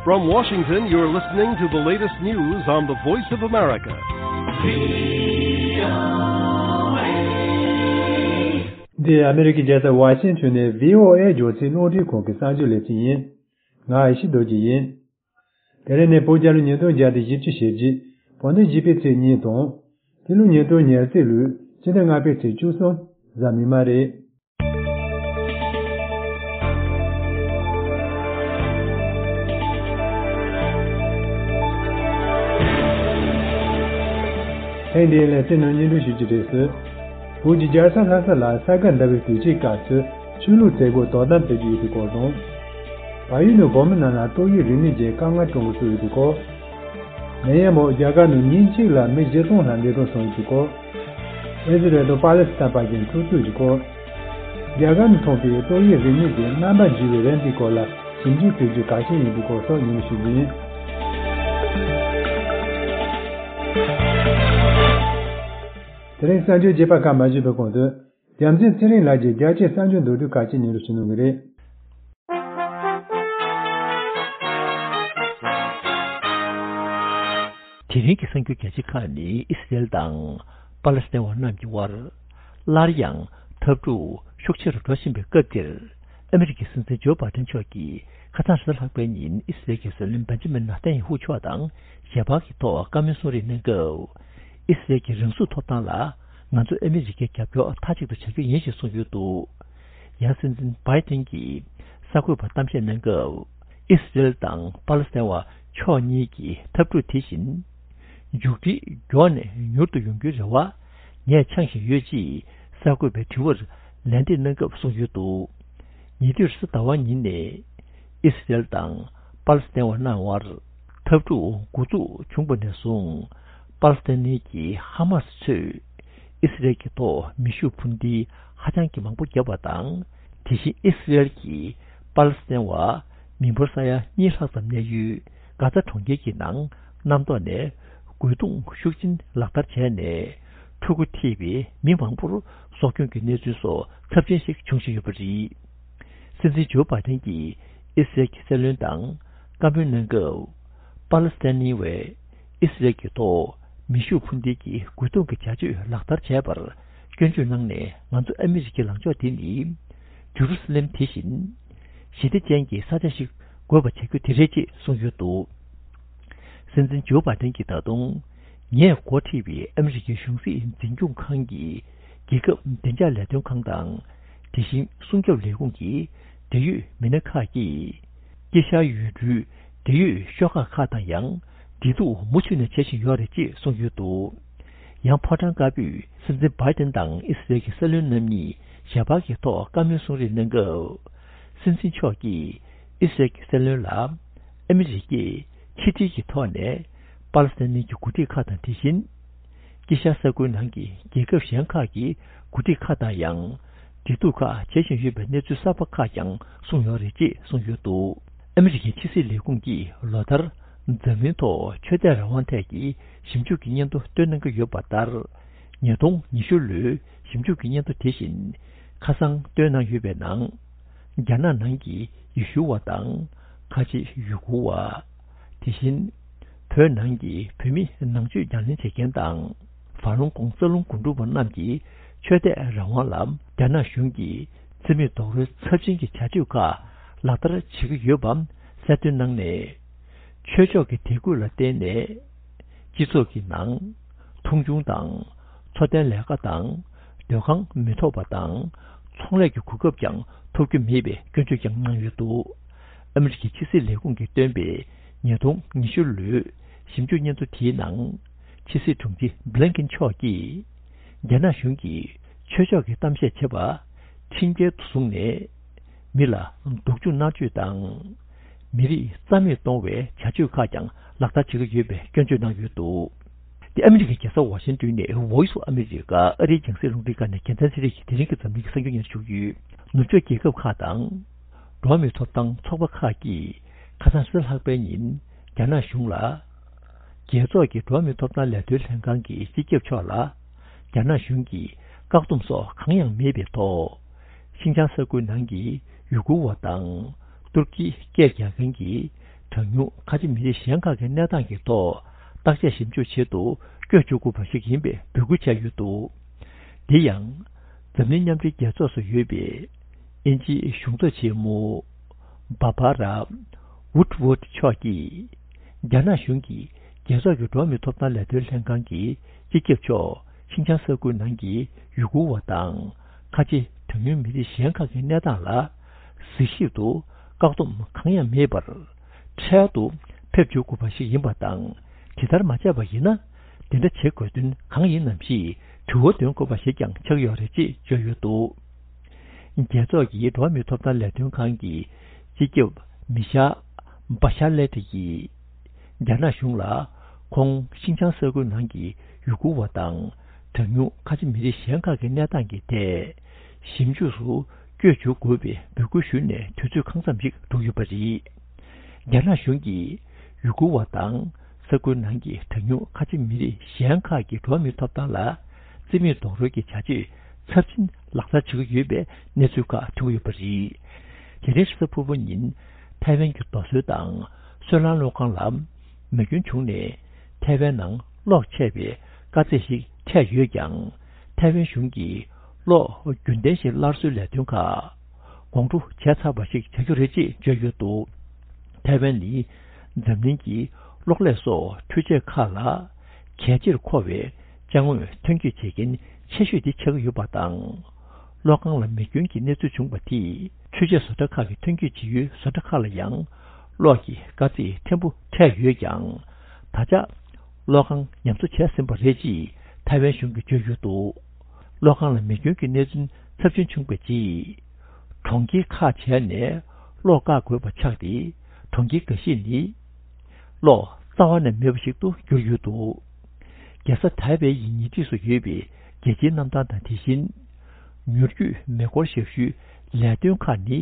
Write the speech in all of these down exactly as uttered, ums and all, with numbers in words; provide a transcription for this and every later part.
From Washington, you're listening to the latest news on the Voice of America. འདི་ཨ་མི་རི་ཀའི་རྒྱལ་ས་ཝ་ཤིང་ཊོན་ནས་བྷི་ཨོ་ཨེ་རྒྱང་སྲིང་རླུང་འཕྲིན་ཁང་གི་གསར་འགྱུར་ལེ་ཚན་ཡིན། ང་ཨེ་ཤེ་རྡོ་རྗེ་ཡིན། དེ་རིང་ནི་བོད་རྒྱལ་ལོ་ཉིས་སྟོང་བརྒྱ་དང་བཞི་བཅུ་ཞེ་བརྒྱད། བོད་ཟླ་བཞི་པའི་ཚེས་གཉིས་དང་། འདི་ལོ་ཉིས་སྟོང་ཉེར་གཅིག་ལོའི་ཕྱི་ཟླ་ལྔ་པའི་ཚེས་བཅུ་གསུམ། གཟའ་མིག་དམར་རེད། ཐེངས་འདིའི་ལེ་ཚན་ནང་སྙན་སྒྲོན་ཞུ་རྒྱུ་རེད་ཟེར། བོད་ཀྱི་རྒྱལ་ས་ལྷ་ས་ལ་ས་ག་ཟླ་བའི་དུས་ཆེན་སྐབས་སུ་ཆོས་ལུགས་མཛད་སྒོ་དོ་དམ་སྤེལ་རྒྱུ་ཡོད་པའི་སྐོར་དང་། བལ་ཡུལ་ནང་བོད་མི་རྣམས་ལ་ཏོག་དབྱིབས་རིམས་ནད་ཀྱི་དཀའ་ངལ་སྤྲོད་འགོ་ཚུགས་ཡོད་པའི་སྐོར། ནད་ཡམས་འོག་རྒྱ་གར་ནང་ཉིན་གཅིག་ལ་མི་བཞི་སྟོང་ལྷག་འདས་གྲོངས་སོང་ཡོད་པའི་སྐོར། ཨི་ཟི་རལ་དང་པ་ལི་སི་ཐན་བར་གྱི་འཁྲུག་རྩོད་ཀྱི་སྐོར། རྒྱ་གར་ནང་ཐོན་པའི་ཏོག་དབྱིབས་རིམས་ནད་ཀྱི་རྣམ་པ་འགྱུར་བའི་རིམས་དེའི་སྐོར་ལ་ཞིབ་འཇུག་བྱེད་རྒྱུ་གལ་ཆེན་ཡིན་པའི་སྐོར་སོགས་སྙན་སྒྲོན་ཞུ་རྒྱུ་ཡིན། དེ་རིང་གསར་འགྱུར་རྒྱས་པ་ཁག་མ་ཞུས་པའི་གོང་དུ། རྒྱལ་མཚན་ཚེ་རིང་ལགས་ཀྱིས་རྒྱལ་སྤྱིའི་གསར་འགྱུར་མདོར་བསྡུས་ཁག་ཅིག་སྙན་སྒྲོན་ཞུ་གནང་གི་རེད། དེ་རིང་གི་གསར་འགྱུར་རྒྱལ་སྤྱི་ཁག་ནི་ཨི་སི་རེལ་དང་པ་ལེ་སི་ཐན་བ་རྣམས་ཀྱི་དབར་སླར་ཡང་འཐབ་འཁྲུག་ཤུགས་ཆེ་རུ་འགྲོ་བཞིན་པའི་སྐབས་འདིར། ཨ་མི་རི་ཀའི་སྲིད་འཛིན་ཇོ་བྷའི་ཏན་མཆོག་གིས་ཁ་སང་རེས་གཟའ་ལྷག་པའི་ཉིན་ཨི་སི་རེལ་གྱི་སྲིད་བློན་བེན་ཇི་མིན་ནེ་ཐན་ཡ་ཧུ་མཆོག་དང་ཞལ་པར་གྱི་ཐོག་བཀའ་མོལ་གསུང་རེས་གནང་སྐབས། ཨི་སི་རེལ་གྱི་རང་སྲུང་ཐོབ་ཐང་ལ་ང་ཚོ་ཨ་མི་རི་ཀས་རྒྱབ་སྐྱོར་མཐའ་གཅིག་ཏུ་བྱ་རྒྱུ་ཡིན་ཞེས་གསུངས་ཡོད་འདུག། ཡང་སྲིད་འཛིན་བྷའི་ཏན་གྱིས་གསར་འགོད་པར་གཏམ་བཤད་གནང་སྐབས། ཨི་སི་རེལ་དང་པ་ལེ་སི་ཐན་བ་ཕྱོགས་གཉིས་ཀྱི་འཐབ་འཁྲུག་དེ་བཞིན་མཇུག་སྒྲིལ་མགྱོགས་ནས་མྱུར་དུ་ཡོང་རྒྱུའི་རེ་བ་ངས་འཆང་བཞིན་ཡོད་ཅེས་གསར་འགོད་པའི་དྲི་བར་ལན་འདེབས་གནང་སྐབས་གསུངས་ཡོད་འདུག། ཉེ་དུས་རེས་གཟའ་ཟླ་བ་ཉིན་ནས་ཨི་སི་རེལ་དང་པ་ལེ་སི་ཐན་བ་རྣམས་དབར་འཐབ་འཁྲུག་འགོ་འཛུགས་བྱུང་བ་ནས་བཟུང་། པ་ལེ་སི་ཐན་གྱི་ཧ་མ་སི་ཚོས་ཨི་སི་རེལ་གྱི་ཐོག་མེ་ཤུགས་འཕུར་མདེལ་ཧ་ཅང་གི་མང་པོ་བརྒྱབ་པ་དང་། དེ་བཞིན་ཨི་སི་རེལ་གྱིས་པ་ལེ་སི་ཐན་བ་མི་འབོར་ས་ཡ་གཉིས་ལྷག་ཙམ་གནས་ཡུལ་གྷ་ཛ་གྲོང་ཁྱེར་གྱི་ནང་གནམ་ཐོག་ནས་རྒོལ་རྡུང་ཤུགས་ཆེན་ལག་བསྟར་བྱས་ནས། ཕྲུ་གུ་ཐེ་བའི་མི་མང་པོར་སྲོག་སྐྱོན་གྱི་གནས་ཚུལ་སོགས་ཚབས་ཆེན་ཞིག་འབྱུང་བཞིན་ཡོད་པ་རེད། སྲིད་འཛིན་ཇོ་བྷའི་ཏན་གྱིས་ཨི་སི་རེལ་གྱི་སྲིད་བློན་དང་བཀའ་མོལ་གནང་སྐབས། པ་ལེ་སི་ཐན་བས་ཨི་སི་རེལ་གྱི་ཐོག་མེ་ཤུགས་འཕུར་མདེལ་གྱི་རྒོལ་རྡུང་གི་བྱ་སྤྱོད་ལག་བསྟར་བྱས་པར་སྐྱོན་བརྗོད་གནང་ནས། ང་ཚོ་ཨ་མི་རི་ཀའི་ལངས་ཕྱོགས་དེ་ནི་ཇུ་རུ་སི་ལེམ་དེ་བཞིན་ཞི་བདེ་ཅན་གྱི་ས་ཆ་ཞིག་དགོས་པ་བྱ་རྒྱུ་དེ་རེད་ཅེས་གསུངས་ཡོད་འདུག། སྲིད་འཛིན་ཇོ་བྷའི་ཏན་གྱིས་ད་དུང་། ངས་འགོ་ཁྲིད་པའི་ཨ་མི་རི་ཀའི་གཞུང་སྲིད་འཛིན་སྐྱོང་ཁང་གི་རྒྱལ་ཁབ་བདེ་འཇགས་ལས་དོན་ཁང་དང་། དེ་བཞིན་སྲུང་སྐྱོབ་ལས་ཁུངས་ཀྱི་འབྲེལ་ཡོད་མི་སྣ་ཁག་གིས། དཀྱིལ་ཤར་ཡུལ་གྲུའི་འབྲེལ་ཡོད་ཤོག་ཁག་ཁག་དང་ཡང་འབྲེལ་གཏུག་མུ་མཐུད་ནས་བྱེད་བཞིན་ཡོད་རེད་ཅེས་གསུངས་ཡོད་འདུག། ཡང་ཕོ་བྲང་དཀར་པོས་སྲིད་འཛིན་བྷའི་ཏན་དང་ཨི་སི་རེལ་གྱི་སྲིད་བློན་རྣམ་གཉིས་ཞལ་པར་གྱི་ཐོག་བཀའ་མོལ་གསུང་རེས་གནང་སྐབས། སྲིད་འཛིན་མཆོག་གིས་ཨི་སི་རེལ་གྱི་སྲིད་བློན་ལ། ཨ་མི་རི་ཀས་ཕྱི་འབྲེལ་གྱི་ཐོག་ནས་པ་ལེ་སི་ཐན་གྱི་འགོ་ཁྲིད་ཁག་དང་། དེ་བཞིན་དཀྱིལ་ཤར་ས་ཁུལ་ནང་གི་རྒྱལ་ཁབ་གཞན་ཁག་གི་འགོ་ཁྲིད་ཁག་དང་ཡང་འབྲེལ་གཏུག་ཁག་བྱེད་བཞིན་ཡོད་པའི་གནས་ཚུལ་གསར་པ་ཁག་ཀྱང་གསུངས་ཡོད་རེད་ཅེས་གསུངས་ཡོད་འདུག། ཨ་མི་རི་ཀའི་ཕྱི་སྲིད་ལས་ཁུངས་ཀྱིས་ལོ་ལྟར་འཛམ་གླིང་ཐོག་ཆོས་དད་རང་དབང་ཐད་ཀྱི་ཞིབ་འཇུག་གི་སྙན་ཐོ་བཏོན་གནང་གི་ཡོད་པ་ལྟར། ཉིས་སྟོང་ཉི་ཤུ་ལོའི་ཞིབ་འཇུག་གི་སྙན་ཐོ་དེ་བཞིན་ཁ་སང་བཏོན་གནང་ཡོད་པའི་ནང་། རྒྱ་ནག་ནང་གི་ཡེ་ཤུ་བ་དང་། ཁ་ཆེ་ཡུ་གུར་བ། དེ་བཞིན་བོད་ནང་གི་བོད་མི་ནང་ཆོས་ཉམས་ལེན་བྱེད་མཁན་དང་། ཧྥ་ལུང་ཀོང་རྩ་རླུང་འགོ་འགྲོ་བ་རྣམས་ཀྱི་ཆོས་དད་རང་དབང་ལ་རྒྱ་ནག་གཞུང་གིས་བརྩི་མེད་རྡོག་རོལ་ཚབས་ཆེན་གྱི་བྱ་སྤྱོད་ཁག་ལག་བསྟར་བྱེད་ཀྱི་ཡོད་པ་གསལ་སྟོན་གནང་ནས། ཆོས་ཕྱོགས་ཀྱི་དད་གུས་ལ་བརྟེན་ནས། སྤྱི་ཚོགས་ཀྱི་ནང་མཐོང་ཆུང་དང་། འཚོ་རྟེན་ལས་ཀ་དང་། སྡོད་ཁང་མི་ཐོབ་པ་དང་། ཚོང་ལས་ཀྱི་གོ་སྐབས་ཀྱང་ཐོབ་རྒྱུ་མེད་པའི་སྐྱོན་བརྗོད་ཀྱང་གནང་ཡོད་འདུག། ཨ་མི་རི་ཀའི་ཕྱི་སྲིད་ལས་ཁུངས་ཀྱིས་བཏོན་པའི་ཉིས་སྟོང་ཉི་ཤུ་ལོའི་ཞིབ་འཇུག་སྙན་ཐོ་དེའི་ནང་། ཕྱི་སྲིད་དྲུང་ཆེ་བྷི་ལིན་ཀིན་མཆོག་གིས། རྒྱ་ནག་གཞུང་གིས་ཆོས་ཕྱོགས་ཀྱི་གཏམ་བཤད་བྱེད་པ་ཁྲིམས་འགལ་དུ་བཟུང་ནས། མི་ལ་སྡུག་སྦྱོང་མནར་གཅོད་དང་། མི་རིགས་རྩ་མེད་གཏོང་བའི་བྱ་སྤྱོད་ཁག་ཀྱང་ལག་བསྟར་བྱེད་ཀྱི་ཡོད་པའི་སྐྱོན་བརྗོད་གནང་ཡོད་འདུག། དེ་ཨ་མི་རི་ཀའི་རྒྱལ་ས་ཝ་ཤིང་ཏོན་ནས་Voice of America ཨ་རིའི་རྒྱང་སྲིང་རླུང་འཕྲིན་ཁང་ནས་རྒྱལ་མཚན་ཚེ་རིང་གིས་དེ་རིང་གི་འཛམ་གླིང་གི་གསར་འགྱུར་སྙན་སྒྲོན་ཞུ་གི་ཡོད། ནུབ་ཕྱོགས་རྒྱལ་ཁབ་ཁག་དང་། འགྲོ་བ་མིའི་ཐོབ་ཐང་ཚོགས་པ་ཁག་གིས་ཁ་སང་རེས་གཟའ་ལྷག་པའི་ཉིན་རྒྱ་ནག་གཞུང་ལ། རྒྱལ་ཚོགས་ཀྱི་འགྲོ་བ་མིའི་ཐོབ་ཐང་ལས་དོན་ལྷན་ཁང་གི་སྤྱི་ཁྱབ་མཆོག་ལ། རྒྱ་ནག་གཞུང་གིས་བཀག་སྡོམ་སོགས་གང་ཡང་མེད་པའི་ཐོག། ཤིན་ཅང་ས་ཁུལ་ནང་གི་ཡུ་གུར་བ་དང་། ཏུར་ཀིའི་སྐད་རྒྱག་མཁན་གྱི་ གྲངས་ཉུང་ཁ་ཆེ་མི་རིགས་གཞན་ཁག་གི་གནས་སྟངས་ཀྱི་ཐོག་བརྟག་དཔྱད་ཞིབ་འཇུག་ཆེད་དུ་བསྐྱོད་འཇུག་དགོས་པ་ཞིག་ཡིན་པའི་འབོད་སྐུལ་བྱས་ཡོད་འདུག་འདི་ཡང་འཛམ་གླིང་མཉམ་འབྲེལ་རྒྱལ་ཚོགས་སུ་ཡོད་པའི་དབྱིན་ཇིའི་གཞུང་ཚབ་ཆེན་མོ་བྷ་བྷ་ར་ཝུད་ཝུད་མཆོག་གིས། རྒྱ་ནག་གཞུང་གིས་རྒྱལ་ཚོགས་ཀྱི་འགྲོ་བ་མིའི་ཐོབ་ཐང་ལས་དོན་ལྷན་ཁང་གི་སྤྱི་ཁྱབ་མཆོག་ཤིན་ཅང་ས་ཁུལ་ནང་གི་ཡུ་གུར་བ་དང་ཁ་ཆེ་གྲངས་ཉུང་མི་རིགས་གཞན་ཁག་གི་གནས་སྟངས་ལ་གཟིགས་ཞིབ་ཏུ་བཀག་སྡོམ་གང་ཡང་མེད་པར། འཕྲལ་དུ་ཕེབས་འབྱོར་དགོས་པ་ཞིག་ཡིན་པ་དང་། དེ་ལྟར་མ་བྱས་པ་ཡིན་ན། དེ་འདྲ་བྱེད་དགོས་དོན་གང་ཡིན་ནམ་ཞེས་དྲི་བ་འདོན་དགོས་པ་ཞིག་ཀྱང་ཆགས་ཡོད་རེད་ཅེས་བརྗོད་ཡོད་འདུག་རྒྱལ་ཚོགས་ཀྱི་འགྲོ་བ་མིའི་ཐོབ་ཐང་ལས་དོན་ཁང་གི་སྤྱི་ཁྱབ་མི་ཤ་བྷ་ཤ་ལེ་ཏི་ཡིས། རྒྱ་ནག་གཞུང་ལ་ཁོང་ཤིན་ཅང་ས་ཁུལ་ནང་གི་ཡུ་གུར་བ་དང་གྲངས་ཉུང་ཁ་ཆེ་མི་རིགས་གཞན་ཁག་གི་གནས་སྟངས་ཀྱི་ཐད་ཞིབ་འཇུག་སུ་བསྐྱོད་འཇུག་དགོས་པའི་འབོད་སྐུལ་ཞུས་ནས་དུས་ཚོད་གང་འཚམ་ཞིག་འགྲོ་ཡོད་པ་རེད། རྒྱ་ནག་གཞུང་གིས་ཡུ་གུར་བ་དང་ས་ཁུལ་ནང་གི་གྲངས་ཉུང་ཁ་ཆེ་མི་རིགས་གཞན་ཁག་གི་འགྲོ་བ་མིའི་ཐོབ་ཐང་ལ་བརྩི་མེད་རྡོག་རོལ་གྱི་བྱ་སྤྱོད་ཚབས་ཆེན་ལག་བསྟར་བྱེད་ཀྱི་ཡོད་པའི་གནས་ཚུལ་ཁག་ཐོན་གྱི་ཡོད་པ་རེད། དེ་རིང་རེས་གཟའ་ཕུར་བུ་ཉིན་ཐའེ་ཝན་གྱི་རྡོ་སོལ་དང་སོལ་རླངས་གློག་ཁང་ལ་མེ་སྐྱོན་བྱུང་ནས་ཐའེ་ཝན་ནང་གློག་ཆད་པའི་དཀའ་ཚེགས་ཤིག་འཕྲད་ཡོད་ཀྱང་། ཐའེ་ཝན་གཞུང་གིས་གློག་རྒྱུན་ལྡན་ཞིག་སླར་གསོའི་ལས་དོན་ཁག་དགོང་དྲོ་བྱས་ཚར་བ་ཞིག་བྱ་རྒྱུ་རེད་ཅེས་བརྗོད་ཡོད་འདུག་ཐའེ་ཝན་ནི་འཛམ་གླིང་གི་གློག་ཀླད་སོགས་འཕྲུལ་ཆས་ཁག་ལ་གལ་ཆེར་མཁོ་བའི་ཅ་དངོས་ཐོན་སྐྱེད་བྱེད་མཁན་ཆེ་ཤོས་དེ་ཆགས་ཀྱི་ཡོད་པ་དང་། གློག་ཁང་ལ་མེ་སྐྱོན་གྱི་གནས་ཚུལ་བྱུང་བ་དེས་འཕྲུལ་ཆས་བཟོ་གྲྭ་ཁག་གི་ཐོན་སྐྱེད་བྱེད་ཡུལ་བཟོ་གྲྭ་ཁག་ལ་ཡང་གློག་གི་དཀའ་ཚེགས་ཕྲན་བུ་འཕྲད་ཡོད་ཀྱང་། ད་ཆ་གློག་ཁང་ཉམས་གསོ་བྱས་ཟིན་པ་རེད་ཅེས་ཐའེ་ཝན་གཞུང་གིས་བརྗོད་ཡོད་འདུག་གློག་ཁང་ལ་མེ་སྐྱོན་གྱི་གནད་དོན་ཚབས་ཆེན་བྱུང་བའི་རྗེས། གྲོང་ཁྱེར་ཁག་བྱས་ནས་གློག་བཀག་དགོས་པ་ཆགས་ཏེ། གྲོང་ཁྱེར་འགའ་ཤས་ནི་གློག་རྩ་བ་ནས་མེད་པ་ཞིག་ཏུ་གྱུར་ཡོད་འདུག་རྒྱལ་ས་ཐའེ་པེ་ཡི་ཉེ་འཁྲིས་སུ་ཡོད་པའི་རྒྱལ་སྤྱིའི་གནམ་ཐང་དང་དེ་བཞིན། མྱུར་སྐྱོད་མེ་འཁོར་ཞབས་ཞུའི་ལས་དོན་ཁག་ནི་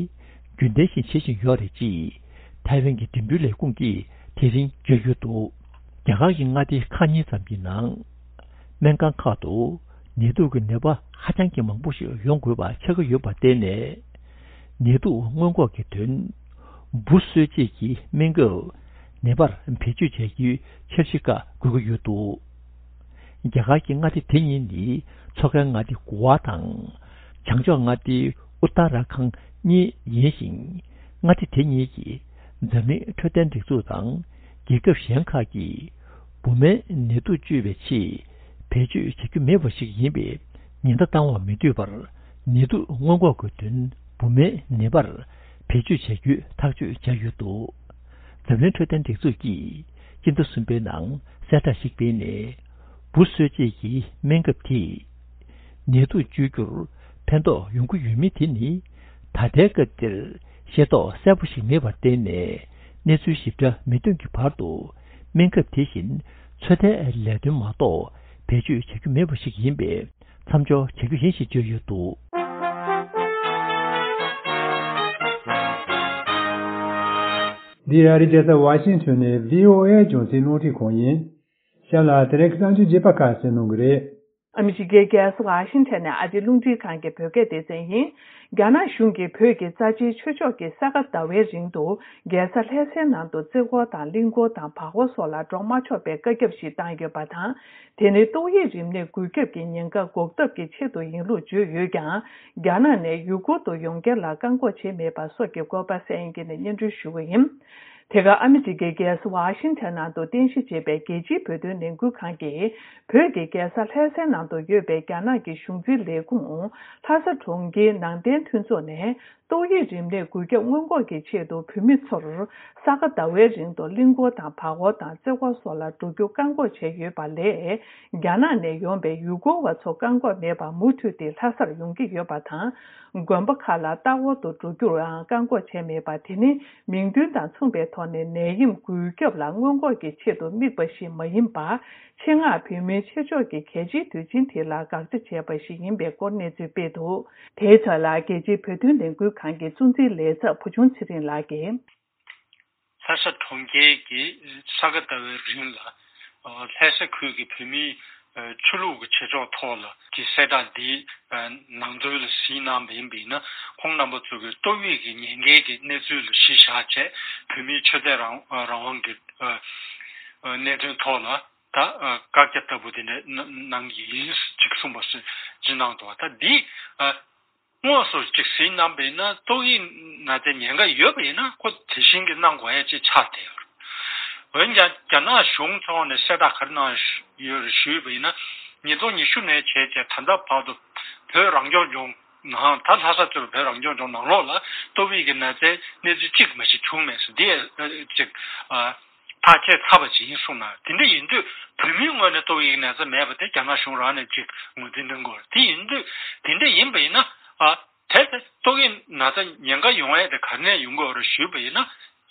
རྒྱུན་ལྡན་བཞིན་བྱེད་བཞིན་ཡོད་རེད་ཅེས་ཐའེ་ཝན་གྱི་འགྲིམ་འགྲུལ་ལས་ཁུངས་ཀྱིས་དེ་རིང་བརྗོད་ཡོད་འདུག་རྒྱ་གར་གྱི་མངའ་སྡེ་ཁག་གཉིས་ཙམ་གྱི་ནང་སྨན་ཁང་ཁག་ཏུ་ནད་དུག་གི་ནད་པ་ཧ་ཅང་གི་མང་པོ་ཞིག་ཡོང་དགོས་པ་ཆགས་ཀྱི་ཡོད་པར་བརྟེན་ནས། ནད་དུག་སྔོན་འགོག་གི་དོན། འབུ་གསོད་བྱེད་ཀྱི་སྨན་ཁབ་ནད་པར་བེད་སྤྱོད་བྱ་རྒྱུའི་འཆར་གཞི་ཁག་དགོས་ཀྱི་ཡོད་འདུག་རྒྱ་གར་གྱི་མངའ་སྡེ་དེ་གཉིས་ནི་མཚོ་ཁའི་མངའ་སྡེ་གོ་ཝ་དང་། བྱང་ཕྱོགས་མངའ་སྡེ་ཨུ་ཏ་ར་ཁང་གཉིས་ཡིན་ཞིང་། མངའ་སྡེ་དེ་གཉིས་ཀྱིས་འཛམ་གླིང་འཕྲོད་བསྟེན་སྒྲིག་འཛུགས་དང་རྒྱལ་ཁབ་གཞན་ཁག་གིས་བུད་མེད་ནད་དུག་བཅོས་པའི་ཆེད་བེད་སྤྱོད་བྱ་རྒྱུ་མེད་པ་ཞིག་ཡིན་པས། ཉེན་བརྡ་བཏང་བ་མི་འདོད་པར་ནད་དུག་སྔོན་འགོག་གི་དོན་བུད་མེད་ནད་པར་བེད་སྤྱོད་བྱ་རྒྱུའི་ཐག་གཅོད་བྱས་ཡོད་འདུག་འཛམ་གླིང་འཕྲོད་བསྟེན་སྒྲིག་འཛུགས་ཀྱིས་སྤྱི་ཟླ་གསུམ་པའི་ནང་གསལ་བསྒྲགས་ཤིག་སྤེལ་ནས། འབུ་གསོད་བྱེད་ཀྱི་སྨན་ཁབ་དེས་ནད་དུག་བཅོས་རྒྱུར་ཕན་ཐོགས་ཡོང་གི་ཡོད་མེད་དེ་ནི་ད་ལྟའི་སྐབས་འདིར་ཤེས་རྟོགས་གསལ་པོ་ཞིག་མེད་པར་བརྟེན་ནས། གནས་ཚུལ་ཞིབ་ཕྲ་མི་ཐོན་གྱི་བར་དུ་སྨན་ཁབ་དེ་བཞིན་ཚོད་ལྟའི་ལས་དོན་མ་གཏོགས་བེད་སྤྱོད་བྱ་རྒྱུ་མེད་པ་ཞིག་ཡིན་པས། མཚམས་འཇོག་བྱ་རྒྱུ་ཡིན་ཞེས་བརྗོད་ཡོད་འདུག་འདི་ཨ་རིའི་རྒྱལ་ས་ཝ་ཤིང་ཊོན་ནས་བྷི་ཨོ་ཨེ་རྒྱང་སྲིང་རླུང་འཕྲིན་ཁང་ཡིན། གཤམ་ལ་དེ་རིང་གི་གསར་འགྱུར་རྒྱས་པ་ཁག་གསན་གནང་གི་རེད། ཨ་མི་རི་ཀའི་རྒྱལ་ས་ཝ་ཤིང་ཊོན་ནས་ཨ་རིའི་རླུང་འཕྲིན་ཁང་གི་བོད་སྐད་སྡེ་ཚན་ཡིན། རྒྱ་ནག་གཞུང་གིས་བོད་ཀྱི་རྩ་ཆེའི་ཆོས་ཕྱོགས་ཀྱི་ས་ག་ཟླ་བའི་རིང་དུ་རྒྱལ་ས་ལྷ་སའི་ནང་དུ་རྩེ་འཁོར་དང་གླིང་སྐོར་དང་བར་སྐོར་སོགས་ལ་འགྲོ་མ་ཆོག་པའི་བཀའ་ཁྱབ་ཞིག་བཏང་ཡོད་པ་དང་། དེ་ནི་ཏོག་དབྱིབས་རིམས་ནད་འགོས་ཁྱབ་ཀྱི་ཉེན་ཁ་འགོག་ཐབས་ཀྱི་ཆེད་དུ་ཡིན་ལུགས་བརྗོད་ཡོད་ཀྱང་། རྒྱ་ནག་ནས་ཡུ་གུར་དུ་ཡོང་མཁན་ལ་བཀག་འགོག་བྱས་མེད་པ་སོགས་ཀྱི་སྐོར་པ་གསན་མཁན་ནས་སྙན་སྒྲོན་ཞུ་གི་ཡིན། དེ་ག་ཨ་མི་རི་ཀའི་རྒྱལ་ས་ཝ་ཤིང་ཊོན་ནང་དུ་རྟེན་གཞི་བྱས་པའི་རྒྱལ་སྤྱིའི་བོད་དོན་ལས་འགུལ་ཁང་གིས། བོད་ཀྱི་རྒྱལ་ས་ལྷ་སའི་ནང་དུ་ཡོད་པའི་རྒྱ་ནག་གི་གཞུང་འཛིན་ལས་ཁུངས་ལྷ་ས་གྲོང་ཁྱེར་ནང་བསྟན་མཐུན་ཚོགས་ནས། ཏོག་དབྱིབས་རིམས་ནད་འགོས་ཁྱབ་སྔོན་འགོག་གི་ཆེད་དུ་བོད་མི་ཚོར་ས་ག་ཟླ་བའི་རིང་དུ་གླིང་སྐོར་དང་བར་སྐོར་དང་རྩེ་འཁོར་སོགས་ལ་འགྲོ་རྒྱུ་བཀག་འགོག་བྱས་ཡོད་པ་ལས། རྒྱ་ནག་ནས་ཡོང་པའི་ཡུལ་སྐོར་བ་ཚོ་བཀག་འགོག་མེད་པར་མུ་མཐུད་དེ་ལྷ་སར་ཡོང་གི་ཡོད་པ་དང་། དགོན་པ་ཁག་ལ་ལྟ་སྐོར་དུ་འགྲོ་རྒྱུར་ཡང་བཀག་འགོག་བྱས་མེད་པ་དེ་ནི། མིང་དོན་དང་མཚུངས་པའི་ཐོག་ནས་ནད་ཡམས་འགོས་ཁྱབ་ལ་སྔོན་འགོག་གི་ཆེད་དུ་དམིགས་པ་ཞིག་མ་ཡིན་པར། ཆེད་མངགས་བོད་མིའི་ཆེད་ཕྱོགས་ཀྱི་གལ་ཆེའི་དུས་ཆེན་དེ་ལ་དགག་བྱ་བྱས་པ་ཞིག་ཡིན་པའི་སྐོར་གནས་ཚུལ་སྤེལ་འདུག་དེའི་ཚབ་ལ་རྒྱལ་སྤྱིའི་བོད་དོན་ལས་འགུལ་ཁང་གི་གཙོ་འཛིན་ལས་ཚབ་བུ་ཆུང་ཚེ་རིང་ལགས་ཀྱིས། ལྷ་ས་གྲོང་ཁྱེར་གྱི་ས་ག་ཟླ་བའི་རིང་ལ་ལྷ་ས་ཁུལ་གྱི་བོད་མིའི་ ཆོས་ལུགས་ཀྱི་བྱེད་ཕྱོགས་ཐོག་ལ་གི་གསལ་བསྒྲགས་འདིའི་ནང་དོན་ལ་གཟིགས་གནང་བ་ཡིན་པ་ཡིན་ན། ཁོང་རྣམ་པ་ཚོ་གིས་ཏོག་དབྱིབས་ཀྱི་ཉེན་ཁའི་གི་གནས་ཚུལ་ལ་གཞི་བཞག་བྱས། བོད་མིའི་ཆོས་དད་རང་རང་དབང་གི་གནད་དོན་ཐོག་ལ་ད་བཀག་རྒྱ་ལྟ་བུ་དེ་འདྲ་གནང་གི་ཡིན་ཅིག་གསུངས་པ་ཞིག་གནང་འདུག་ད་འདི། དངོས་སུ་ཅིག་གཟིགས་གནང་བ་ཡིན་ན། ཏོག་དབྱིབས་ན་ཚའི་ཉེན་ཁ་ཡོད་པ་ཡིན་ན། ཁོ་དེ་བཞིན་གྱི་གནང་དགོས་ཡ་ཅིག་ཆགས་བསྡད་ཡོད་རེད། འོན་ཀྱང་རྒྱ་ནག་གཞུང་ཕྱོགས་ནས་གསལ་བསྒྲགས་ག་རེ་གནང་ཡོད་རེད་ཞུས་པ་ཡིན་ན། ཉིས་སྟོང་ཉི་ཤུ་ནས་བྱས་བྱས་ད་ལྟ་བར་དུ་བོད་རང་སྐྱོང་ལྗོངས་ནང་། ད་ལྷ་ས་གཙོས་པའི་བོད་རང་སྐྱོང་ལྗོངས་ནང་ལོགས་ལ་ཏོག་དབྱིབས་ཀྱི་ན་ཚའི་གནས་ཚུལ་གཅིག་མ་ཞིག་བྱུང་མེད་ཟེར། འདི་ཨ་ཅིག་ཨ། ཐག་བཅད་ཚར་བ་ཅིག་ཡིན་གསུངས་ན། དེ་འདྲ་ཡིན་དུས་བོད་མིའི་ངོས་ནས་ཏོག་དབྱིབས་ན་ཚ་མེད་པ་དེ་རྒྱ་ནག་གཞུང་རང་ནས་ཅིག་ངོས་འཛིན་གནང་དགོས་རེད། དེ་ཡིན་དུས་དེ་འདྲ་ཡིན་པ་ཡིན་ན། ཨ། དེ་ཚེ་ཏོག་དབྱིབས་ན་ཚ་ཉེན་ཁ་ཡོང་ཡས་དེ་ག་ནས་ཡོང་གི་ཡོད་རེད་ཞུས་པ་ཡིན་ན།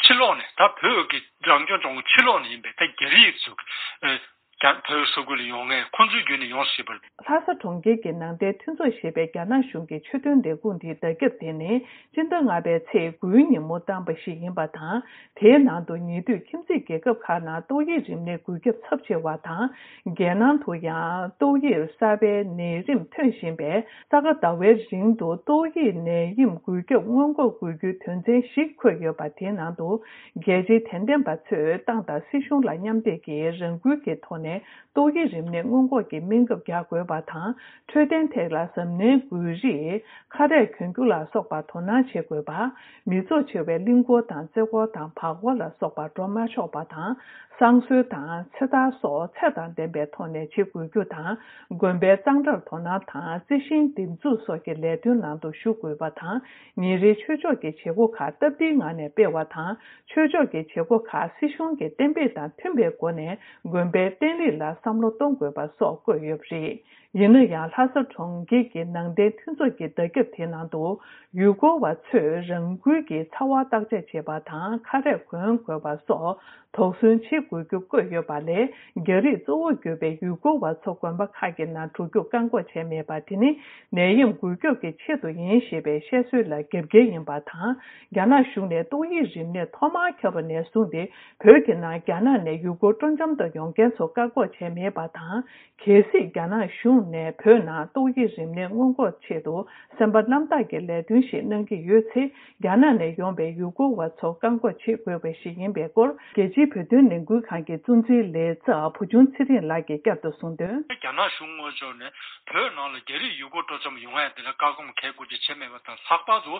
ཕྱི་ལོགས་ནས། ད་བོད་ཀྱི་རང་སྐྱོང་ལྗོངས་ཕྱི་ལོགས་ནས་ཡིན་པའི་ད་རྒྱ་རིགས་ཚོ་གི་ཨ། རྒྱ། བོད་ས་ཁུལ་ལ་ཡོང་མཁན་ཁོང་ཚོའི་བརྒྱུད་ནས་ཡོང་སྲིད་པ་རེད། ལྷ་ས་གྲོང་ཁྱེར་གྱི་ནང་བསྟན་མཐུན་ཚོགས་ཞེས་པའི་རྒྱ་ནག་གཞུང་གི་ཆོས་དོན་ལས་ཁུངས་དེའི་བརྡ་ཁྱབ་དེ་ནི་སྤྱི་ཟླ་ལྔ་པའི་ཚེས་དགུའི་ཉིན་མོ་བཏང་པ་ཞིག་ཡིན་པ་དང་། དེའི་ནང་དུ་ཉེ་དུས་ཁྱིམ་མཚེས་རྒྱལ་ཁབ་ཁག་ནང་ཏོག་དབྱིབས་རིམས་ནད་འགོས་ཁྱབ་ཚབས་ཆེ་བ་དང་། རྒྱལ་ནང་དུ་ཡང་ཏོག་དབྱིབས་གསར་པའི་ནད་རིམས་ཐོན་བཞིན་པས། ས་ག་ཟླ་བའི་རིང་དུ་ཏོག་དབྱིབས་ནད་ཡམས་འགོས་ཁྱབ་སྔོན་འགོག་དགོས་རྒྱུའི་དོན་ཚན་བཞི་འཁོད་ཡོད་པ། དེའི་ནང་དུ་རྒྱལ་སྤྱིའི་དད་ལྡན་པ་ཚོས་ཏང་དང་སྲིད་གཞུང་ལ་མཉམ་འབྲེལ་གྱིས་རང་འགུལ་གྱི་ཐོག་ནས་ཏོག་དབྱིབས་རིམས་ནད་སྔོན་འགོག་གི་སྨན་ཁབ་རྒྱག་དགོས་པ་དང་། འཕྲོད་བསྟེན་ཐད་ལ་གཟབ་ནན་དགོས་རིགས། ཁ་རས་གྱོན་རྒྱུ་ལ་སོགས་པ་དོ་སྣང་བྱེད་དགོས་པ། མི་ཚོགས་ཆེ་བའི་གླིང་སྐོར་དང་རྩེ་སྐོར་དང་བར་སྐོར་ལ་སོགས་པར་འགྲོ་མ་ཆོག་པ་དང་། བསང་གསོལ་དང་ཚེ་ཐར་སོགས་ཚད་དང་ལྡན་པའི་ཐོག་ནས་བྱེད་དགོས་རྒྱུ་དང་། དགོན་པའི་གཙང་སྦྲར་དོ་སྣང་དང་། རྩི་ཤིང་འདེབས་འཛུགས་སོགས་ཀྱི་ལས་དོན་ནང་དུ་ཞུགས་དགོས་པ་དང་། ཉིན་རེའི་ཆོས་ཕྱོགས་ཀྱི་བྱེད་སྒོ་ཁག་སྟབས་བདེའི་ངང་ནས་སྤེལ་བ་དང་། ཆོས་ཕྱོགས་ཀྱི་བྱེད་སྒོ་ཁག་སྲིད་གཞུང་གི་གཏན་འབེབས་དང་མཐུན་པའི་སྒོ་ནས་དགོན་པའི་བརྟན་ལྷིང་ལ་བསམ་བློ་གཏོང་དགོས་པ་སོགས་བཀོད་ཡོད་པ་རེད། ཡིན་ན་ཡང་། ལྷ་ས་གྲོང་ཁྱེར་གྱི་ནང་བསྟན་མཐུན་ཚོགས་ཀྱི་བརྡ་ཁྱབ་དེའི་ནང་དུ། ཡུལ་སྐོར་བ་ཚོས་རང་འགུལ་གྱིས་ཚ་བ་བརྟག་དཔྱད་བྱེད་པ་དང་། ཁ་རས་གོན་དགོས་པ་སོགས་དོགས་ཟོན་བྱེད་དགོས་རྒྱུ་བཀོད་ཡོད་པ་ལས། རྒྱ་རིགས་གཙོ་བོར་གྱུར་པའི་ཡུལ་སྐོར་བ་ཚོ་དགོན་པ་ཁག་གི་ནང་འགྲོ་རྒྱུ་བཀག་འགོག་བྱས་མེད་པ་དེ་ནི་ནད་ཡམས་འགོས་ཁྱབ་ཀྱི་ཆེད་དུ་ཡིན་ཞེས་པའི་བཤད་སྲོལ་ལ་རྒྱབ་འགལ་ཡིན་པ་དང་། རྒྱ་ནག་གཞུང་ནས་ཏོག་དབྱིབས་རིམས་ནད་ཐོག་མར་ཁྱབ་པ་ནས་བཟུང་སྟེ། བོད་ཀྱི་ནང་རྒྱ་ནག་ནས་ཡུལ་སྐོར་སྤྲོ་འཆམ་དུ་ཡོང་མཁན་ཚོ་བཀག་འགོག་བྱས་མེད་པ་དང་། གལ་སྲིད་རྒྱ་ནག་གཞུང་ནས་བོད་ནང་ཏོག་དབྱིབས་རིམས་ནད་སྔོན་འགོག་ཆེད་དུ་སེམས་པ་རྣམ་དག་གི་ལས་དོན་ཞིག་གནང་གི་ཡོད་ཚེ། རྒྱ་ནག་ནས་ཡོང་པའི་ཡུལ་སྐོར་བ་ཚོ་བཀག་འགོག་བྱེད་དགོས་པ་ཞིག་ཡིན་པའི་སྐོར། རྒྱལ་སྤྱིའི་བོད་དོན་ལས་འགུལ་ཁང་གི་གཙོ་འཛིན་ལས་ཚབ་བུ་ཆུང་ཚེ་རིང་ལགས་ཀྱིས་བསྐྱར་དུ་གསུངས་དོན། རྒྱ་ནག་གཞུང་ངོས་ཕྱོགས་ནས་བོད་ནང་ལ་རྒྱ་རིགས་ཡུལ་སྐོར་སྤྲོ་འཆམ་ཡོང་ཡ་དེ་ལ་བཀག་སྡོམ་གལ་དགོས་ཀྱི་བྱས་མེད་པ་དང་། ལྷག་པར་དུ་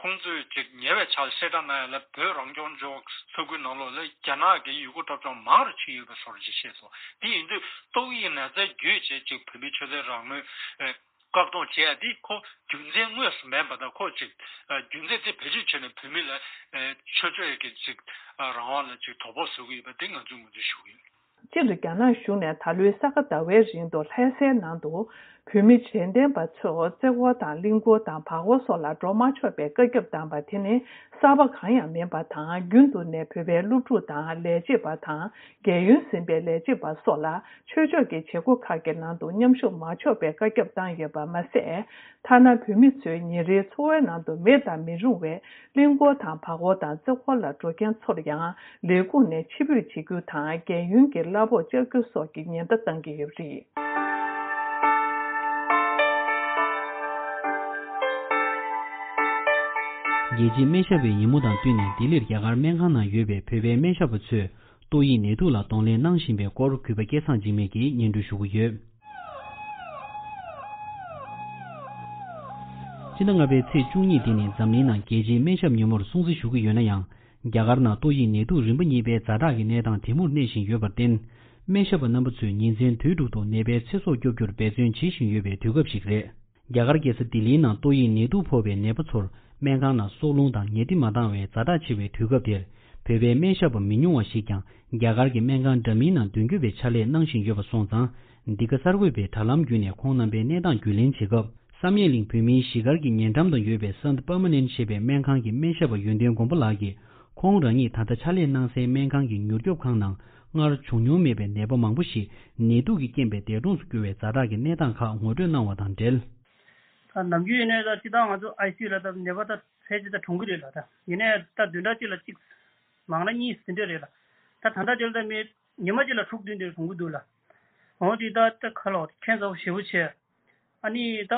ཁོང་ཚོས་ཅིག་ཉེ་བའི་ཆར་གསལ་བསྒྲགས་གནང་ཡ་ལ། བོད་རང་སྐྱོང་ལྗོངས་ས་ཁུལ་ནང་ལོགས་ལ་རྒྱ་ནག་གི་ཡུལ་སྐོར་སྤྲོ་འཆམ་མང་རུ་ཕྱིན་ཡོད་པའི་བཟོ་འདྲ་ཅིག་བཤད་སོང་། དེ་ཡིན་དུས་ཏོག་དབྱིབས་ན་ཚ་བརྒྱུད་བྱས་ཅིག་བོད་མིའི་ཆོས་དད་རང་མོས་ཨེ་བཀག་སྡོམ་བྱས་ཡ་འདི་ཁོ་རྒྱུ་མཚན་དངོས་སུ་མེད་པ་དང་། ཁོ་ཅིག་ཨ་རྒྱུ་མཚན་དེ་བེད་སྤྱོད་བྱས་ནས་བོད་མི་ལ་ཨེ་ཆོས་ཕྱོགས་ཀྱི་ཅིག་ཨ་རང་དབང་ལ་ཅིག་དོ་ཕོག་བཟོ་གི་ཡོད་པ་དེ་ང་ཚོས་ངོས་འཛིན་ཞུ་གི་ཡོད། སྤྱིར། རྒྱ་ནག་གཞུང་ནས་ད་ལོའི་ས་ག་ཟླ་བའི་རིང་དུ་ལྷ་སའི་ནང་དུ་བོད་མི་དད་ལྡན་པ་ཚོ་རྩེ་སྐོར་དང་གླིང་སྐོར་དང་བར་སྐོར་སོགས་ལ་འགྲོ་མ་ཆོག་པའི་བཀའ་ཁྱབ་བཏང་པ་དེ་ནི་གསར་པ་གང་ཡང་མིན་པ་དང་། རྒྱུན་དུ་ནས་བོད་པའི་སློབ་ཕྲུག་དང་ལས་བྱེད་པ་དང་། རྒས་ཡོལ་ཟིན་པའི་ལས་བྱེད་པ་སོགས་ལ་ཆོས་ཕྱོགས་ཀྱི་བྱེད་སྒོ་ཁག་གི་ནང་དུ་མཉམ་ཞུགས་མ་ཆོག་པའི་བཀའ་ཁྱབ་བཏང་ཡོད་པ་མ་ཟད། ཐ་ན་བོད་མི་ཚོའི་ཉིན་རེའི་འཚོ་བའི་ནང་དུ་མེད་དང་མི་རུང་བའི་གླིང་སྐོར་དང་བར་སྐོར་དང་རྩེ་སྐོར་ལ་འགྲོ་མཁན་ཚོར་ཡང་ལས་ཁུངས་ནས་ཕྱིར་འབུད་བྱེད་རྒྱུ་དང་། རྒས་ཡོལ་གྱི་གླ་ཕོགས་བཅག་རྒྱུ་སོགས་ཀྱི་ཉེན་བརྡ་བཏང་གི་ཡོད་པ་རེད། རྒྱལ་སྤྱིའི་སྨན་ཞབས་པའི་ཉིན་མོ་དང་བསྟུན་ནས། ལྡི་ལིར་རྒྱ་གར་སྨན་ཁང་ནང་ཡོད་པའི་བོད་པའི་སྨན་ཞབས་པ་ཚོས་ཏོག་དབྱིབས་ནད་དུག་ལ་གདོང་ལེན་གནང་བཞིན་པའི་སྐོར། གུས་པ་སྐལ་བཟང་འཇིགས་མེད་ཀྱིས་སྙན་སྒྲོན་ཞུ་གི་ཡོད། སྤྱི་ཟླ་ལྔ་པའི་ཚེས་བཅུ་གཉིས་འདི་ནི་འཛམ་གླིང་ནང་རྒྱལ་སྤྱིའི་སྨན་ཞབས་ཉིན་མོར་སྲུང་བརྩི་ཞུ་གི་ཡོད་ན་ཡང་། རྒྱ་གར་ནང་ཏོག་དབྱིབས་ནད་དུག་རིམ་པ་གཉིས་པའི་ཛ་དྲག་གི་གནས་སྟངས་དེ་མུར་གནས་བཞིན་ཡོད་པར་བརྟེན། སྨན་ཞབས་པ་རྣམ་པ་ཚོས་ཉིན་མཚན་དུས་དྲུག་ཏུ་ནད་པའི་ཚེ་སྲོག་སྐྱོབ་རྒྱུར་འབད་བརྩོན་བྱེད་བཞིན་ཡོད་པའི་དུས་སྐབས་ཤིག་རེད། རྒྱ་གར་རྒྱལ་ས་ལྡི་ལིའི་ནང་ཏོག་དབྱིབས་ནད་དུག་ཕོག་པའི་ནད་པ་ཚོར་སྨན་ཁང་ནང་སྲོག་རླུང་དང་ཉལ་ཁྲི་མ་འདང་བའི་ཛ་དྲག་ཆེ་བའི་དུས་སྐབས་དེར། བོད་པའི་སྨན་ཞབས་པ་མི་ཉུང་བ་ཞིག་ཀྱང་རྒྱ་གར་གྱི་སྨན་ཁང་འདྲ་མིན་ནང་མདུན་སྐྱོད་པའི་ཕྱག་ལས་གནང་བཞིན་ཡོད་པ་སོང་ཙང་། འདི་ག་གསར་འགོད་པས་དྲ་ལམ་བརྒྱུད་ནས་ཁོང་རྣམ་པའི་གནས་སྟངས་རྒྱུས་ལེན་བྱེད་སྐབས། བསམ་ཡས་གླིང་བོད་མིའི་གཞིས་སྒར་གྱི་ཉེ་འགྲམ་དུ་ཡོད་པའི་སན་པར་མ་ནན་ཞེས་པའི་སྨན་ཁང་གི་སྨན་ཞབས་པ་ཡོན་ཏན་མགོན་པོ་ལགས་ཀྱིས། ཁོང་རང་ཉིད་ད་ལྟ་ཕྱག་ལས་གནང་སའི་སྨན་ཁང་གི་མྱུར་སྐྱོབ་ཁང་ནང་སྔར་བྱུང་མྱོང་མེད་པའི་ནད་པ་མང་པོ་ཞིག་ནད་དུག་གི་རྐྱེན་པས་འདས་གྲོངས་སུ་གྱུར་བའི་ཛ་དྲག་གི་གནས་སྟངས་ཁག་ངོ་སྤྲོད་གནང་བ་དང་འབྲེལ། ད་ནམ་རྒྱུན་ཡིན་ནའི་ད་སྤྱིར་བཏང་ང་ཚོ་ཨའི་སི་ཡུ་ལ་ད་ནད་པ་ད་ཕལ་ཆེར་ད་གྲོངས་ཀྱི་རེད་ལ། ད་ཡིན་ནའི་ད་བདུན་ཕྲག་གཅིག་ལ་གཅིག་མང་ན་གཉིས་ཟིན་འདྲ་རེད་ལ། ད་ད་ལྟ་དེ་ལ་ད་མི་ཉི་མ་གཅིག་ལ་དྲུག་བདུན་དེ་གྲོངས་ཀྱི་འདུག་ལ། འོ་དེ་ད་ད་ཁ་ལོ་ཁྱེད་ཚོ་ཞེ་པོ་ཆེ། ཨ་ནི་ད་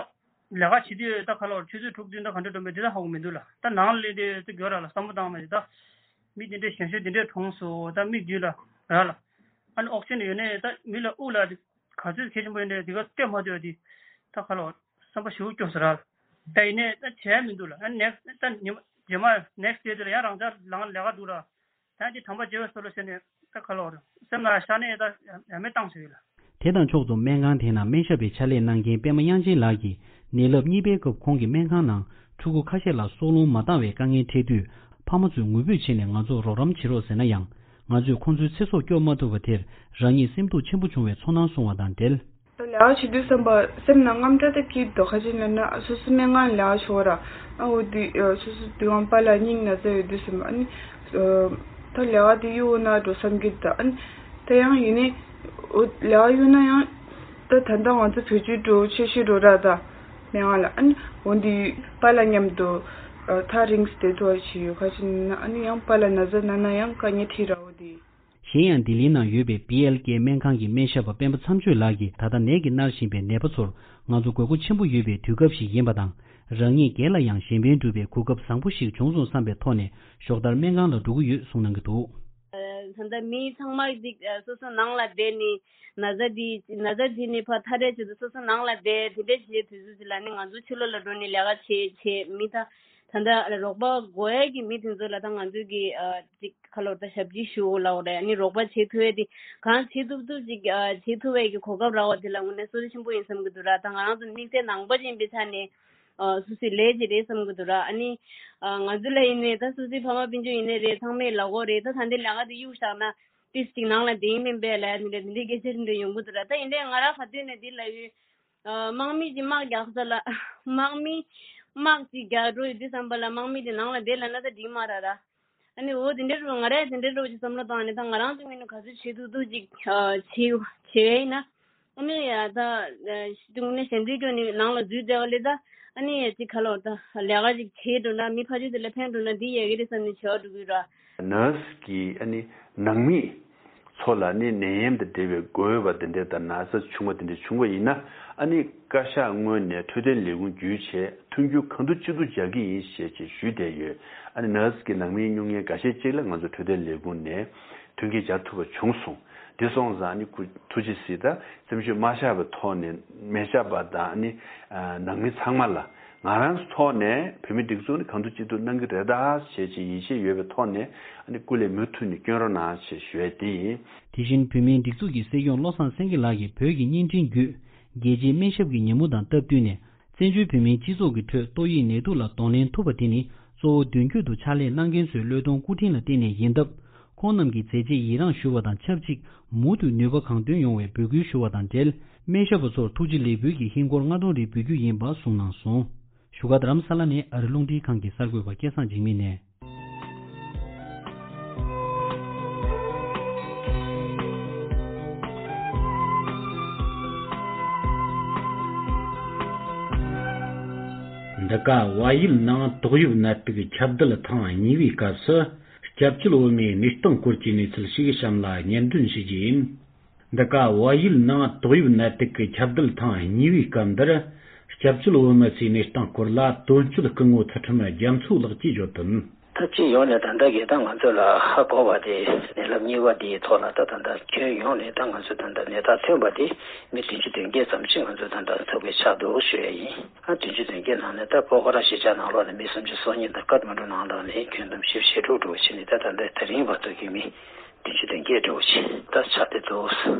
ལས་ཀ་བྱེད་དུས་ད་ཁ་ལོ་ཆུ་ཚོད་དྲུག་བདུན་ད་ག་འདྲ་འགྲོ་མེད་དེ་ད་ཧ་གོ་མི་འདུག་ལ། ད་ནང་ལ་སླེབས་དུས་ད་གྱོད་ར་ལ་བསམ་བློ་བཏང་མེད་ད། མི་དེ་འདྲས་གཞན་ཤོས་དེ་འདྲས་གྲོངས་སོང་ད་མིག་མདུན་ལ་ར་ལ། ཨ་ནི་ཨོག་སི་ཇན་ཡོད་ནས་ད་མི་ལ་དབུགས་ལ་ག་ཚོད་གལ་ཆེན་པོ་ཡིན་འདྲས་དེ་ག་སྟོན་མ་ཐུབ་དེ་ད་ཁ་ལོ་བསམ་པ་ཞེ་པོ་སྐྱོ་ས་ར་ལ། ད་ཡིན་ནས་ད་བྱས་མི་འདུག་ལ། ཨ་ནི་next ད་ཉི་མ་རྗེས་མ་next day དེ་ལ་ཡང་རང་ཅག་ལང་ལས་ཀ་འདུག་ར། ད་འདི་དམ་པ་རྗེ་བའི་སོ་ལོ་ཟེར་ནས་ད་ཁ་ལོ་རེད། སེམས་ལ་ཤ་ནས་ད་ཡ་མེད་བཏང་ཟེར་ཡོད་ལ། དེ་དང་ཕྱོགས་མཚུངས་སྨན་ཁང་དེ་ནང་སྨན་ཞབས་པའི་ཕྱག་ལས་གནང་མཁན་པད་མ་དབྱངས་ཅན་ལགས་ཀྱིས་ནད་རླབས་གཉིས་པའི་སྐབས་ཁོང་གི་སྨན་ཁང་ནང་ཕྲུ་གུ་ཁ་ཤས་ལ་སྲོག་རླུང་མ་འདང་བའི་དཀའ་ངལ་འཕྲད་དུས་ཕ་མ་ཚོས་ངུ་འབོད་བྱས་ནས་ང་ཚོར་རོགས་རམ་བྱེད་རོགས་ཟེར་ན་ཡང་ང་ཚོས་ཁོང་ཚོའི་ཚེ་སྲོག་སྐྱོབ་མ་ཐུབ་པ་དེར་རང་ཉིད་སེམས་སྡུག་ཆེན་པོ་བྱུང་བའི་ཚོར་སྣང་གསུངས་བ་དང་འབྲེལ། ལས་ཀ་བྱེད་དུས་བསམ་པ་སེམས་ནང་དངངས་སྐྲག་དེ་སྐྱིད་འདུག་ཁ་ཅིག་ན་ན་སོ་སོ་སྨན་ཁང་ལས་ཀ་བྱེད་ར། ཨ་འོ་དེ་སོ་སོ་དུས་དབང་པ་ལ་སྙིང་ན་ཚ་ཡོད་དུས་བསམ་པ་ཨ་ནི། ད་ལས་ཀ་དེ་གཡུག་ན་འགྲོ་བསམ་གྱི་འདུག་ཨ་ནི། ད་ཡང་ཡིན་ནི། འོ་ལས་ཀ་གཡུག་ན་ཡང་། ད་ད་ལྟ་ང་ཚོ་བེད་སྤྱོད་འགྲོ་ཆེ་ཤོས་འགྲོ་ར་ད། སྨན་ཁང་ལ་ཨ་ནི་འོ་འདི་པ་ལ་མཉམ་དུ་ཐག་རིང་སྟེ་ཐུག་བྱས་ཡོད་ཁ་ཅིག་ན་ཨ་ནི་ཡང་པ་ལ་ན་ཚ་ན་ན་ཡང་དཀའ་ངལ་འཕྲད་ར་འོ་དེ། གཞན་ཡང་ལྡི་ལི་ནང་ཡོད་པའི་བི་ཨེལ་ཀེ་སྨན་ཁང་གི་སྨན་ཞབས་པ་སྤེན་པ་མཚམས་གཅོད་ལགས་ཀྱིས་ད་ལྟ་ནད་ཀྱིས་མནར་བཞིན་པའི་ནད་པ་ཚོར་ང་ཚོ་དགོས་མཁོ་ཆེན་པོ་ཡོད་པའི་དུས་སྐབས་ཤིག་ཡིན་པ་དང་། རང་ཉིད་སྒེར་ལ་ཡང་གཞན་ཕན་སྒྲུབ་པའི་གོ་སྐབས་བཟང་པོ་ཞིག་བྱུང་སོང་བསམ་པའི་ཐོག་ནས་ཞོགས་ལྟར་སྨན་ཁང་ལ་འགྲོ་གི་ཡོད་གསུངས་གནང་གི་འདུག་ད་ལྟ་མི་ཚང་མ་འདི་སོ་སོ་ནང་ལ་བསྡད་ནས་ན་ཚ་འདི་ན་ཚ་འདི་ནས་ཕར་ཐར་རེས་བྱེད་དུས་སོ་སོ་ནང་ལ་བསྡད་དེ་འདྲས་བྱེད་དུས་ཚོད་ཅིག་ལ་ནི་ང་ཚོ་ཕྱི་ལོགས་ལ་འགྲོ་ནས་ལས་ཀ་བྱེད་བྱེད་མི་ད་ད་ལྟ་རོགས་པ་དགོས་ཡས་ཀྱི་མི་དེ་ཚོ་ལ་ད་ང་ཚོས་ཀྱི་ཅིག་ཁ་ལོ་ད་ཞབས་ཕྱི་ཞུ་ལབ་རེད། ཨ་ནི་རོགས་པ་བྱེད་ཐུབ་ཡས་དེ་གང་བྱེད་ཐུབ་ཐུབ་ཅིག་བྱེད་ཐུབ་ཡས་ཀྱི་གོ་སྐབས་རག་པ་དེ་ལ་དངོས་གནས་བསོད་བདེ་ཆེན་པོ་ཡིན་བསམ་གྱི་འདུག་ར། ད་ང་རང་ཚོ་དམིགས་བསལ་ནང་པ་ཅིག་ཡིན་པའི་ཆ་ནས་སོ་སོའི་ལས་ཀྱི་རེད་བསམ་གྱི་འདུག་ར། ཨ་ནི་ང་ཚོ་ལ་ཡིན་ནའི་ད་སོ་སོའི་ཕ་མ་སྤུན་ཆུ་ཡིན་ནའི་རེད། ཚང་མས་ལབ་ཀྱི་རེད། ད་ད་འདི་ལས་ཀ་དེ་གཡུག་བཞག་ན་ཏིས་ཅིག་ནང་ལ་བསྡད་ཡིན་མིན་པས་ལ་ཡ་དེ་འདྲ་དེ་འདྲའི་སྐད་ཆ་དེ་འདྲ་ཡོང་གི་འདུག་ར། ད་ཡིན་ནའི་ང་རང་ག་དུས་ནས་འདི་ལབ་ཡོད། དམག་མི་གྱི་དམག་རྒྱག་ས་ལ་དམག་མི་དམག་ཅིག་རྒྱག་འགྲོ་ཡོད་དུས་ཙམ་པ་ལ་དམག་མི་དེ་ནང་ལ་བསྡད་ལབ་ན་ད་འགྲིག་མ་རེད་ར། ཨ་ནི་འོ་དེ་འདྲའི་རུ་ང་རས་དེ་འདྲའི་རུ་ཅིག་བསམ་བློ་བཏང་ནས་ད་ང་རང་ཚོ་ངོས་ནས་ག་ཚོད་བྱེད་ཐུབ་ཐུབ་ཅིག་བྱེད་བྱེད་ཡ་ཡིན་ན། ཨ་ནི་ཡ་ད་དངོས་གནས་ཞལ་འཛིན་སྐྱོན་ནི་ནང་ལ་འཛུལ་བསྡད་པ་ལས་ད་ཨ་ནི་ཡ་ཅིག་ག་ལོར་ད་ལས་ཀ་ཅིག་བྱེད་འགྲོ་ན་མི་ཕ་ཆོས་དེ་ལ་ཕན་འགྲོ་ན་འདི་ཡ་གི་རེད་བསམ་ནས་བྱེད་པ་འགྲོ་གི་ཡོད་ར། ནར་སི་གིས་ཨ་ནི་ནང་མི་ཚོ་ལ་ནི་ནད་ཡམས་དང་འབྲེལ་བའི་འགོས་པ་དེ་འདྲས་དང་ན་ཚ་བྱུང་བ་དེ་འདྲས་བྱུང་བ་ཡིན་ན་ཨ་ནི་བཀའ་ཤག་ངོས་ནས་འཕྲོད་བསྟེན་ལས་ཁུངས་བརྒྱུད་བྱས་མཐུན་འགྱུར་གང་ཐུབ་ཅི་ཐུབ་རྒྱག་གི་ཡིན་ཞེས་ཅིག་ཞུས་བསྡད་ཡོད། ཨ་ནི་ནར་སི་གི་ནང་མིའི་སྨྱུང་གནས་འགའ་ཤས་ཅིག་ལ་ང་ཚོ་འཕྲོད་བསྟེན་ལས་ཁུངས་ནས་མཐུན་རྐྱེན་སྦྱར་ཐུབ་པ་བྱུང་སོང་། དེ་སོང་ཙང་ཨ་ནི་སྐུ་ཐུགས་རྗེ་གཟིགས། ད་སེམས་ཤུགས་མ་ཆག་པའི་ཐོག་ནས་སྨན་ཞབས་པ་དང་ཨ་ནི་ནང་མི་ཚང་མ་ལ། ང་རང་ཚོ་ཐོག་ནས་བོད་མིའི་སྒྲིག་འཛུགས་ནི་གང་ཐུབ་ཅི་ཐུབ་གནང་གི་རེད་ད་ཞེས་ཅིག་ཡིད་ཆེས་ཡོད་པའི་ཐོག་ནས་ཨ་ནི་སྐུ་ལས་མུ་མཐུད་ནས་བསྐྱོན་རོགས་གནང་ཞེས་ཞུ་ཡས་དེ་ཡིན། དེ་བཞིན་བོད་མིའི་སྒྲིག་འཛུགས་ཀྱི་སྲིད་སྐྱོང་བློ་བཟང་སེང་གེ་ལགས་ཀྱིས་བོད་ཀྱི་བརྙན་འཕྲིན་བརྒྱུད་རྒྱལ་སྤྱིའི་སྨན་ཞབས་ཀྱི་ཉིན་མོ་དང་སྟབས་བསྟུན་ནས་བཙན་བྱོལ་བོད་མིའི་སྤྱི་ཚོགས་ཀྱི་ཁྲོད་ཏོག་དབྱིབས་ནད་དུག་ལ་གདོང་ལེན་ཐུབ་པ་དེ་ནི་གཙོ་བོ་མདུན་སྐྱོད་དུ་ཕྱག་ལས་གནང་མཁན་ཚོའི་བློས་གཏོང་སྐུ་དྲིན་ལ་བརྟེན་ནས་ཡིན་སྟབས། ཁོང་རྣམས་ཀྱི་མཛད་རྗེས་ཡི་རངས་ཞུ་བ་དང་ཆབས་ཅིག་མུ་མཐུད་ནུས་པ་གང་ཐོན་ཡོང་བའི་འབོད་སྐུལ་ཞུ་བ་དང་འབྲེལ། སྨན་ཞབས་པ་ཚོར་ཐུགས་རྗེ་ལེགས་འབུལ་གྱི་ཧིན་སྒོར་ལྔ་སྟོང་རེ་འབུལ་རྒྱུ་ཡིན་པ་གསུངས་གནང་སོང་། བཞུགས་སྒར་རྡ་རམ་ས་ལ་ནས་ཨ་རི་རླུང་འཕྲིན་ཁང་གི་གསར་འགོད་པ་སྐལ་བཟང་འཇིགས་མེད་ནས། འདི་ག་བལ་ཡུལ་ནང་ཏོག་དབྱིབས་ནད་དུག་ཁྱབ་གདལ་ཐེངས་གཉིས་པའི་སྐབས་སུ། སྐྱབས་བཅོལ་བོད་མིའི་གནས་སྟངས་སྐོར་གྱི་གནས་ཚུལ་ཞིག་གཤམ་ལ་སྙན་སྒྲོན་ཞུ་རྒྱུ་ཡིན། འདི་ག་བལ་ཡུལ་ནང་ཏོག་དབྱིབས་ནད་དུག་གི་ཁྱབ་གདལ་ཐེངས་གཉིས་པའི་སྐབས་འདིར། སྐྱབས་བཅོལ་བོད་མི་ཚོའི་གནས་སྟངས་སྐོར་ལ་དོན་གཅོད་སྐུ་ངོ་ཚུལ་ཁྲིམས་རྒྱ་མཚོ་ལགས་ཀྱིས་བརྗོད་དོན། ད་སྤྱི་ཡོངས་ནས་ད་ལྟ་གི་ད་ང་ཚོ་ལ་ཧ་གོ་བ་དེ་ནད་རླབས་གཉིས་པ་དེའི་ཐོག་ལ་ད་ད་ལྟ་ཁྱོན་ཡོངས་ནས་ད་ང་ཚོ་ད་ལྟ་ནད་རྟགས་ཐོན་པ་དེ་མི་བདུན་ཅུ་དོན་བརྒྱད་ཙམ་ཞིག་ང་ཚོ་ད་ལྟ་ཐུག་པའི་ཆགས་འདུག་ཞུ་ཡ་ཡིན། ཨ་བདུན་ཅུ་དོན་བརྒྱད་ནང་ནས་ད་པོ་ཁ་ར་གཞིས་ཆགས་ནང་ལོགས་ནས་མི་སུམ་ཅུ་སོ་གཉིས་དང་ཀ་ཐ་མན་གྲུ་ནང་ལོགས་ནས་ཁྱོན་བསྡོམས་བཞི་བཅུ་ཞེ་དྲུག་འགྲོ་བཞིན་ནས་ད་ད་ལྟ་དེ་རིང་བར་དུ་གི་མི་བདུན་ཅུ་དོན་བརྒྱད་འགྲོ་བཞིན་ད་ཆགས་བསྡད་འདུག་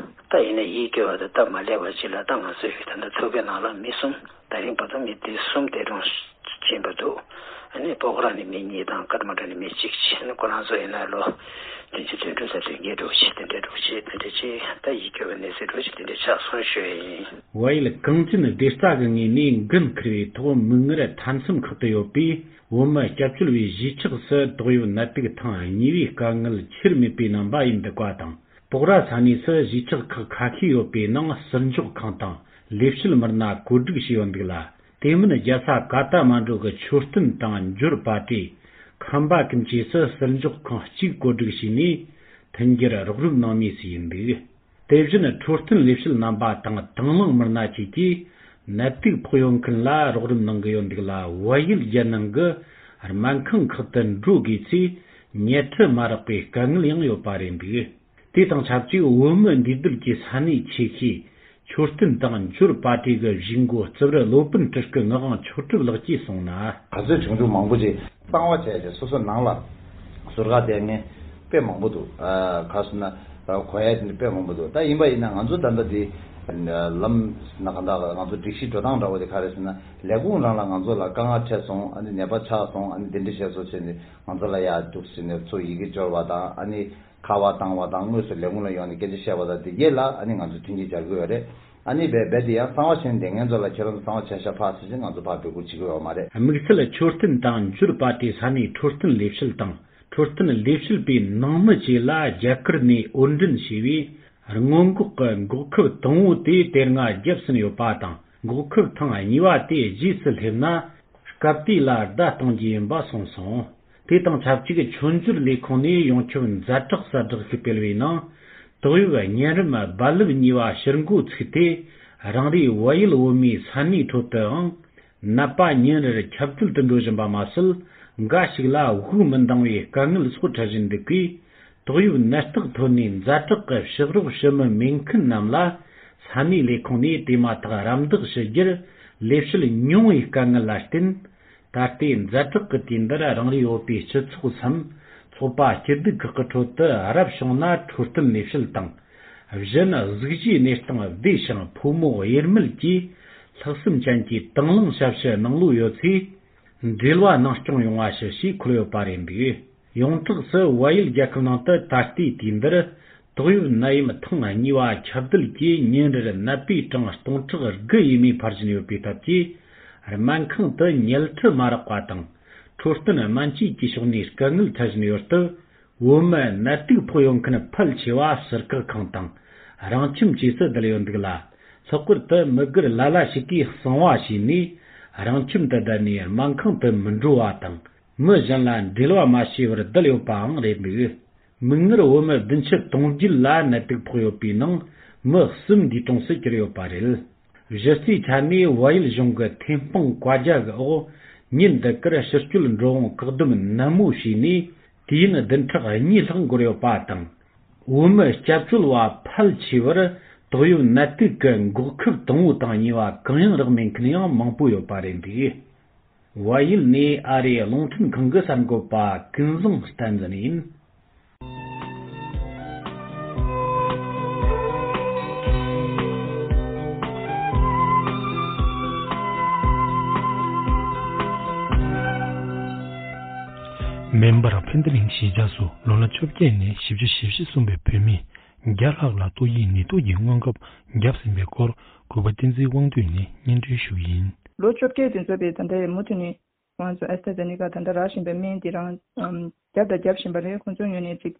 ད་ཡིན་ན་ཡིད་སྐྱོ་བ་དང་སྟབས་མ་ལེགས་པ་ཅིག་ལ་ད་ང་ཚོའི་ད་ལྟ་ཚོགས་པའི་ནང་ལ་མི་གསུམ་ད་རིང་བར་དུ་མི་དེ་གསུམ་འདས་གྲོངས་ཕྱིན་པ་འདུག་ཨ་ནི་པོ་ཁ་ར་ནས་མི་གཉིས་དང་ཀ་ཐ་མན་གྲུ་ནས་མི་གཅིག་བྱས་ནས་ཁོ་རང་ཚོ་ཡིན་ན་ལོ་བདུན་ཅུ་དོན་དྲུག་དང་དོན་བརྒྱད་འགྲོ་བཞིན་དེ་འདྲ་འགྲོ་བཞིན་དེ་འདྲ་ཅིག་ད་ཡིད་སྐྱོ་བའི་གནས་ཚུལ་འགྲོ་བཞིན་དེ་འདྲ་ཆགས་སོང་ཞུ་ཡ་ཡིན། བལ་ཡུལ་གངས་ཅན་བདེ་རྩ་གི་ངོས་ནས་འགན་འཁུར་བའི་ཐོག་མིག་སྔར་མཐའ་མཚམས་ཁག་ཏུ་ཡོད་པའི་བོད་མི་སྐྱབས་བཅོལ་བའི་གཞིས་ཆགས་སུ་ཏོག་དབྱིབས་ནད་དུག་ཐེངས་གཉིས་པའི་དཀའ་ངལ་ཁྱེར་མེད་པའི་རྣམ་པ་ཡིན་འདུག་པ་དང་། སྤོག་ར་ས་གནས་སུ་གཞིས་ཆགས་ཁག་ཁ་ཤས་ཡོད་པའི་ནང་ཟུར་འཇོག་ཁང་དང་ལས་བྱེད་མི་སྣ་བཀོད་སྒྲིག་བྱས་ཡོད་འདུག་ལ། དེ་མིན་རྒྱལ་ས་ཀ་ཐ་མན་གྲུ་གི་མཆོད་རྟེན་དང་འབྱོར་པ་ཊེ། ཁམས་པ་ཀུན་གྱིས་སུ་ཟུར་འཇོག་ཁང་གཅིག་བཀོད་སྒྲིག་བྱས་ནས་མཐུན་འགྱུར་རོགས་རམ་གནང་མུས་སུ་ཡིན་འདུག་དེ་བཞིན་འཕྲོད་བསྟེན་ལས་བྱེད་རྣམ་པ་དང་དང་བླངས་མི་སྣ་བཅས་ཀྱིས་ནད་དུག་ཕོག་ཡོད་མཁན་ལ་རོགས་རམ་གནང་གི་ཡོད་འདུག་ལ། བལ་ཡུལ་རྒྱལ་ནང་གི་སྨན་ཁང་ཁག་ཏུ་འགྲོ་དགོས་ཚེ་ཉལ་ཁྲི་མ་རག་པའི་དཀའ་ངལ་ཡང་ཡོད་པ་རེད་འདུག་དེ་དང་ཆབས་ཅིག་བོད་མི་འདུས་སྡོད་ཀྱི་ས་གནས་ཆེ་ཤོས་མཆོད་རྟེན་དང་འབྱོར་པ་ཊི་གི་གཞིས་འགོ་རྩིབ་རི་སློབ་དཔོན་སྤྲུལ་སྐུ་ངག་དབང་ཆོས་གྲུབ་ལགས་ཀྱིས་གསུངས་ན། ག་ཚོད་བྱུང་བྱུང་མང་པོ་ཅིག་གཙང་བ་བྱས་བྱས་སོ་སོ་ནང་ལ་ཟུར་བཀག་བསྡད་མཁན་དཔེ་མང་པོ་འདུག་ཨ། ག་རེ་ཟེར་ན་གོ་ཡ་དེ་འདྲ་དཔེ་མང་པོ་འདུག་ད་ཡིན་པ་ཡིན་ན་ང་ཚོ་ད་ལྟ་འདི་ལམ་ན་ག་འདྲ་ང་ཚོ་སྒྲིག་གཞི་འགྲོ་སྟངས་འདྲ་བོ་དེ་ག་རེ་ཟེར་ན་ལས་ཁུངས་རང་ལ་ང་ཚོ་ལ་དཀའ་ངལ་འཕྲད་སོང་། ཨ་ནི་ནད་པ་ཆགས་སོང་། ཨ་ནི་དེ་འདྲ་བྱས་སོང་བྱས་ནས་ང་ཚོ་ལ་ཡར་འདུག་ཟེར་ནས་ཚུར་ཡི་གེ་འབྱོར་བ་དང་། ཨ་ནི་ཁ་པར་བཏང་བ་དང་དངོས་སུ་ལས་ཁུངས་ལ་ཡོང་ནས་སྐད་ཆ་བཤད་པ་དང་དེ་གས་ལ་ཨ་ནི་ང་ཚོས་མཐུན་རྐྱེན་སྦྱར་གྱི་ཡོད་རེད། ཨ་ནི་རྦད་རྦད་དེ་ཡང་གཙང་བ་བྱས་ནས་བསྡད་མཁན་ཚོ་ལ་ཁྱེད་རང་ཚོ་གཙང་བ་བྱས་ཤག་ཕར་ཟེར་ནས་ང་ཚོ་ཕར་འབོད་སྐུལ་བྱེད་ཀྱི་ཡོད་མ་རེད། དམིགས་བསལ་མཆོད་རྟེན་དང་འབྱོར་པ་ཊི་ས་གནས་འཕྲོད་བསྟེན་ལས་བྱེད་དང་འཕྲོད་བསྟེན་ལས་བྱེད་པའི་ནང་མི་བཅས་ལ་རྒྱ་གར་ནས་འོར་འདྲེན་བྱས་པའི་སྔོན་འགོག་གི་འགོག་ཁབ་དང་པོ་དེ་དེ་སྔ་བརྒྱབ་ཟིན་ཡོད་པ་དང་། འགོག་ཁབ་ཐེངས་གཉིས་པ་དེ་རྗེས་སུ་སླེབས་ན་སྐབས་དེ་ལ་བརྡ་གཏོང་རྒྱུ་ཡིན་པ་གསུངས་སོང་། དེ་དང་ཆབས་ཅིག་མཆོད་འཇོར་ལས་ཁུངས་ནས་ཡོངས་ཁྱབ་ཛ་དྲག་གསལ་བསྒྲགས་ཤིག་སྤེལ་བའི་ནང་། ཏོག་དབྱིབས་གཉན་རིམས་རྦ་རླབས་གཉིས་པ་ཕྱིར་འགོ་ཚུགས་ཏེ། རང་རེའི་བལ་ཡུལ་བོད་མིའི་ས་གནས་ཁྲོད་དུའང་ནད་པ་ཉིན་རེར་ཁྱབ་གདལ་དུ་འགྲོ་བཞིན་པ་མ་ཟད། འགའ་ཞིག་ལ་དབུགས་མི་འདང་བའི་དཀའ་ངལ་སོགས་འཕྲད་བཞིན་འདུག་གས། ཏོག་དབྱིབས་ནད་རྟགས་ཐོན་ནས་ཛ་དྲག་གི་ཕྱག་རོགས་ཞུ་མི་མེད་མཁན་རྣམས་ལ་ས་གནས་ལས་ཁུངས་ནས་དེ་མ་ཐག་རམ་འདེགས་ཞུ་རྒྱུར་ལས་བྱེད་ཉུང་བའི་དཀའ་ངལ་ལ་བརྟེན། ད་ལྟའི་ཛ་དྲག་གི་དུས་འདིར་རང་རེའི་བོད་པའི་སྤྱི་ཚོགས་སམ་ཚོགས་པ་སྐྱིད་སྡུག་ཁག་གི་ཁྲོད་དུ་རབ་བྱུང་ན་འཕྲོད་བསྟེན་ལས་བྱེད་དང་། གཞན་གཟུགས་གཞིའི་གནས་སྟངས་བདེ་ཞིང་ཕོ་མོ་དབྱེར་མེད་ཀྱིས་ལྷག་བསམ་ཅན་གྱིས་དང་བླངས་ཞབས་ཞུ་གནང་ལུགས་ཡོད་ཚེ། འབྲེལ་བ་ནང་སྐྱོང་ཡོང་བ་ཞུ་ཞེས་འཁོད་ཡོད་པ་རེད་འདུག་ཡོངས་གྲགས་སུ་བལ་ཡུལ་རྒྱལ་ཁབ་ནང་དུ་ད་ལྟའི་དུས་འདིར་ཏོག་དབྱིབས་ནད་ཡམས་ཐེངས་གཉིས་པ་ཁྱབ་གདལ་གྱིས་ཉིན་རེར་ནད་པའི་གྲངས་སྟོང་ཕྲག་དགུ་ཡས་མས་འཕར་བཞིན་ཡོད་པའི་སྟབས་ཀྱིས། སྨན་ཁང་དུ་ཉལ་ཁྲི་མ་རག་པ་དང་། འཕྲོད་བསྟེན་སྨན་བཅོས་ཀྱི་ཕྱོགས་ནས་དཀའ་ངལ་འཕྲད་བཞིན་ཡོད་སྟབས། བོད་མི་ནད་དུག་ཕོག་ཡོད་མཁན་ཕལ་ཆེ་བ་ཟུར་བཀག་ཁང་དང་། རང་ཁྱིམ་བཅས་སུ་བསྡད་ཡོད་འདུག་ལ། ལྷག་པར་དུ་མི་སྒེར་ལ་ལ་ཞིག་གིས་གསང་བ་བྱས་ནས། རང་ཁྱིམ་དུ་བསྡད་ནས་སྨན་ཁང་དུ་མི་འགྲོ་བ་དང་། མི་གཞན་ལ་འབྲེལ་བ་མ་བྱས་པར་བསྡད་ཡོད་པའང་རེད་འདུག་མིག་སྔར་བོད་མི་བདུན་ཅུ་དོན་བརྒྱད་ལ་ནད་དུག་ཕོག་ཡོད་པའི་ནང་མི་གསུམ་འདས་གྲོངས་སུ་གྱུར་ཡོད་པ་རེད། གཞི་རྩའི་ཆ་ནས་བལ་ཡུལ་གཞུང་གི་ཐེམ་སྤང་བཀའ་རྒྱ་གི་འོག་ཉིན་འདི་གར་ཕྱི་སྐྱོད་འགྲོ་འོང་བཀག་སྡོམ་ནན་མོ་བྱས་ནས་དུས་ཡུན་བདུན་ཕྲག་གཉིས་ལྷག་འགོར་ཡོད་པ་དང་། བོད་མི་སྐྱབས་བཅོལ་བ་ཕལ་ཆེ་བར་ཏོག་དབྱིབས་ནད་དུག་གི་འགོག་ཁབ་དང་པོ་དང་གཉིས་པ་གང་ཡང་རག་མེད་མཁན་ཡང་མང་པོ་ཡོད་པ་རེད་འདུག་བལ་ཡུལ་ནས་ཨ་རིའི་རླུང་འཕྲིན་ཁང་གི་གསར་འགོད་པ་ཀུན་བཟང་བསྟན་འཛིན་ཡིན། མེམ་བར་ཕན་བདེ་གླིང་གཞིས་ཆགས་སུ་ལོ་ན་བཅོ་བརྒྱད་ནས་བཞི་བཅུ་ཞེ་བཞི་སོན་པའི་བོད་མི་བརྒྱ་ལྷག་ལ་ཏོག་དབྱིབས་ནད་དུག་གི་སྔོན་ཁབ་བརྒྱབ་ཟིན་པའི་སྐོར་གུས་པ་བསྟན་འཛིན་དབང་འདུས་ནས་སྙན་སྒྲོན་ཞུ་གི་ཡིན། ལོ་བཅོ་བརྒྱད་དེ་ཚོ་པའི་ད་ལྟའི་མུ་མཐུད་ནས་ང་ཚོ་ཨེ་སི་ཊ་ཛེ་ནེ་ཀ་ད་ལྟ་རག་བཞིན་པའི་སྨན་དེ་རང་ཨམ་བརྒྱབ་དང་རྒྱབ་བཞིན་པ་རེད། ཁོང་ཚོའི་ངོས་ནས་ཅིག་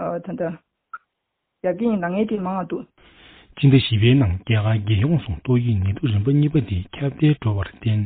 ཨ་ད་ལྟ་རྒྱབ་ཀྱི་ཡིན་ལབ་མཁན་དེ་མང་བ་འདུག་སྤྱི་ཟླ་བཞི་པའི་ནང་རྒྱ་གར་རྒྱལ་ཡོངས་སུ་ཏོག་དབྱིབས་ནད་དུག་རིམ་པ་གཉིས་པ་དེ་ཁྱབ་གདལ་འགྲོ་བར་བརྟེན།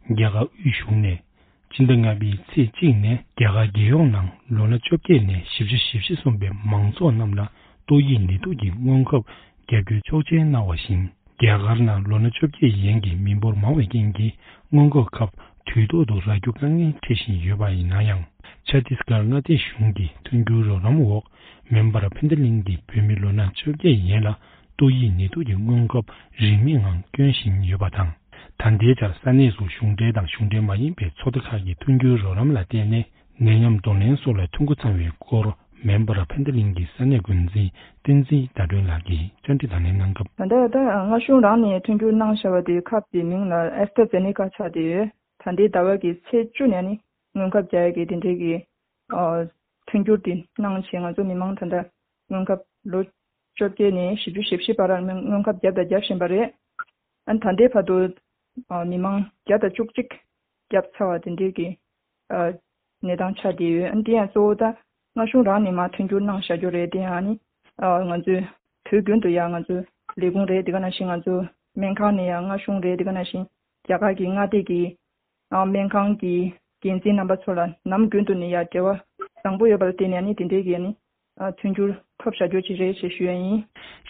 རྒྱ་གར་དབུས་གཞུང་ནས་སྤྱི་ཟླ་ལྔ་པའི་ཚེས་གཅིག་ནས་རྒྱ་གར་རྒྱལ་ཡོངས་ནང་ལོ་ན་བཅོ་བརྒྱད་ནས་བཞི་བཅུ་ཞེ་བཞི་སོན་པའི་མང་ཚོགས་རྣམས་ལ་ཏོག་དབྱིབས་ནད་དུག་གི་སྔོན་ཁབ་བརྒྱབ་རྒྱུའི་ཆོག་མཆན་གནང་བ་བཞིན། རྒྱ་གར་ནང་ལོ་ན་བཅོ་བརྒྱད་ཡན་གྱི་མི་འབོར་མང་བའི་རྐྱེན་གྱིས་སྔོན་འགོག་ཁབ་དུས་ཐོག་ཏུ་རག་རྒྱུ་དཀའ་ངལ་འཕྲད་བཞིན་ཡོད་པ་ཡིན་ན་ཡང་། ཆ་ཏིས་གྷར་མངའ་སྡེ་གཞུང་གི་མཐུན་འགྱུར་རོགས་རམ་འོག་མེམ་བར་ཕན་བདེ་གླིང་གི་བོད་མི་ལོ་ན་བཅོ་བརྒྱད་ཡན་ལ་ཏོག་དབྱིབས་ནད་དུག་གི་སྔོན་ཁབ་རིན་མེད་ངང་སྐྱོན་བཞིན་ཡོད་པ་དང་། ད་ལྟའི་ཆར་ས་གནས་སུ་གཞུང་འབྲེལ་དང་གཞུང་འབྲེལ་མ་ཡིན་པའི་ཚོགས་སྡེ་ཁག་གི་མཐུན་འགྱུར་རོགས་རམ་ལ་བརྟེན་ནས། ནད་ཡམས་གདོང་ལེན་སོགས་ལ་ཐོན་འགོ་ཚང་བའི་སྐོར་མེམ་བར་ཕན་བདེ་གླིང་གི་ས་གནས་འགོ་འཛིན་བསྟན་འཛིན་ཟླ་སྒྲོན་ལགས་ཀྱིས་བཅར་འདྲི་དང་ལེན་གནང་སྐབས། ད་ལྟ་ད་སྔ་གཞུང་རང་ནས་མཐུན་འགྱུར་གནང་བཞག་པ་དེ་ཁབ་དེ་མིང་ལ་ཨེ་སི་ཊ་ཛེ་ནེ་ཀ་ཆགས་བསྡད་ཡོད། ད་ལྟའི་ཟླ་བ་གི་ཚེས་བཅུ་ནས་ནི་སྔོན་ཁབ་རྒྱག་ཡ་གི་དེ་འདྲའི་གི་ཨ་མཐུན་འགྱུར་དེ་གནང་བྱས། ང་ཚོ་མི་མང་ད་ལྟ་སྔོན་ཁབ་ལོ་བཅོ་བརྒྱད་ནས་བཞི་བཅུ་ཞེ་བཞི་བར་སྔོན་ཁབ་བརྒྱབ་དང་རྒྱབ་བཞིན་པ་རེད། ཨ་ནི་ད་ལྟའི་བར་དུ་ཨ་མི་མང་བརྒྱ་དང་བཅུ་གཅིག་བརྒྱབ་ཚར་བ་དེ་འདྲའི་གི་ཨ་གནས་སྟངས་ཆགས་བསྡད་ཡོད། ཨ་ནི་དེ་ཡང་གཙོ་བོ་ད་སྔ་གཞུང་རང་ནས་མར་མཐུན་འགྱུར་གནང་བཞག་རྒྱུ་རེད། དེ་ཡང་ཨ་ནི་ཨ་ང་ཚོའི་བོད་དགོན་དུ་ཡང་ང་ཚོའི་ལས་ཁུངས་རེད། དེ་ག་ནང་བཞིན་ང་ཚོའི་སྨན་ཁང་ནས་ཡང་སྔ་གཞུང་རེད། དེ་ག་ནང་བཞིན་རྒྱ་གར་གྱི་མངའ་སྡེ་གི་ཨ་སྨན་ཁང་གི་འགན་འཛིན་རྣམ་པ་ཚོ་ལ་ནམ་རྒྱུན་དུ་ནས་ཡང་འབྲེལ་བ་བཟང་པོ་ཡོད་པ་ལ་བརྟེན་ནས་ཨ་ནི་དེ་འདྲའི་གི་ཨ་ནི་ཨ་མཐུན་འགྱུར་ ཕབ་བཞག་རྒྱུ་ཅིག་རེད་ཅེས་ཞུ་ཡ་ཡིན།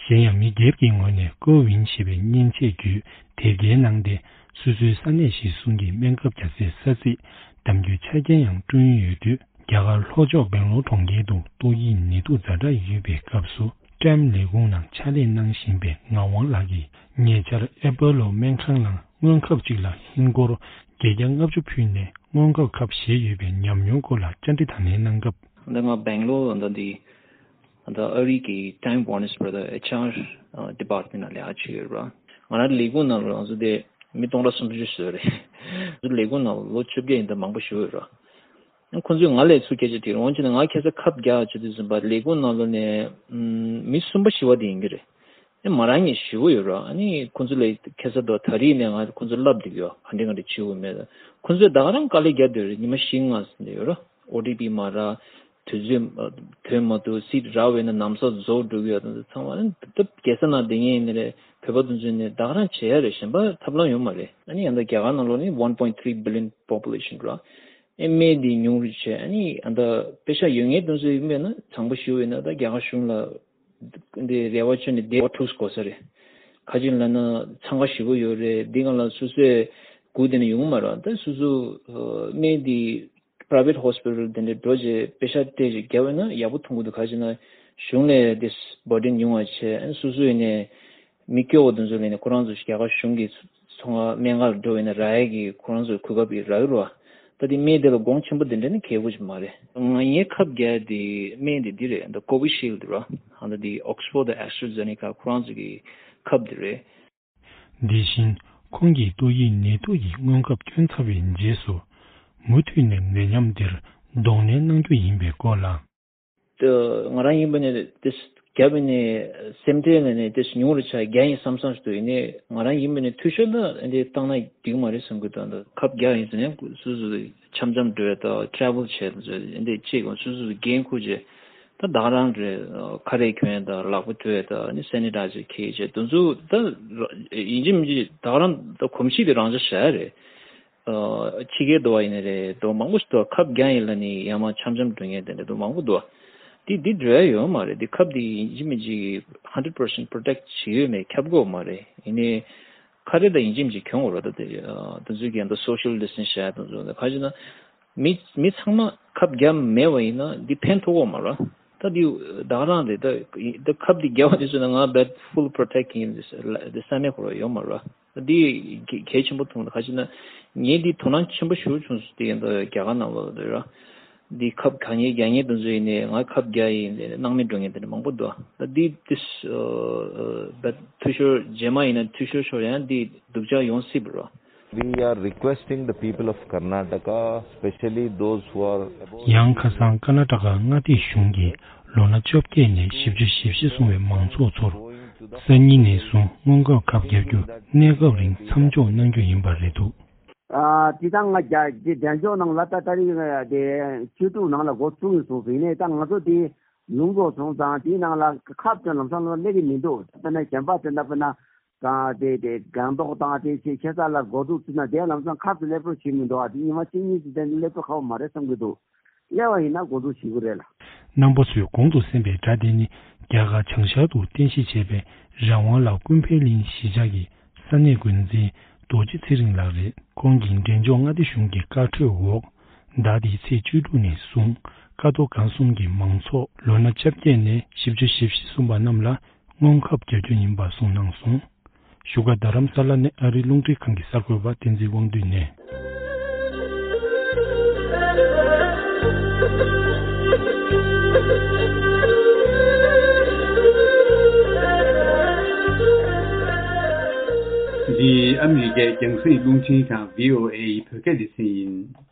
གཞན་ཡང་མི་སྒེར་གྱི་ངོས་ནས་ཀོ་ཝིན་ཞེས་པའི་མཉེན་ཆས་བརྒྱུད་དེབ་སྐྱེལ་གནང་སྟེ། སོ་སོའི་ས་གནས་གཞིར་བཟུང་གི་སྨན་ཁབ་རྒྱག་སའི་ས་ཚིགས། གཏམ་རྒྱུད་ཆ་རྐྱེན་ཡང་བསྐྲུན་ཡོད་དུས། རྒྱ་གར་ལྷོ་ཕྱོགས་སྦེང་ལོར་གྲོང་ཁྱེར་དུ་ཏོག་དབྱིབས་ནད་དུག་ཛ་དྲག་ཡོད་པའི་སྐབས་སུ། ཀྲེམ་ལས་ཁུངས་ནང་ཕྱག་ལས་གནང་བཞིན་པའི་ངག་དབང་ལགས་ཀྱིས། ཉེ་ཆར་ཨེ་པོ་ལོ་སྨན་ཁང་ནང་སྔོན་ཁབ་ཅིག་ལ་ཧིན་སྒོར་བརྒྱད་བརྒྱ་ལྔ་བཅུ་ཕུལ་ནས་སྔོན་ཁབ་ཁབ་བཞེས་ཡོད་པའི་ཉམས་མྱོང་སྐོར་ལ་བཅར་འདྲི་དང་ལེན་གནང་སྐབས། འདི་ང་སྦེང་ལོར་འདི་འདི་ད་ཨ་རི་གི་Time Warner's Brother H R department ནང་ལས་ཀ་བྱེད་ཡོད་ར། ང་རང་ལས་ཁུངས་ནང་ལ་ང་ཚོ་དེ་མི་སྟོང་ཕྲག་སུམ་ཅུ་བཟོས་རེད། ང་ཚོ་ལས་ཁུངས་ནང་ལོ་བཅོ་བརྒྱད་ཡིན་ད་མང་པོ་ཞིག་ཡོད་ར། ཁོང་ཚོས་ང་ལ་ཚུར་སྐད་ཆ་དྲིས་ར། འོན་ཀྱང་ང་ཁ་སང་ཁབ་རྒྱག་བྱེད་དུས་ཙམ་པ་ལས་ཁུངས་ནང་ལོགས་ནས་ཨམ་མི་གསུམ་པ་བཞི་པ་དེ་ཡིན་གྱི་རེད། ཨེ་མ་རང་ཉིད་ཞི་བོ་ཡོད་ར། ཨ་ནི་ཁོང་ཚོ་ལ་ཁ་སང་དོ་ད་རིང་ནས་ང་ཁོང་ཚོ་ལབ་བསྡད་ཡོད། ག་འདྲ་ག་འདྲ་བྱེད་དགོས་མེད། ཁོང་ཚོས་ད་ག་རང་དཀའ་ལས་རྒྱག་བསྡད་ཡོད་རེད། ཉི་མ་བཞི་ལྔ་ཟིན་བསྡད་ཡོད་ར། ཨོ་ཊི་པི་མ་རག་དུས་ཚོད་ཐོན་མ་ཐུབ། སིཊ་རག་པས་ན་ལམ་སང་རྫོགས་འགྲོ་གི་ཡོད། དེ་ཚོ་ཚང་མ་ནི་ད་རྒྱལ་ས་ནང་བསྡད་མཁན་ཡིན་ནི་རེད། བོད་པ་དེ་ཚོས་ནི་ད་ག་རང་བྱེད་ཡ་རེད། གཞན་པ་ཐབས་ལམ་ཡོད་མ་རེད། ཨ་ནི་ཡང་ད་རྒྱ་གར་ནང་ལོགས་ནི་one point three billion population ར། ཨེ་སྨན་དེ་ཉུང་རུ་བྱས། ཨ་ནི་ཡང་ད་པེ་ཤ་ཡོད་མཁན་དེ་ཚོ་ཡིན་པས་ན་བཟང་པོ་ཞིག་ཡིན་ན། ད་རྒྱ་གར་གཞུང་ལ་འདི་རེ་བ་བཅོལ་ནས་བསྡད་པ་ཐུག་དགོས་ས་རེད། ག་ཅི་ལབ་ན་འཚང་ཁ་ཞེ་པོ་ཡོད་རེད། འདི་ག་ལ་སོ་སོས་སྒུག་བསྡད་ན་ཡོང་གི་མ་རེད། ད་སོ་སོ་ཨ་སྨན་འདི་private hospital དེ་འདྲ་འགྲོ་བྱས་པེ་ཤ་སྤྲད་བྱས་རྒྱག་པ་ན་ཡག་པོ་མཐོང་གི་འདུག་ག་ཅི་ན་གཞུང་ལ་འདི་burden ཉུང་བ་བྱས། ཨ་ནི་སོ་སོ་ཡིན་ནས་མི་སྐྱོ་བོ་དེ་ཚོ་ལ་ནི་ཁོ་རང་ཚོ་རྒྱ་གར་གཞུང་གི་ཚོང་ཁང་སྨན་ཁང་ལ་འགྲོ་བས་ན་རག་ཡས་ཀྱི་ཁོ་རང་ཚོའི་གོ་སྐབས་ཡི་རག་གི་རེད་བ། ད་དེ་སྨན་དེ་ལ་གོང་ཆེན་པོ་དེ་འདྲ་ནི་གལ་པོ་ཅིག་མ་རེད། ང་ངའི་ཁབ་རྒྱག་དེ་སྨན་དེ་འདི་རེད། ད་Covishield ར། ཨ་ད་དེ་Oxford དང་AstraZeneca ཁོ་རང་ཚོ་གི་ཁབ་དེ་རེད། དེ་བཞིན་ཁོང་གིས་ཏོག་དབྱིབས་ནད་དུག་གི་སྔོན་ཁབ་བསྐྱོན་ཚར་བའི་རྗེས་སུ། མུ་མཐུད་ནས་ནད་ཉམས་འདིར་གདོང་ལེན་གནང་རྒྱུ་ཡིན་པའི་སྐོར་ལ། ད་ང་རང་ཡིན་པ་ནས་དེ་རྒྱབ་ནས་སེམས་ཁྲལ་ལ་ནས་དེ་ཉུང་རུ་ཆགས་རྒྱ་ཡིན་བསམ་བསམ་ཞིག་འདུག་ཡིན་ནའི་ང་རང་ཡིན་པ་ནས་འཐུས་ཤོར་ལ་འདི་བཏང་ན་འགྲིག་མ་རེད་བསམ་གི་འདུག་ད་ཁབ་རྒྱག་ཡིན་ཟེར་ནས་སོ་སོ་འཆམ་འཆམ་འགྲོ་ཡ་ད་travel བྱས་འདི་བྱེད་དགོས། སོ་སོ་འགན་འཁུར་བྱས་ད་ད་ག་རང་རེད། ཁ་རས་གྱོན་ཡ་ད་ལག་པ་དུད་ཡ་ད་ནི་sanitizer འཁྱེར་བྱས་དེ་ཚོ་ད་ཡིན་གཅིག་མིན་གཅིག་ད་ག་རང་ད་གོམས་གཤིས་དེ་རང་འཇགས་བྱ་ཡ་རེད། ཕྱི་རྒྱལ་དུ་བ་ཡིན་ནའི་རེད། དུ་མང་པོ་ཞིག་འདུག་ཁབ་རྒྱག་ཡིན་ལ་ནི་ཡ་མ་འཆམ་འཆམ་འགྲོ་མཁན་དེ་འདྲ་འདུག་མང་པོ་འདུག་དེ་འདི་འགྲོ་ཡ་ཡོད་མ་རེད། འདི་ཁབ་འདི་ཡིན་གཅིག་མིན་གཅིག་hundred percent protect བྱེད་ཡོད་མེད་ཁྱབ་དགོས་མ་རེད། ཡིན་ནའི་ཁ་རས་ད་ཡིན་གཅིག་མིན་གཅིག་གྱོན་དགོས་རེད། ད་དེ་དེ་ཚོའི་གི་ད་social distance བྱ་ཡ་དེ་ཚོ་ད་ག་ཅི་ན་མི་མི་ཚང་མ་ཁབ་རྒྱག་མེད་པ་ཡིན་ན་འདི་ཕན་ཐོགས་དགོས་མ་རེད། ད་འདི་ད་ག་རང་རེད། ད་ད་ཁབ་འདི་རྒྱག་པ་དེ་ཚོ་ན་ང་བད་full protect ཡིན་འདི་ས་ནས་ཁོ་ར་ཡོད་མ་རེད། འདི་གལ་གལ་ཆེན་པོ་མཐོང་། ག་ཅི་ན་ངས་འདི་དོ་སྣང་ཆེན་པོ་ཞེ་པོ་བྱུང་སོང་། དེ་ཡིན་ད་རྒྱ་གར་ནང་ལོགས་ལ་ར་འདི་ཁབ་ག་ངས་རྒྱག་མཁན་དེ་ཚོ་ཡིན་ནའི་ང་ཁབ་རྒྱག་ཡིན་ནའི་སྣང་མེད་འགྲོ་མཁན་དེ་འདྲ་མང་པོ་འདུག་ད་འདི་this but འཐུས་ཤོར་རྗེས་མ་ཡིན་ན་འཐུས་ཤོར་ཤོར་ཡང་འདི་སྡུག་ཅག་ཡོང་སྲིད་པ་ར། We are requesting the people of Karnataka, especially those who are above ཡང་ཁ་སང་ཀར་ནཱ་ཊ་ཀ་མངའ་སྡེ་གཞུང་གིས་ལོ་ན་བཅོ་བརྒྱད་ནས་བཞི་བཅུ་ཞེ་བཞི་སོང་བའི་མང་ཚོགས་ཚོར། སང་ཉིན་ནས་བཟུང་སྔོན་འགོག་ཁབ་བརྒྱབ་རྒྱུ་གནས་སྐབས་རིང་མཚམས་འཇོག་གནང་རྒྱུ་ཡིན་པ་རེད་འདུག་ཨ་དེ་དང་ང་རྒྱ་དེ་འབྲས་ལྗོངས་ནང་ལ་ད་ད་རེས་དེ་བཅུ་དྲུག་ནང་ལ་འགོ་བཙུགས་ཡོད་སོང་ཟིན་ནས། ད་ང་ཚོ་དེ་ལུང་འགོག་སོང་ཙང་དེའི་ནང་ལ་ཁབ་ཙམ་ལམ་སང་ལ་སླེབས་ཀྱི་མི་འདུག་དཔེར་ན་གཞན་པ་དེ་འདྲ་དཔེར་ན། དང་དེ་དེ་སྒང་ཏོག་དང་དེ་ཆེ་ཆེ་ས་ལ་འགོ་འཛུགས་བྱས་ན་དེ་ལམ་སང་ཁབ་ཏུ་སླེབས་རོགས་བྱེད་མི་འདུག་ཨ་དེ་ཉི་མ་གཅིག་གཉིས་ཀྱི་དེ་སླེབས་རོགས་ཁག་པོ་མ་རེད་བསམ་གྱི་འདུག་སླེབས་པ་ཡིན་ན་འགོ་འཛུགས་བྱེད་དགོས་རེད་ལ། རྣམ་པ་ཚོས་གོང་དུ་གསན་པའི་སྒྲ་དེ་ནི་རྒྱ་གར་བྱང་ཤར་དུ་རྟེན་གཞི་བྱས་པའི་རང་དབང་ལ་ཀུན་ཕན་གླིང་གཞིས་ཆགས་ཀྱི་ས་གནས་འགོ་འཛིན་རྡོ་རྗེ་ཚེ་རིང་ལགས་རེད། ཁོང་གིས་འབྲས་ལྗོངས་མངའ་སྡེ་གཞུང་གི་བཀའ་འཁྲོལ་འོག་ཟླ་འདིའི་ཚེས་བཅུ་དྲུག་ནས་བཟུང་ཀ་རྡོ་སྒང་གསུམ་གྱི་མང་ཚོགས་ལོ་ན་བཅོ་བརྒྱད་ནས་བཞི་བཅུ་ཞེ་བཞི་སོན་པ་རྣམས་ལ། སྔོན་ཁབ་རྒྱག་རྒྱུ་ཡིན་པ་གསུངས་གནང་སོང་། བཞུགས་སྒར་རྡ་རམ་ས་ལ་ནས་ཨ་རིའི་རླུང་འཕྲིན་ཁང་གི་གསར་འགོད་པ་བསྟན་འཛིན་དབང་འདུས་ནས། འདི་ཨ་མི་རི་ཀའི་རྒྱང་སྲིང་རླུང་འཕྲིན་ཁང་བྷི་ཨོ་ཨེ་ཡི་བོད་སྐད་སྡེ་ཚན་ཡིན།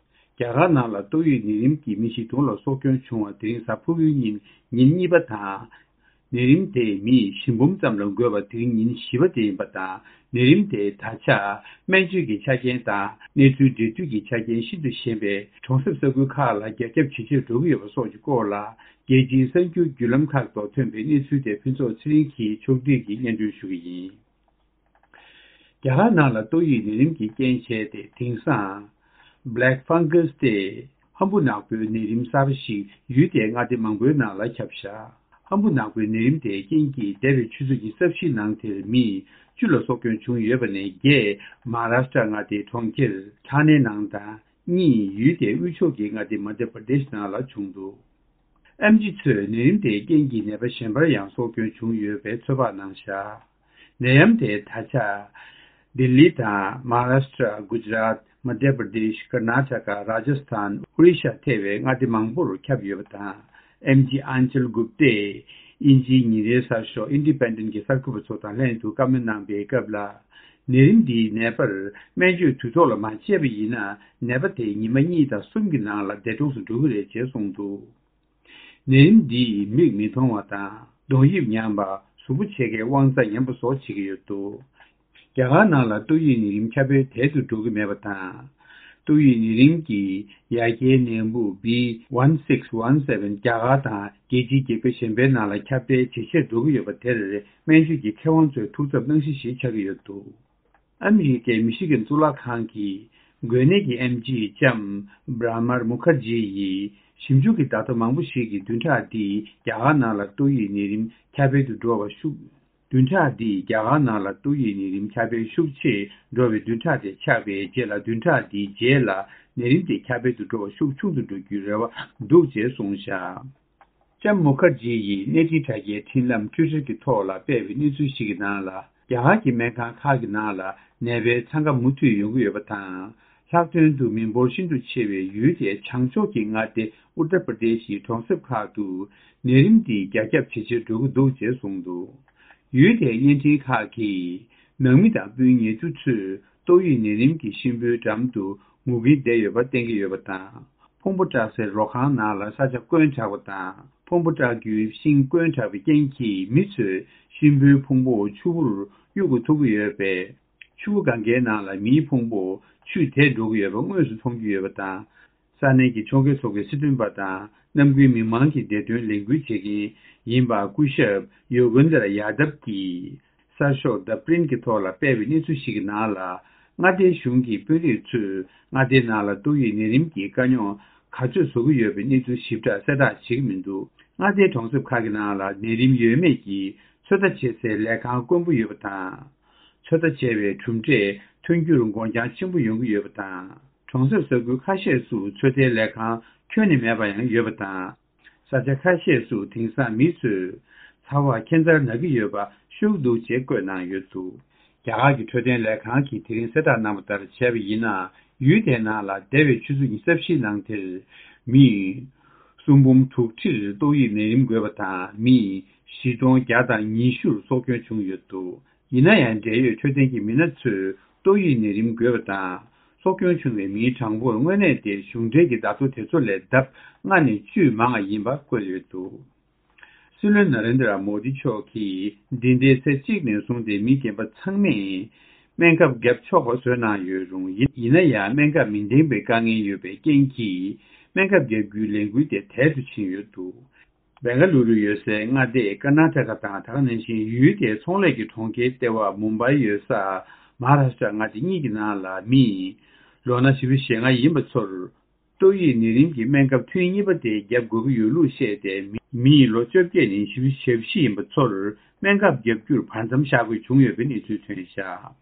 རྒྱ་གར་ནང་ལ་ཏོག་དབྱིབས་ནད་རིམས་ཀྱིས་མི་བཞི་སྟོང་ལ་སྲོག་སྐྱོན་བྱུང་བ་དེ་རིང་གཟའ་ཕུར་བུའི་ཉིན་ཉིན་གཉིས་པ་དང་། ནད་རིམས་དེས་མི་བཞི་འབུམ་ཙམ་ལ་འགོས་པ་དེ་རིང་ཉིན་བཞི་པ་དེ་ཡིན་པ་དང་། ནད་རིམས་དེ་ད་ཆ་སྨན་བཅོས་ཀྱི་ཆ་རྐྱེན་དང་གནས་ཚུལ་འབྲེལ་མཐུད་ཀྱི་ཆ་རྐྱེན་ཤིན་ཏུ་ཞན་པའི་གྲོང་གསེབ་ས་ཁུལ་ཁག་ལ་རྒྱ་ཁྱབ་ཇེ་ཆེར་འགྲོ་གི་ཡོད་པ་སོགས་ཀྱི་སྐོར་ལ། རྒྱལ་སྤྱིའི་གསར་འགྱུར་བརྒྱུད་ལམ་ཁག་ཐོག་ཐོན་པའི་གནས་ཚུལ་དེ་ཕུན་ཚོགས་ཚེ་རིང་གིས་ཕྱོགས་བསྒྲིགས་ཀྱིས་སྙན་སྒྲོན་ཞུ་གི་ཡིན། རྒྱ་གར་ནང་ལ་ཏོག་དབྱིབས་ནད་རིམས་ཀྱིས་རྐྱེན་བྱས་ཏེ། དེང་སང་Black Fungus སྟེ་ཧམ་བུ་ནག་པོའི་ནད་རིམས་གསར་པ་ཞིག་ཡུལ་དེའི་མངའ་སྡེ་མང་པོའི་ནང་ལ་ཁྱབ་བཞག་ཧམ་བུ་ནག་པོའི་ནད་རིམས་དེའི་རྐྱེན་གྱིས་འདས་པའི་ཆུ་ཚོད་ཉི་ཤུ་རྩ་བཞིའི་ནང་དེར་མི་བཅུ་ལ་སྲོག་སྐྱོན་བྱུང་ཡོད་པ་ནས་བརྒྱད་མ་ཧཱ་རཱ་ཤ་ཊ་མངའ་སྡེའི་གྲོང་ཁྱེར་ཐ་ནའི་ནང་དང་གཉིས་ཡུལ་དེའི་དབུས་ཕྱོགས་ཀྱི་མངའ་སྡེ་མ་དྷྱ་པར་དེཤ་ནང་ལ་བྱུང་འདུག་ཨེམ་ཆི་ཚོས་ནད་རིམས་དེའི་རྐྱེན་གྱིས་ནད་པ་གཞན་པར་ཡང་སྲོག་སྐྱོན་བྱུང་ཡོད་པའི་ཚོད་དཔག་གནང་བཞག་ནད་ཡམས་དེ་ད་ཆ་ལྡི་ལི་དང་མ་ཧཱ་རཱ་ཤ་ཊ། གུ་ཇ་རཱཏ། མ་དྷྱ་པར་དེཤ། ཀར་ན་ཊ་ཀ། རཱ་ཇ་སི་ཐན། ཨོ་རི་ཤ་ཐེ་བའི་མངའ་སྡེ་མང་པོར་ཁྱབ་ཡོད་པ་དང་། ཨེམ་ཆི་ཨན་ཅལ་གུབ་ཏས་དབྱིན་ཇིའི་ཉིན་རེའི་གསར་ཤོག་ཨིན་ཌི་པེན་ཌེན་གྱི་གསར་འགོད་པ་ཚོ་དང་ལྷན་དུ་བཀའ་མོལ་གནང་པའི་སྐབས་ལ། ནད་རིམས་འདིའི་ནད་པར་སྨན་བཅོས་དུས་ཐོག་ལ་མ་བྱས་པ་ཡིན་ན། ནད་པ་དེ་ཉི་མ་གཉིས་དང་གསུམ་གྱི་ནང་ལ་འདས་གྲོངས་སུ་འགྲོ་གི་རེད་ཅེས་གསུངས་འདུག་ནད་རིམས་འདིས་མིག་མི་མཐོང་བ་དང་གདོང་དབྱིབས་ཉམས་པ། གཟུགས་པོ་ཕྱེད་ཀའི་དབང་རྩ་ཉམས་པ་སོགས་བྱེད་ཀྱི་ཡོད་འདུག་རྒྱ་གར་ནང་ལ་ཏོག་དབྱིབས་ནད་རིམས་ཁྱབ་སྤེལ་དལ་དུ་འགྲོ་གི་མེད་པ་དང་། ཏོག་དབྱིབས་ནད་རིམས་ཀྱི་ཡ་གྱལ་ནད་འབུ་བྷི་ཝན་སིགས་ཝན་སེ་ཝན་རྒྱ་གར་དང་རྒྱལ་སྤྱིའི་རྒྱལ་ཁབ་གཞན་པའི་ནང་ལ་ཁྱབ་སྤེལ་ཇེ་ཆེར་འགྲོ་གི་ཡོད་པ་དེར་སྨན་བཅོས་ཀྱི་མཁས་དབང་ཚོའི་ཐུགས་འཚབ་གནང་གཞི་ཞིག་ཆགས་ཀྱི་ཡོད་འདུག་ཨ་མི་རི་ཀའི་མི་ཤི་གན་གཙུག་ལག་ཁང་གི་འགོས་ནད་ཀྱི་ཨེམ་ཆི་ལྕམ་བྷྲ་མར་མུ་ཁར་ཇི་ཡིས་ཞིབ་འཇུག་གི་བརྡ་ཐོ་མང་པོ་ཞིག་གིས་བདུན་ཕྲག་འདིའི་རྒྱ་གར་ནང་ལ་ཏོག་དབྱིབས་ནད་རིམས་ཁྱབ་སྤེལ་དུ་འགྲོ་བ་ཤུགས། བདུན་ཕྲག་འདིའི་རྒྱ་གར་ནང་ལ་ཏོག་དབྱིབས་ནད་རིམས་ཁྱབ་སྤེལ་ཤུགས་ཆེ་འགྲོ་བའི་བདུན་ཕྲག་དེ་ཆགས་པའི་རྗེས་ལ། བདུན་ཕྲག་འདིའི་རྗེས་ལ་ནད་རིམས་དེ་ཁྱབ་སྤེལ་དུ་འགྲོ་བ་ཤུགས་ཆུང་དུ་འགྲོ་རྒྱུའི་རེ་བ་འདུག་ཅེས་གསུངས་བཞག་ལྕམ་མུ་ཁར་ཇི་ཡིས་གནས་འཕྲིན་དྲ་རྒྱའི་འཕྲིན་ལམ་ཊུའི་ཊར་གྱི་ཐོག་ལ་སྤེལ་བའི་གནས་ཚུལ་ཞིག་གི་ནང་ལ། རྒྱ་གར་གྱི་སྨན་ཁང་ཁག་གི་ནང་ལ་ནད་པའི་འཚང་ཁ་མུ་མཐུད་ཡོང་གི་ཡོད་པ་དང་། ལྷག་དོན་དུ་མི་འབོར་ཤིན་ཏུ་ཆེ་བའི་ཡུལ་དེའི་བྱང་ཕྱོགས་ཀྱི་མངའ་སྡེ་ཨུ་ཏར་པར་དེཤ་ཡི་གྲོང་གསེབ་ཁག་ཏུ་ནད་རིམས་འདི་རྒྱ་ཁྱབ་ཇེ་ཆེར་འགྲོ་གི་འདུག་ཅེས་གསུངས་འདུག་ཡུལ་དེའི་བརྙན་འཕྲིན་ཁག་གིས་ནང་མི་དང་སྤུན་ཉེ་དུ་ཚོས་ཏོག་དབྱིབས་ནད་རིམས་ཀྱི་གཤིན་པོའི་འགྲམ་དུ་ངུ་གིན་བསྡད་ཡོད་པ་བསྟན་གྱི་ཡོད་པ་དང་། ཕུང་པོ་བཀྲག་སའི་རོ་ཁང་ནང་ལ་ས་ཆ་བསྐོན་དྲགས་པ་དང་། ཕུང་པོ་བཀྲག་རྒྱུའི་ཤིང་བསྐོན་དྲགས་པའི་རྐྱེན་གྱིས་མི་ཚོས་གཤིན་པོའི་ཕུང་པོ་ཆུ་བུར་གཡུག་གི་ཐུག་གི་ཡོད་པས། ཆུ་བོ་གངྒཱའི་ནང་ལ་མིའི་ཕུང་པོ་ཆུས་དེད་འགྲོ་གི་ཡོད་པ་དངོས་སུ་མཐོང་རྒྱུ་ཡོད་པ་དང་། ས་གནས་ཀྱི་ཕྱོགས་འགལ་ཚོགས་པའི་སྲིད་དོན་པ་དང་། གནམ་དགུའི་མི་མང་གི་བདེ་དོན་ལས་འགུལ་བྱེད་མཁན་ཡིན་པ་སྐུ་ཞབས་ཡོ་གན་དར་ཡ་དབ་ཀྱིས། གསར་ཤོག་The Print གྱི་ཐོག་ལ་སྤེལ་བའི་གནས་ཚུལ་ཞིག་གི་ནང་ལ། མངའ་སྡེའི་གཞུང་གི་དཔོན་རིགས་ཚོས་མངའ་སྡེའི་ནང་ལ་ཏོག་དབྱིབས་ནད་རིམས་ཀྱི་དཀའ་རྙོག་ག་ཚོད་བཟོ་གི་ཡོད་པའི་གནས་ཚུལ་ཞིབ་ཕྲ་གསལ་བསྒྲགས་བྱེད་ཀྱི་མི་འདུག་མངའ་སྡེའི་གྲོང་གསེབ་ཁག་གི་ནང་ལ་ནད་རིམས་ཡོད་མེད་ཀྱི་ཚོད་ལྟ་བྱེད་སའི་ལས་ཁང་དཀོན་པོ་ཡོད་པ་དང་། ཚོད་ལྟ་བྱས་པའི་གྲུབ་འབྲས་ཐོན་རྒྱུར་འགོར་འགྱངས་ཆེན་པོ་ཡོང་གི་ཡོད་པ་དང་། གྲོང་གསེབ་ས་ཁུལ་ཁ་ཤས་སུ་ཚོད་ལྟའི་ལས་ཁང་ཁྱོན་ནས་མེད་པ་ཡང་ཡོད་པ་དང་། ས་ཆ་ཁ་ཤས་སུ་དེང་སང་མི་ཚོས་ཚ་བ་ཁྱད་མཚར་ན་གི་ཡོད་པ་ཤུགས་འདུག་ཅེས་བཀོད་གནང་ཡོད་འདུག་རྒྱ་གར་གྱི་འཕྲོད་བསྟེན་ལས་ཁང་གིས་དེ་རིང་གསལ་བསྒྲགས་གནང་བ་ལྟར་བྱས་པ་ཡིན་ན། ཡུལ་དེའི་ནང་ལ་འདས་པའི་ཆུ་ཚོད་ཉི་ཤུ་རྩ་བཞིའི་ནང་དེར་མི་སུམ་འབུམ་དྲུག་ཁྲིར་ཏོག་དབྱིབས་ནད་རིམས་འགོས་པ་དང་། མི་བཞི་སྟོང་བརྒྱ་དང་ཉི་ཤུར་སྲོག་སྐྱོན་བྱུང་ཡོད་འདུག་ཡིན་ན་ཡང་། འབྲེལ་ཡོད་འཕྲོད་བསྟེན་གྱི་མི་སྣ་ཚོས་ཏོག་དབྱིབས་ནད་རིམས་འགོས་པ་དང་སྲོག་སྐྱོན་བྱུང་བའི་མིའི་གྲངས་འབོར་དངོས་གནས་དེ་གཞུང་འབྲེལ་གྱི་བརྡ་ཐོ་དེ་ཚོ་ལས་ལྡབ་ལྔ་ནས་བཅུ་མང་བ་ཡིན་པ་བཀོད་ཡོད་འདུག་སྲིད་བློན་ན་རེན་དྲ་མོ་དི་མཆོག་གིས་འདི་ཟླའི་ཚེས་གཅིག་ནས་བཟུང་སྟེ་མི་རྒན་པ་ཚང་མས་སྨན་ཁབ་བརྒྱབ་ཆོག་པ་བཟོས་གནང་ཡོད་རུང་། ཡིན་ཡིན་ན་ཡང་སྨན་ཁབ་མི་འདེང་པའི་དཀའ་ངལ་ཡོད་པའི་རྐྱེན་གྱིས་སྨན་ཁབ་བརྒྱབ་རྒྱུའི་ལས་འགུལ་དེ་དལ་དུ་ཕྱིན་ཡོད་འདུག་བེང་ག་ལུ་རུ་ཡོད་སའི་མངའ་སྡེ་ཀར་ན་ཊ་ཀ་དང་། ད་ག་ནང་བཞིན་ཡུལ་དེའི་ཚོང་ལས་ཀྱི་གྲོང་ཁྱེར་ལྟེ་བ་མུམ་བྷའི་ཡོད་ས་མ་ཧཱ་རཱ་ཤ་ཊ་མངའ་སྡེ་གཉིས་ཀྱི་ནང་ལ་མི་ལོ་ན་བཞི་བཅུ་ཞེ་ལྔ་ཡིན་པ་ཚོར་ཏོག་དབྱིབས་ནད་རིམས་ཀྱི་སྨན་ཁབ་ཐུན་གཉིས་པ་དེ་བརྒྱབ་དགོས་ཀྱི་ཡོད་ལུགས་བཤད་དེ། མི་མི་ལོ་བཅོ་བརྒྱད་ནས་བཞི་བཅུ་ཞེ་བཞི་ཡིན་པ་ཚོར་སྨན་ཁབ་བརྒྱབ་རྒྱུར་བར་མཚམས་བཞག་དགོས་བྱུང་ཡོད་པའི་གནས་ཚུལ་ཐོན་བཞག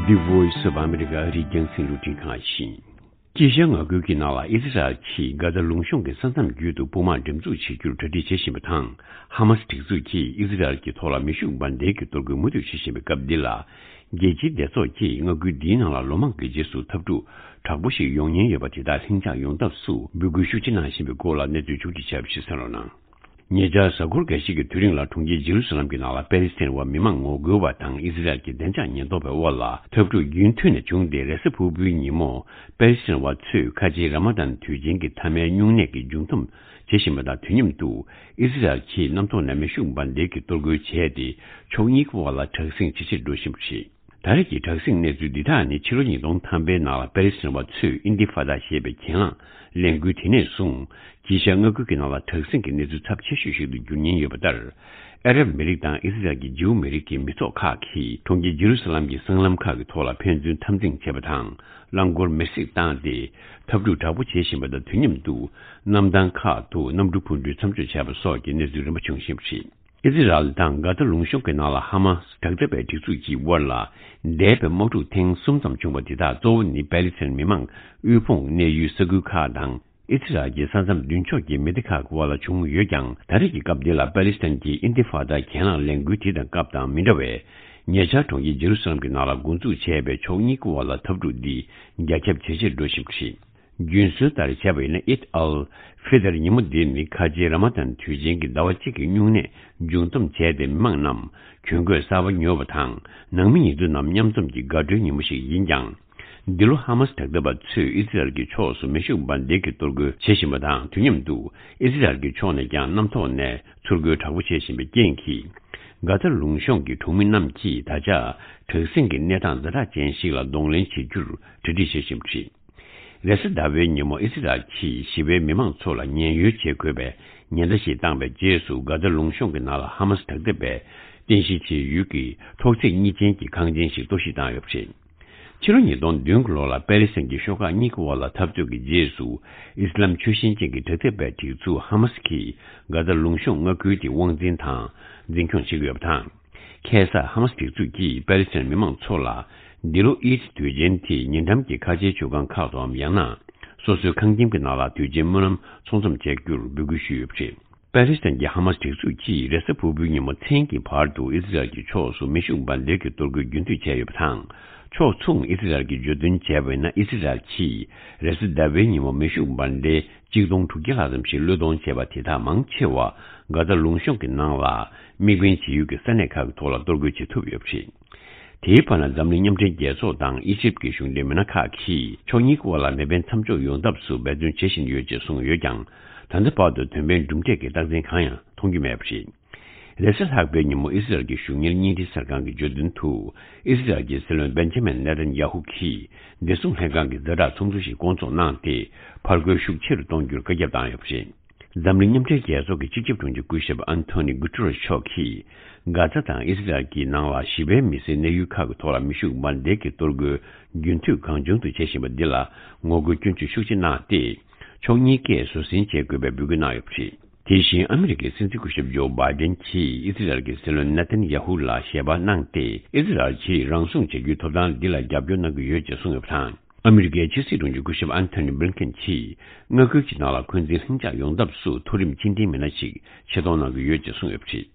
The Voice of America ཨ་རིའི་རྒྱང་སྲིང་རླུང་འཕྲིན་ཁང་ཡིན། དཀྱིལ་ཤར་མངའ་ཁུལ་གྱི་ནང་ལ་ཨི་སི་རལ་གྱིས་གྷ་ཛ་ལུང་གཤོང་གི་ས་མཚམས་བརྒྱུད་དུ་དཔུང་དམག་འགྲེམས་འཛུགས་བྱེད་རྒྱུར་གྲ་སྒྲིག་བྱེད་བཞིན་པ་དང་། ཧ་མ་སི་སྒྲིག་འཛུགས་ཀྱིས་ཨི་སི་རལ་གྱི་ཐོག་ལ་མེ་ཤུགས་འབར་མདེལ་གྱི་གཏོར་རྒོལ་མུ་མཐུད་བྱེད་བཞིན་པའི་སྐབས་འདི་ལ། རྒྱལ་སྤྱིའི་སྡེ་ཚོགས་ཀྱིས་མངའ་ཁུལ་འདིའི་ནང་ལ་ལོ་མང་གི་རྗེས་སུ་འཐབ་འཁྲུག་དྲག་པོ་ཞིག་ཡོང་ཉེན་ཡོད་པ་དེ་དག་ལྷིང་འཇགས་ཡོང་ཐབས་སུ་འབོད་སྐུལ་ཤུགས་ཆེ་གནང་བཞིན་པའི་སྐོར་ལ་གནས་ཚུལ་ཕྱོགས་སྒྲིག་བྱས་པ་ཞིག་གསན་རོགས་གནང་། ཉེ་ཆར་གཟའ་འཁོར་འགའ་ཤས་ཀྱི་དུས་རིང་ལ་གྲོང་ཁྱེར་ཇེ་རུ་ས་ལམ་གྱི་ནང་ལ་པེ་ལེ་སི་ཐན་བ་མི་མང་ངོ་རྒོལ་བ་དང་ཨི་སི་རལ་གྱི་བདེ་འཇགས་ཉེན་རྟོག་པའི་དབར་ལ་འཐབ་འཁྲུག་རྒྱུན་མཐུད་ནས་བྱུང་སྟེ། རེས་གཟའ་ཕུར་བུའི་ཉིན་མོ་པེ་ལེ་སི་ཐན་བ་ཚོས་ཁ་ཆེའི་ར་མ་དན་དུས་ཆེན་གྱི་མཐའ་མའི་སྨྱུང་གནས་ཀྱི་མཇུག་བསྡོམས་བྱེད་བཞིན་པ་དང་། དུས་མཉམ་དུ་ཨི་སི་རལ་གྱིས་གནམ་ཐོག་ནས་མེ་ཤུགས་འབར་མདེལ་གྱི་གཏོར་རྒོལ་བྱས་ཏེ། ཕྱོགས་གཉིས་ཀྱི་དབར་ལ་དྲག་ཟིང་ཇེ་ཆེར་འགྲོ་བཞིན་པ་རེད། ད་རེས་ཀྱི་དྲག་ཟིང་གནས་ཚུལ་འདི་དག་ནི་ཕྱི་ལོ་ཉིས་སྟོང་ཐམ་པའི་ནང་ལ་པེ་ལི་སི་ཐན་པ་ཚོས་ཨིན་ཏི་ཧྥ་ད་ཞེས་པའི་གྱེན་ལངས་ལས་འགུལ་དེ་ནས་བཟུང་། དཀྱིལ་ཤར་མངའ་ཁུལ་གྱི་ནང་ལ་དྲག་ཟིང་གི་གནས་ཚུལ་ཚབས་ཆེ་ཤོས་ཤིག་ཏུ་འགྱུར་ཉེན་ཡོད་པ་ལྟར། ཨ་རབ་མི་རིགས་དང་ཨི་སི་རལ་གྱི་ཇིའུ་མི་རིགས་ཀྱི་མི་ཚོགས་ཁག་གིས་གྲོང་ཁྱེར་ཇེ་རུ་སཱ་ལམ་གྱི་སྲང་ལམ་ཁག་གི་ཐོག་ལ་ཕན་ཚུན་འཐབ་འཛིང་བྱས་པ་དང་། རླངས་འཁོར་མེར་སྲེག་བཏང་སྟེ། འཐབ་འཁྲུག་དྲག་པོ་བྱེད་བཞིན་པ་དང་། དུས་མཉམ་དུ་གནམ་ཐང་ཁག་ཏུ་གནམ་གྲུ་འཕུར་འགྲུལ་མཚམས་འཇོག་བྱས་པ་སོགས་ཀྱི་གནས་ཚུལ་རིམ་པ་བྱུང་བཞིན་པ་རེད། ཨི་ཟི་རལ་དང་གྷ་ཛ་ལུང་གཤོང་གི་ནང་ལ་ཧ་མ་སི་དྲག་འཐབ་པའི་སྒྲིག་འཛུགས་ཀྱི་དབར་ལ་འདས་པའི་དམག་འཁྲུག་ཐེངས་གསུམ་ཙམ་བྱུང་བ་དེ་དག་གཙོ་བོ་ནི་པེ་ལི་སི་ཐན་མི་མང་དབུལ་ཕོངས་གནས་ཡུལ་ས་ཁུལ་ཁག་དང་། ཨི་ཟི་རལ་གྱི་ས་མཚམས་མདུན་ཕྱོགས་ཀྱི་མི་སྡེ་ཁག་གི་དབར་ལ་བྱུང་ཡོད་ཀྱང་། ད་རེས་ཀྱི་སྐབས་འདི་ལ་པེ་ལི་སི་ཐན་གྱི་ཨིན་ཏི་ཧྥ་ད་གྱེན་ལངས་ལས་འགུལ་དེ་དང་སྐབས་དང་མི་འདྲ་བས། ཉེ་ཆར་གྲོང་ཁྱེར་ཇེ་རུ་སཱ་ལམ་གྱི་ནང་ལ་འགོ་འཛུགས་བྱས་པའི་ཕྱོགས་གཉིས་ཀྱི་དབར་ལ་འཐབ་འཁྲུག་འདི་རྒྱ་ཁྱབ་ཇེ་ཆེར་འགྲོ་བཞིན་པ་རེད། རྒྱུན་སྲོལ་ལྟར་བྱས་པ་ཡིན་ན། ཨིད་ཨལ་ཧྥི་ཏར་ཉིན་མོ་འདི་ནི་ཁ་ཆེའི་ར་མ་དན་དུས་ཆེན་གྱི་ཟླ་བ་གཅིག་གི་སྨྱུང་གནས་མཇུག་བསྡོམས་བྱས་ཏེ། མི་མང་རྣམས་གྱོན་གོས་གསར་པ་ཉོ་བ་དང་། ནང་མི་ཉེ་དུ་རྣམས་མཉམ་འཛོམས་ཀྱི་དགའ་སྤྲོའི་ཉིན་མོ་ཞིག་ཡིན་ཀྱང་། འདི་ལོ་ཧ་མ་སི་དྲག་འཐབ་པ་ཚོས་ཨི་ཟི་རལ་གྱི་ཕྱོགས་སུ་མེ་ཤུགས་འབར་མདེལ་གྱི་གཏོར་རྒོལ་བྱེད་བཞིན་པ་དང་། དུས་མཉམ་དུ་ཨི་ཟི་རལ་གྱི་ཕྱོགས་ནས་ཀྱང་གནམ་ཐོག་ནས་ཚུར་རྒོལ་དྲག་པོ་བྱེད་བཞིན་པའི་རྐྱེན་གྱིས། གྷ་ཛ་ལུང་གཤོང་གི་གྲོང་མི་རྣམས་ཀྱིས་ད་ཆ་དྲག་ཟིང་གི་གནས་སྟངས་ཛ་དྲག་ཅན་ཞིག་ལ་གདོང་ལེན་བྱེད་རྒྱུར་གྲ་སྒྲིག་བྱེད་བཞིན་པ་རེད། རེས་གཟའ་ཟླ་བའི་ཉིན་མོ་ཨི་སི་རལ་གྱིས་ཞི་བའི་མི་མང་ཚོ་ལ་ཉེན་གཡོལ་བྱེད་དགོས་པའི་ཉེན་བརྡ་ཞིག་བཏང་བའི་རྗེས་སུ། གྷ་ཛ་ལུང་གཤོང་གི་ནང་ལ་ཧ་མ་སི་དྲག་འཐབ་པས་རྟེན་གཞི་བྱས་ཡུལ་གྱི་ཐོག་བརྩེགས་གཉིས་ཅན་གྱི་ཁང་ཆེན་ཞིག་གཏོར་བཤིག་བཏང་ཡོད་པ་རེད། ཕྱི་ལོ་ཉིས་སྟོང་བདུན་གྱི་ལོ་ལ་པེ་ལི་སི་ཐན་གྱི་ཤོག་ཁག་གཉིས་ཀྱི་དབར་ལ་འཐབ་རྩོད་ཀྱི་རྗེས་སུ། ཨི་སི་ལམ་ཆོས་བཞིན་ཅན་གྱི་དྲག་འཐབ་པའི་སྒྲིག་འཛུགས་ཧ་མ་སི་ཀྱིས་གྷ་ཛ་ལུང་གཤོང་མངའ་ཁུལ་དེ་དབང་འཛིན་དང་འཛིན་སྐྱོང་བྱེད་ཀྱི་ཡོད་པ་དང་། ཁ་སང་ཧ་མ་སི་སྒྲིག་འཛུགས་ཀྱིས་པེ་ལི་སི་ཐན་མི་མང་ཚོ་ལ། འདི་ལོ་ཨིད་དུས་ཆེན་དེ་ཉེ་འགྲམ་གྱི་ཁ་ཆེའི་མཆོད་ཁང་ཁག་ཏུའམ། ཡང་ན་སོ་སོའི་ཁང་ཁྱིམ་གྱི་ནང་ལ་དུས་ཆེན་སྨོན་ལམ་ཚོགས་འཛོམས་བྱ་རྒྱུར་འབོད་སྐུལ་ཞུས་ཡོད་པ་རེད། པེ་ལི་སི་ཐན་གྱི་ཧ་མ་སི་སྒྲིག་འཛུགས་ཀྱིས་རེས་གཟའ་ཕུར་བུའི་ཉིན་མོ་མཚན་གྱི་བར་དུ་ཨི་སི་རལ་གྱི་ཕྱོགས་སུ་མེ་ཤུགས་འབར་མདེལ་གྱི་གཏོར་རྒོལ་རྒྱུན་མཐུད་བྱས་ཡོད་པ་དང་། ཕྱོགས་མཚུངས་ཨི་སི་རལ་གྱིས་བརྗོད་དོན་བྱས་པ་ཡིན་ན། ཨི་སི་རལ་གྱིས་རེས་གཟའ་ཟླ་བའི་ཉིན་མོ་མེ་ཤུགས་འབར་མདེལ་གཅིག་སྟོང་དྲུག་བརྒྱ་ལྷག་ཙམ་ཞིག་བློས་གཏོང་བྱས་པ་དེ་དག་མང་ཆེ་བ་གྷ་ཛ་ལུང་གཤོང་གི་ནང་ལ་དམིགས་འབེན་བྱེད་ཡུལ་གྱི་ས་གནས་ཁག་གི་ཐོག་ལ་གཏོར་རྒོལ་བྱེད་ཐུབ་ཡོད་པ་རེད། དེའི་བར་ན། འཛམ་གླིང་མཉམ་འབྲེལ་རྒྱལ་ཚོགས་དང་ཨི་ཇིབ་ཀྱི་གཞུང་འབྲེལ་མི་སྣ་ཁག་གིས་ཕྱོགས་གཉིས་ཀྱི་དབར་ལ་མེ་འཕེན་མཚམས་འཇོག་ཡོང་ཐབས་སུ་འབད་བརྩོན་བྱེད་བཞིན་ཡོད་ཅེས་གསུངས་ཡོད་ཀྱང་། ད་ལྟ་བར་དུ་དོན་ཕན་གྲུབ་འབྲས་ཀྱི་རྟགས་མཚན་གང་ཡང་མཐོང་རྒྱུ་མེད་པ་རེད། རེས་གཟའ་ལྷག་པའི་ཉིན་མོ་ཨི་སི་རལ་གྱི་གཞུང་གཉེར་བརྙན་འཕྲིན་གསར་ཁང་གིས་བརྗོད་དོན་དུ། ཨི་སི་རལ་གྱི་སྲིད་བློན་བེན་ཇ་མིན་ནེ་ཐན་ཡ་ཧུ་གིས་བདེ་སྲུང་ལྷན་ཁང་གི་ཛ་དྲག་ཚོགས་འདུ་ཞིག་བསྐོང་ཚོགས་གནང་སྟེ། ཕར་རྒོལ་ཤུགས་ཆེ་རུ་གཏོང་རྒྱུར་བཀའ་ཁྱབ་བཏང་ཡོད་པ་རེད། འཛམ་གླིང་མཉམ་འབྲེལ་རྒྱལ་ཚོགས་ཀྱི་སྤྱི་ཁྱབ་དྲུང་ཆེ་སྐུ་ཞབས་ཨན་ཐོ་ནི་གུ་ཏུ་རེ་ཤོག་གིས། གྷ་ཛ་དང་ཨི་སི་རལ་གྱི་ནང་ལ་ཞི་བའི་མི་སེར་གནས་ཡུལ་ཁག་གི་ཐོག་ལ་མེ་ཤུགས་འབར་མདེལ་གྱི་གཏོར་རྒོལ་རྒྱུན་མཐུད་གང་བྱུང་དུ་བྱེད་བཞིན་པ་འདི་ལ་ངོ་རྒོལ་སྐྱོན་བརྗོད་ཤུགས་ཆེ་གནང་སྟེ། ཕྱོགས་གཉིས་ཀས་བཟོད་བསྲན་བྱེད་དགོས་པའི་འབོད་སྐུལ་གནང་ཡོད་པ་རེད། དེ་བཞིན་ཨ་མི་རི་ཀའི་སྲིད་འཛིན་སྐུ་ཞབས་ཇོ་བྷའི་ཌེན་གྱིས་ཨི་སི་རལ་གྱི་སྲིད་བློན་ནེ་ཐན་ཡ་ཧུ་ལ་ཞལ་པར་གནང་སྟེ། ཨི་སི་རལ་གྱིས་རང་སྲུང་བྱ་རྒྱུའི་ཐོབ་ཐང་འདི་ལ་རྒྱབ་སྐྱོར་གནང་གི་ཡོད་ཅེས་གསུངས་ཡོད་པ་དང་། ཨ་མི་རི་ཀའི་ཕྱི་སྲིད་དྲུང་ཆེ་སྐུ་ཞབས་ཨན་ཐོ་ནི་བྷི་ལིན་ཀེན་གྱིས། མངའ་ཁུལ་གྱི་ནང་ལ་འཁོན་འཛིན་ལྷིང་འཇགས་ཡོང་ཐབས་སུ་མཐོ་རིམ་ཕྱི་འབྲེལ་མི་སྣ་ཞིག་ཆེད་གཏོང་གནང་གི་ཡོད་ཅེས་གསུངས་ཡོད་པ་རེད།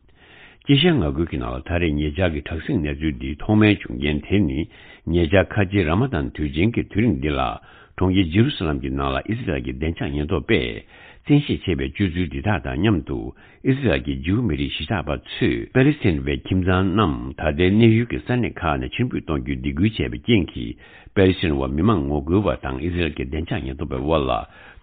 དཀྱིལ་ཤར་མངའ་ཁུལ་གྱི་ནང་ལ་ད་རེས་ཉེ་ཆར་གྱི་དྲག་ཟིང་གནས་ཚུལ་འདི་ཐོག་མའི་བྱུང་རྐྱེན་དེ་ནི། ཉེ་ཆར་ཁ་ཆེའི་ར་མ་དན་དུས་ཆེན་གྱི་དུས་རིང་འདི་ལ། གྲོང་ཁྱེར་ཇེ་རུ་སཱ་ལམ་གྱི་ནང་ལ་ཨི་སི་རལ་གྱི་བདེ་འཇགས་ཉེན་རྟོག་པས་བཙན་ཤེད་ཆེ་བའི་སྤྱོད་ཚུལ་འདི་དག་དང་མཉམ་དུ། ཨི་སི་རལ་གྱི་ཇིའུ་མི་རིགས་གཞིས་ཆགས་པ་ཚོས་པེ་ལི་སི་ཐན་པའི་ཁྱིམ་ཚང་རྣམས་ད་ལྟའི་གནས་ཡུལ་གྱི་ས་གནས་ཁག་ནས་ཕྱིར་འབུད་གཏོང་རྒྱུའི་སྡིགས་སྐུལ་བྱས་པའི་རྐྱེན་གྱིས། པེ་ལི་སི་ཐན་བ་མི་མང་ངོ་རྒོལ་བ་དང་ཨི་སི་རལ་གྱི་བདེ་འཇགས་ཉེན་རྟོག་པའི་དབར་ལ་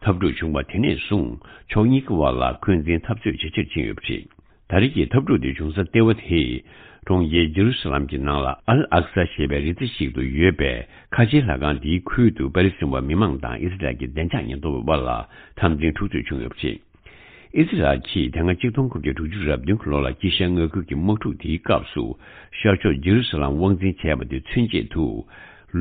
འཐབ་འཁྲུག་བྱུང་བ་དེ་ནས་བཟུང་། ཕྱོགས་གཉིས་ཀྱི་དབར་ལ་འཁོན་འཛིན་འཐབ་རྩོད་ཇེ་ཆེར་ཕྱིན་ཡོད་པ་རེད། ད་རེས་ཀྱི་འཐབ་འཁྲུག་དེ་བྱུང་ས་ལྟེ་བ་དེ། གྲོང་ཁྱེར་ཇེ་རུ་སཱ་ལམ་གྱི་ནང་ལ་ཨལ་ཨག་ས་ཞེས་པའི་རི་རྩེ་ཞིག་ཏུ་ཡོད་པའི་ཁ་ཆེའི་ལྷ་ཁང་འདིའི་ཁུལ་དུ་པེ་ལི་སི་ཐན་བ་མི་མང་དང་ཨི་སི་རལ་གྱི་བདེ་འཇགས་ཉེན་རྟོག་པའི་དབར་ལ་འཐབ་འཛིང་འཁྲུག་རྩོད་བྱུང་ཡོད་པ་རེད། ཨི་སི་རལ་གྱིས་དེ་སྔ་ཆིག་སྟོང་དགུ་བརྒྱ་དྲུག་ཅུ་རེ་བདུན་གྱི་ལོ་ལ་དཀྱིལ་ཤར་མངའ་ཁུལ་གྱི་དམག་འཁྲུག་དེའི་སྐབས་སུ་ཤར་ཕྱོགས་ཇེ་རུ་སཱ་ལམ་དབང་འཛིན་བྱས་པ་དེ་མཚོན་ཆེད་དུ།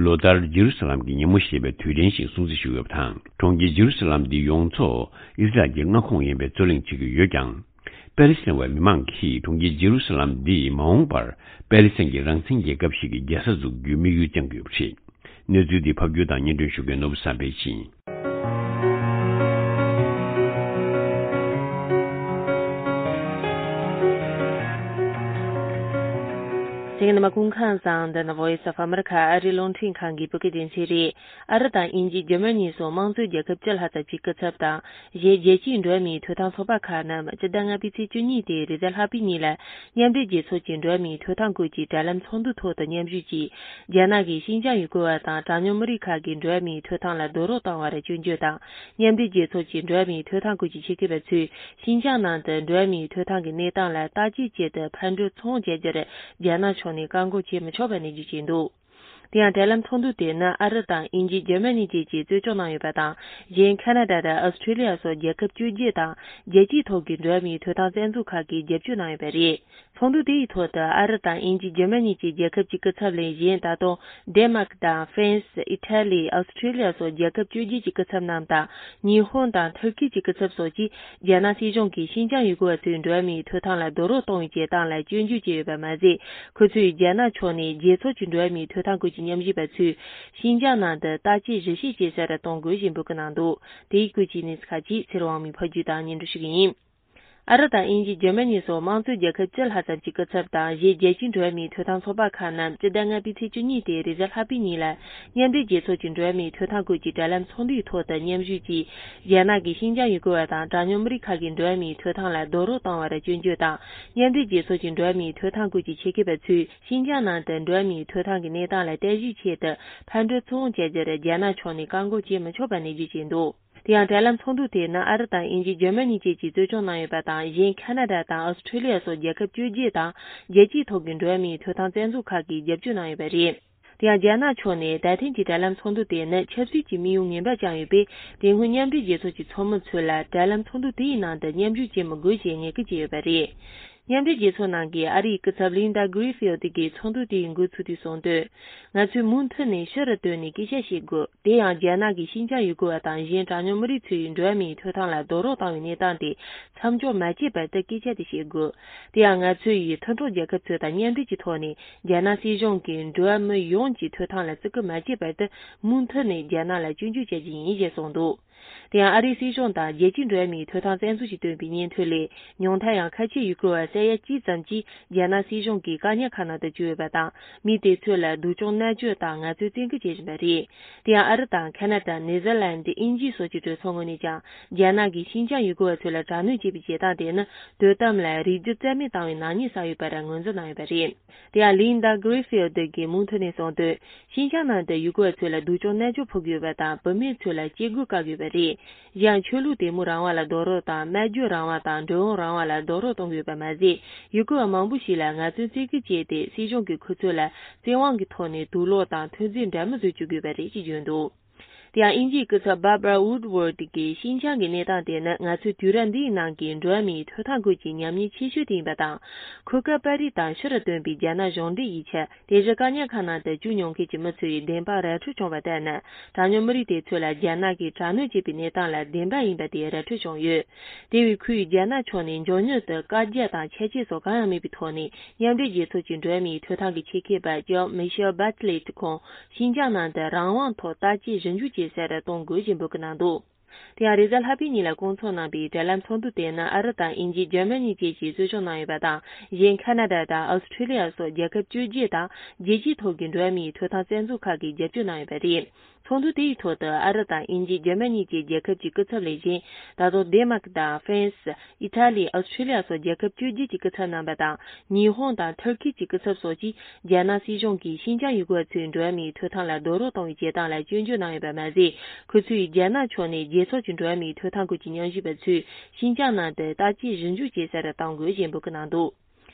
ལོ་ལྟར་ཇེ་རུ་སཱ་ལམ་གྱི་ཉིན་མོ་ཞེས་པའི་དུས་དྲན་ཞིག་སྲུང་བརྩི་ཞུས་ཡོད་པ་དང་། གྲོང་ཁྱེར་ཇེ་རུ་སཱ་ལམ་འདི་ཡོངས་རྫོགས་ཨི་སི་རལ་གྱི་མངའ་ཁོངས་ཡིན་པའི་རྩོད་གླེང་བྱེད་ཀྱི་ཡོད་ཀྱང་། པེ་ལི་སི་ཐན་བའི་མི་མང་གིས་གྲོང་ཁྱེར་ཇེ་རུ་སཱ་ལམ་འདི་མ་འོངས་པར་པེ་ལི་སི་ཐན་གྱི་རང་བཙན་རྒྱལ་ཁབ་ཞིག་གི་རྒྱལ་ས་འཛུགས་རྒྱུའི་དམིགས་ཡུལ་བཅངས་ཀྱི་ཡོད་པ་རེད། གནས་ཚུལ་འདི་ཕབ་སྒྱུར་དང་སྙན་སྒྲོན་ཞུ་མཁན་ནོར་བུ་བསམ་འཕེལ་ཡིན། གསན་མཁན་རྣམ་པ་སྐུ་ཁམས་བཟང་། འདི་ནི་Voice of America ཨ་རིའི་རླུང་འཕྲིན་ཁང་གི་བོད་སྐད་སྡེ་ཚན་རེད། ཨ་རི་དང་དབྱིན་ཇི། འཇར་མ་ནི་སོགས་དམངས་གཙོའི་རྒྱལ་ཁབ་བཅུ་ལྷག་ཙམ་གྱི་སྐུ་ཚབ་དང་། གཞན་རྒྱལ་སྤྱིའི་འགྲོ་བ་མིའི་ཐོབ་ཐང་ཚོགས་པ་ཁག་རྣམས་སྤྱི་ཟླ་ལྔ་པའི་ཚེས་བཅུ་གཉིས་དེ་རེས་གཟའ་ལྷག་པའི་ཉིན་ལ། མཉམ་འབྲེལ་རྒྱལ་ཚོགས་ཀྱི་འགྲོ་བ་མིའི་ཐོབ་ཐང་སྐོར་གྱི་དྲ་ལམ་ཚོགས་འདུ་ཐོག་ཏུ་མཉམ་ཞུགས་ཀྱིས། རྒྱ་ནག་གིས་ཤིན་ཅང་ཡུལ་སྐོར་བ་དང་གྲངས་ཉུང་མི་རིགས་ཁག་གི་འགྲོ་བ་མིའི་ཐོབ་ཐང་ལ་རྡོག་རོལ་བཏང་བར་སྐྱོན་བརྗོད་དང་། མཉམ་འབྲེལ་རྒྱལ་ཚོགས་ཀྱི་འགྲོ་བ་མིའི་ཐོབ་ཐང་སྐོར་གྱི་ཆེད་མཁས་པ་ཚོས། ཤིན་ཅང་ནང་དུ་འགྲོ་བ་མིའི་ཐོབ་ཐང་གི་གནས་སྟངས་ལ་བརྟག་དཔྱད་ཆེད་དུ་ཕར་འགྲོ་ཚུར་འོང་བྱ་རྒྱུར་རྒྱ་ནག་ཕྱོགས། ནས་བཀག་འགོག་བྱེད་མི་ཆོག་པའི་གནས་ཚུལ་བྱས་འདུག། དེ་ཡང་འབྲེལ་ལམ་ཚོགས་འདུ་དེ་ནི་ཨ་རི་དང་དབྱིན་ཇི། འཇར་མ་ནི་བཅས་ཀྱིས་གཙོ་སྐྱོང་གནང་ཡོད་པ་དང་། གཞན་ཁ་ན་ཌ་དང་ཨོ་སི་ཁྲི་ལི་ཡ་སོགས་རྒྱལ་ཁབ་བཅོ་བརྒྱད་དང་རྒྱལ་སྤྱིའི་ཐོག་གི་འགྲོ་བ་མིའི་ཐོབ་ཐང་བཙན་འཛུལ་ཁག་གིས་རྒྱབ་སྐྱོར་གནང་ཡོད་པ་རེད། ཚོགས་འདུ་དེ་ཡི་ཐོག་ཏུ་ཨ་རི་དང་དབྱིན་ཇི། འཇར་མ་ནི་བཅས་རྒྱལ་ཁབ་ཀྱི་སྐུ་ཚབ་ལས་གཞན། ད་དུང་ཌེན་མཱག་དང་ཧྥ་རན་སི། ཨི་ཊ་ལི། ཨོ་སི་ཁྲི་ལི་ཡ་སོགས་རྒྱལ་ཁབ་བཅོ་བརྒྱད་ཀྱི་སྐུ་ཚབ་རྣམས་དང་། ཉི་ཧོང་དང་ཐུར་ཁེ་གྱི་སྐུ་ཚབ་སོགས་ཀྱིས་རྒྱ་ནག་སྲིད་གཞུང་གིས་ཤིན་ཅང་ཡུ་གུར་བ་ཚོའི་འགྲོ་བ་མིའི་ཐོབ་ཐང་ལ་རྡོག་རོལ་གཏོང་བའི་བྱེད་སྟངས་ལ་སྐྱོན་བརྗོད་བྱས་ཡོད་པ་མ་ཟད། ཁོ་ཚོས་རྒྱ་ནག་ཕྱོགས་ནས་རྒྱལ་ཚོགས་ཀྱི་འགྲོ་བ་མིའི་ཐོབ་ཐང་སྐོར་གྱི་ཉམས་ཞིབ་པ་ཚོས་ཤིན་ཅང་ནང་དུ་བརྟག་དཔྱད་ཞིབ་བཤེར་བྱེད་ས་རུ་གཏོང་དགོས་ཞེས་འབོད་སྐུལ་གནང་འདུག། དེའི་སྐོར་གྱི་གནས་ཚུལ་ཁག་ཅིག་ཚེ་རིང་དབང་མོས་ཕབ་སྒྱུར་དང་སྙན་སྒྲོན་ཞུ་གི་ཡིན། ཨ་རི་དང་དབྱིན་ཇི། འཇར་མ་ནི་སོགས་དམངས་གཙོའི་རྒྱལ་ཁབ་བཅུ་ལྷག་ཙམ་གྱི་སྐུ་ཚབ་དང་། གཞན་རྒྱལ་སྤྱིའི་འགྲོ་བ་མིའི་ཐོབ་ཐང་ཚོགས་པ་ཁག་རྣམས་སྤྱི་ཟླ་ལྔ་པའི་ཚེས་བཅུ་གཉིས་སྟེ་རེས་གཟའ་ལྷག་པའི་ཉིན་ལ་མཉམ་འབྲེལ་རྒྱལ་ཚོགས་ཀྱི་འགྲོ་བ་མིའི་ཐོབ་ཐང་སྐོར་གྱི་འབྲེལ་ལམ་ཚོགས་འདུའི་ཐོག་ཏུ་མཉམ་ཞུགས་ཀྱིས། རྒྱ་ནག་གིས་ཤིན་ཅང་ཡུ་གུར་བ་དང་གྲངས་ཉུང་མི་རིགས་ཁག་གི་འགྲོ་བ་མིའི་ཐོབ་ཐང་ལ་རྡོག་རོལ་བཏང་བར་སྐྱོན་བརྗོད་དང་། མཉམ་འབྲེལ་རྒྱལ་ཚོགས་ཀྱི་འགྲོ་བ་མིའི་ཐོབ་ཐང་སྐོར་གྱི་ཆེད་མཁས་པ་ཚོས་ཤིན་ཅང་ནང་དུ་འགྲོ་བ་མིའི་ཐོབ་ཐང་གི་གནས་སྟངས་ལ་བརྟག་ཞིབ་ཆེད་དུ་ཕར་འགྲོ་ཚུར་འོང་བྱ་རྒྱུར་རྒྱ་ནག་ཕྱོགས་ནས་བཀག་འགོག་བྱེད་མི་ཆོག་པ་ནན་བརྗོད་བྱས་འདུག། དེ་ཡང་འབྲེལ་ལམ་ཚོགས་འདུ་དེ་ནི་ཨ་རི་དང་དབྱིན་ཇི། འཇར་མ་ནི་བཅས་ཀྱིས་གཙོ་སྐྱོང་གནང་ཡོད་པ་དང་། གཞན་ཁ་ན་ཌ་དང་ཨོ་སི་ཁྲི་ལི་ཡ་སོགས་རྒྱལ་ཁབ་བཅོ་བརྒྱད་དང་རྒྱལ་སྤྱིའི་ཐོག་གི་འགྲོ་བ་མིའི་ཐོབ་ཐང་བཙན་འཛུལ་ཁག་གིས་རྒྱབ་སྐྱོར་གནང་ཡོད་པ་རེད། དེ་ཡང་རྒྱ་ནག་ཕྱོགས་ནས་ད་ཐེངས་ཀྱི་འབྲེལ་ལམ་ཚོགས་འདུ་དེ་ནི་ཆབ་སྲིད་ཀྱི་དམིགས་ཡུལ་ངན་པ་བཅངས་ཡོད་པས། དེ་སྔོན་མཉམ་འབྲེལ་རྒྱལ་ཚོགས་ཀྱི་ཚོགས་མི་ཚོས་ལ་འབྲེལ་ལམ་ཚོགས་འདུ་དེའི་ནང་དུ་མཉམ་ཞུགས་བྱེད་མི་དགོས་ཞེས་ངན་སྐུལ་བྱས་ཡོད་པ་རེད། མཉམ་འབྲེལ་རྒྱལ་ཚོགས་ནང་གི་ཨ་རིའི་སྐུ་ཚབ་ལིན་ཌ་གྷི་རི་ཧྥིལ་ཌི་གིས་ཚོགས་འདུ་དེའི་འགོ་ཚུགས་དུས་གསུངས་དོན། ང་ཚོས་མུ་མཐུད་ནས་ཕྱི་རུ་བཏོན་ནས་སྐད་ཆ་བཤད་དགོས། དེ་ཡང་རྒྱ་ནག་གིས་ཤིན་ཅང་ཡུ་གུར་བ་དང་གཞན་གྲངས་ཉུང་མི་རིགས་ཚོའི་འགྲོ་བ་མིའི་ཐོབ་ཐང་ལ་རྡོག་རོལ་བཏང་བའི་གནས་སྟངས་དེ་མཚམས་འཇོག་མ་བྱས་བར་དུ་སྐད་ཆ་དེ་བཤད་དགོས། དེ་ཡང་ང་ཚོ་ཡིས་མཐུན་གྲོགས་རྒྱལ་ཁབ་ཚོ་དང་མཉམ་འབྲེལ་གྱི་ཐོག་ནས་རྒྱ་ནག་སྲིད་གཞུང་གིས་འགྲོ་བ་མི་ཡོངས་ཀྱི་ཐོབ་ཐང་ལ་བརྩི་བཀུར་མ་བྱས་བར་དུ་མུ་མཐུད་ནས་རྒྱ་ནག་ལ་སྐྱོན་བརྗོད་བྱ་རྒྱུ་ཡིན་ཞེས་གསུངས་འདུག། དེ་ཡང་ཨ་རིའི་སྲིད་གཞུང་དང་རྒྱལ་སྤྱིའི་འགྲོ་བ་མིའི་ཐོབ་ཐང་བཙན་འཛུལ་གྱིས་བཏོན་པའི་སྙན་ཐོ་ལས། ཉུང་མཐའ་ཡང་ཁ་ཆེ་ཡུ་གུར་བ་ས་ཡ་གཅིག་ཙམ་གྱིས་རྒྱ་ནག་སྲིད་གཞུང་གི་བཀག་ཉར་ཁང་ནང་དུ་བཅུག་ཡོད་པ་དང་། མི་དེ་ཚོ་ལ་སྡུག་སྦྱོང་མནར་གཅོད་དང་ངལ་རྩོལ་བཙན་སྐུལ་བྱེད་བཞིན་པ་རེད། དེ་ཡང་ཨ་རི་དང་ཁ་ན་ཌ། ནེ་ཛར་ལན་ཌི། དབྱིན་ཇི་སོགས་ཀྱི་གྲོས་ཚོགས་ངོས་ནས་ཀྱང་། རྒྱ་ནག་གིས་ཤིན་ཅང་ཡུ་གུར་བ་ཚོ་ལ་དྲག་གནོན་བྱེད་པའི་བྱེད་སྟངས་དེ་ནི། དོན་དམ་ལ་རིགས་རྒྱུད་རྩ་མེད་བཏང་བའི་ནག་ཉེས་བསགས་ཡོད་པར་ངོས་འཛིན་གནང་ཡོད་པ་རེད། དེ་ཡང་ལིན་ཌ་གྷི་རི་ཧྥིལ་ཌི་གིས་མུ་མཐུད་ནས་གསུངས་དོན། ཤིན་ཅང་ནང་དུ་ཡུ་གུར་བ་ཚོ་ལ་སྡུག་སྦྱོང་མནར་གཅོད་ཕོག་གི་ཡོད་པ་དང་། བུད་མེད་ཚོ་ལ་སྐྱེ་སྒོ་བཀག་གི་ཡོད་པ་རེད། གཞན་ཆོས་ལུགས་དད་མོས་རང་དབང་ལ་རྡོག་རོལ་དང་། སྨྲ་བརྗོད་རང་དབང་དང་འགྲོ་འོང་རང་དབང་ལ་རྡོག་རོལ་གཏོང་གི་ཡོད་པ་མ་ཟད། ཡུ་གུར་བ་མང་པོ་ཞིག་ལ་ངལ་རྩོལ་བཙན་སྐུལ་བྱས་ཏེ། སྲིད་གཞུང་གིས་ཁོ་ཚོ་ལ་བཙན་དབང་གི་ཐོག་ནས་དུག་སློག་དང་ཐོན་རྫས་འདྲ་མིན་བཟོ་བཅུག་གི་ཡོད་པ་རེད་ཅེས་བརྗོད་འདུག། དེ་ཡང་དབྱིན་ཇིའི་སྐུ་ཚབ་Barbara Woodward་གིས། ཤིན་ཅང་གི་གནས་སྟངས་དེ་ནི་ང་ཚོའི་དུས་རབས་འདིའི་ནང་གི་འགྲོ་བ་མིའི་ཐོབ་ཐང་སྐོར་གྱི་ཉམས་ཉེས་ཆེ་ཤོས་དེ་ཡིན་པ་དང་། འཁོས་ཀ་པར་རིས་དང་ཕྱི་རུ་བཏོན་པའི་རྒྱ་ནག་གཞུང་འབྲེལ་ཡིག་ཆ། དེ་བཞིན་བཀག་ཉར་ཁང་ནང་དུ་བཅུག་མྱོང་མཁན་གྱི་མི་ཚོ་ཡི་བདེན་དཔང་ར་འཕྲོད་བྱུང་བ་ལྟར་ན། གྲངས་ཉུང་མི་རིགས་དེ་ཚོ་ལ་རྒྱ་ནག་གིས་དྲག་གནོན་བྱས་པའི་གནས་སྟངས་ལ་བདེན་པ་ཡིན་པ་དེ་ར་འཕྲོད་བྱུང་ཡོད། དེ་བས་ཁོས་རྒྱ་ནག་ཕྱོགས་ནས་མགྱོགས་མྱུར་དུ་བཀའ་རྒྱ་དང་ཆད་གཅོད་སོགས་གང་ཡང་མེད་པའི་ཐོག་ནས། མཉམ་འབྲེལ་རྒྱལ་ཚོགས་ཀྱི་འགྲོ་བ་མིའི་ཐོབ་ཐང་གི་ཆེད་མཁས་པ་ལྕམ་Michelle Bachelet་ཁོང་ཤིན་ཅང་ནང་དུ་རང་དབང་ཐོག་བརྟག་དཔྱད་ཞིབ་འཇུག་བྱེད་སར་གཏོང་དགོས་ཞེས་འབོད་སྐུལ་གནང་འདུག། དེ་ཡང་རེས་གཟའ་ལྷག་པའི་ཉིན་ལ་སྐོང་ཚོགས་གནང་པའི་འབྲེལ་ལམ་ཚོགས་འདུ་དེ་ནི་ཨ་རི་དང་དབྱིན་ཇི། འཇར་མ་ནི་བཅས་ཀྱིས་གཙོ་སྐྱོང་གནང་ཡོད་པ་དང་། གཞན་ཁ་ན་ཌ་དང་ཨོ་སི་ཁྲི་ལི་ཡ་སོགས་རྒྱལ་ཁབ་བཅོ་བརྒྱད་དང་རྒྱལ་སྤྱིའི་ཐོག་གི་འགྲོ་བ་མིའི་ཐོབ་ཐང་བཙན་འཛུལ་ཁག་གིས་རྒྱབ་སྐྱོར་གནང་ཡོད་པ་རེད། ཚོགས་འདུ་དེའི་ཐོག་ཏུ་ཨ་རི་དང་དབྱིན་ཇི། འཇར་མ་ནི་བཅས་རྒྱལ་ཁབ་ཀྱི་སྐུ་ཚབ་ལས་གཞན། ད་དུང་ཌེན་མཱག་དང་ཧྥ་རན་སི། ཨི་ཊ་ལི། ཨོ་སི་ཁྲི་ལི་ཡ་སོགས་རྒྱལ་ཁབ་བཅོ་བརྒྱད་ཀྱི་སྐུ་ཚབ་རྣམ་པ་དང་། ཉི་ཧོང་དང་ཐུར་ཁེ་གྱི་སྐུ་ཚབ་སོགས་ཀྱིས། རྒྱ་ནག་སྲིད་གཞུང་གིས་ཤིན་ཅང་ཡུ་གུར་བ་ཚོའི་འགྲོ་བ་མིའི་ཐོབ་ཐང་ལ་རྡོག་རོལ་གཏོང་བའི་བྱེད་སྟངས་ལ་སྐྱོན་བརྗོད་གནང་ཡོད་པ་མ་ཟད། ཁོ་ཚོས་རྒྱ་ནག་ཕྱོགས་ནས་རྒྱལ་ཚོགས་ཀྱི་འགྲོ་བ་མིའི་ཐོབ་ཐང་སྐོར་གྱི་ཉམས་ཞིབ་པ་ཚོས་ཤིན་ཅང་ནང་དུ་བརྟག་དཔྱད་ཞིབ་འཇུག་བྱེད་སར་གཏོང་དགོས་ཞེས་འབོད་སྐུལ་གནང་འདུག།